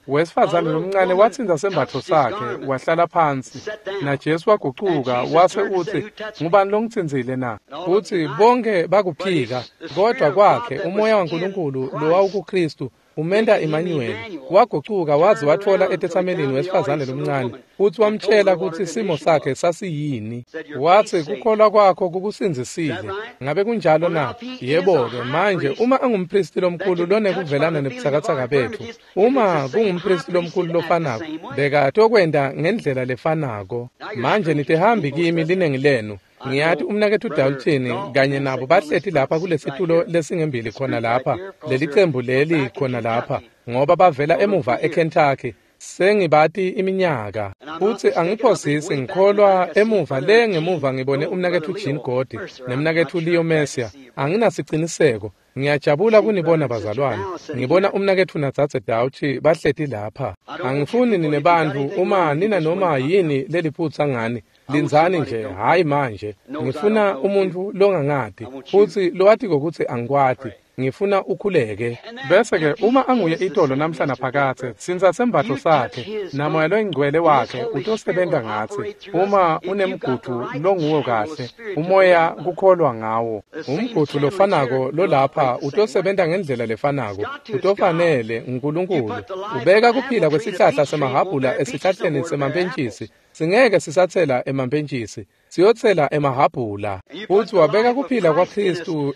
Wesifazane lomncane watsintsa sembatfo sakhe, wahlala phansi. NaJesu wagucuka wase utsi, ngubani longitsintsile na? Futsi bonke bakuphika, kodvwa kwakhe umoya waNkulunkulu lowawukuKristu umenta Emmanuel wagucuka waze watfola etetsamelini wesifazane lomncane, futsi wamtshela kutsi simo sakhe sasiyini. Watsi, kukholwa kwakho kukusindzisile. Ngabe kunjalo na? Yebo-ke, manje uma angumpristi lomkhulu lonekuvelana nebutsakatsaka betfu, uma kungumpristi lomkhulu lofanako, bekatokwenta ngendlela lefanako. Manje nitihambi kimi linengi lenu. Ngiyati umnaketfu Dalton kanye nabo bahleti lapha kulesitulo lesingembili khona lapha, lelicembu leli khona lapha, ngoba bavela emuva eKentucky. Sengibati iminyaka, futsi angiphosisi ngikholwa emuva le ngemuva ngibone umnaketfu Jean Godi nemnaketfu Leo Messia. Anginasiciniseko. Ngiyajabula kunibona bazalwane. Ngibona umnaketfu nadzadze Dauchi bahleti lapha. Angifuni nine bantfu uma nina noma yini leliphutsa ngani. Lindzani nje, hhayi manje. Ngifuna umuntfu longangati, futsi lowatiko kutsi angikwati. Ngifuna ukhuleke. Bese-ke uma anguye itolo namhla naphakadze, tsintsa sembatfo sakhe namoya loyingcwele wakhe utosebenta ngatsi. Uma unemgudvu longuwo kahle, umoya kukholwa ngawo. Umgudvu lofanako lolapha utosebenta ngendlela lefanako. Utofanele uNkulunkulu. Ubeka kuphila kwesihlahla semahhabhula esihlahleni semampentjisi. Singeke sisatsela emampentjisi, siyotsela emahhabhula. Futsi wabeka kuphila kwaKhristu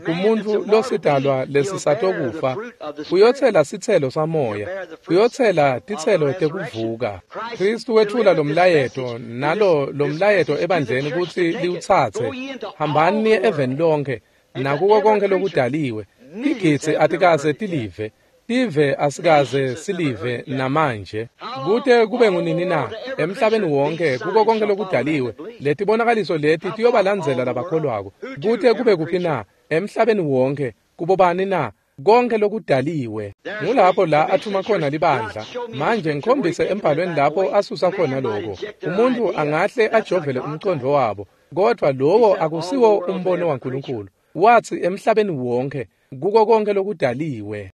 kumuntfu losidalwa lesisatokufa. Uyotsela sitselo samoya, uyotsela titselo tekuvuka. Khristu wetfula lomlayeto nalo lomlayeto ebandleni kutsi liwutsatse. Hambani niye eveni lonke nakuko konke lokudaliwe. Tigidzi atikaze tilive. Tive asikaze silive namanje. Kute kube ngunini na emhlabeni wonke kuko konke lokudaliwe letibonakaliso leti tiyobalandzela labakholwako. Kute kube kuphi na emhlabeni wonke kubobani na konke lokudaliwe. Ngulapho la athuma khona libandla. Manje ngikhombise embhalweni lapho asusa khona lokho. Umuntu angahle ajovele umcondvo wabo, kodwa lowo akusiwo umbono waNkulunkulu. Wathi emhlabeni wonke kuko konke lokudaliwe.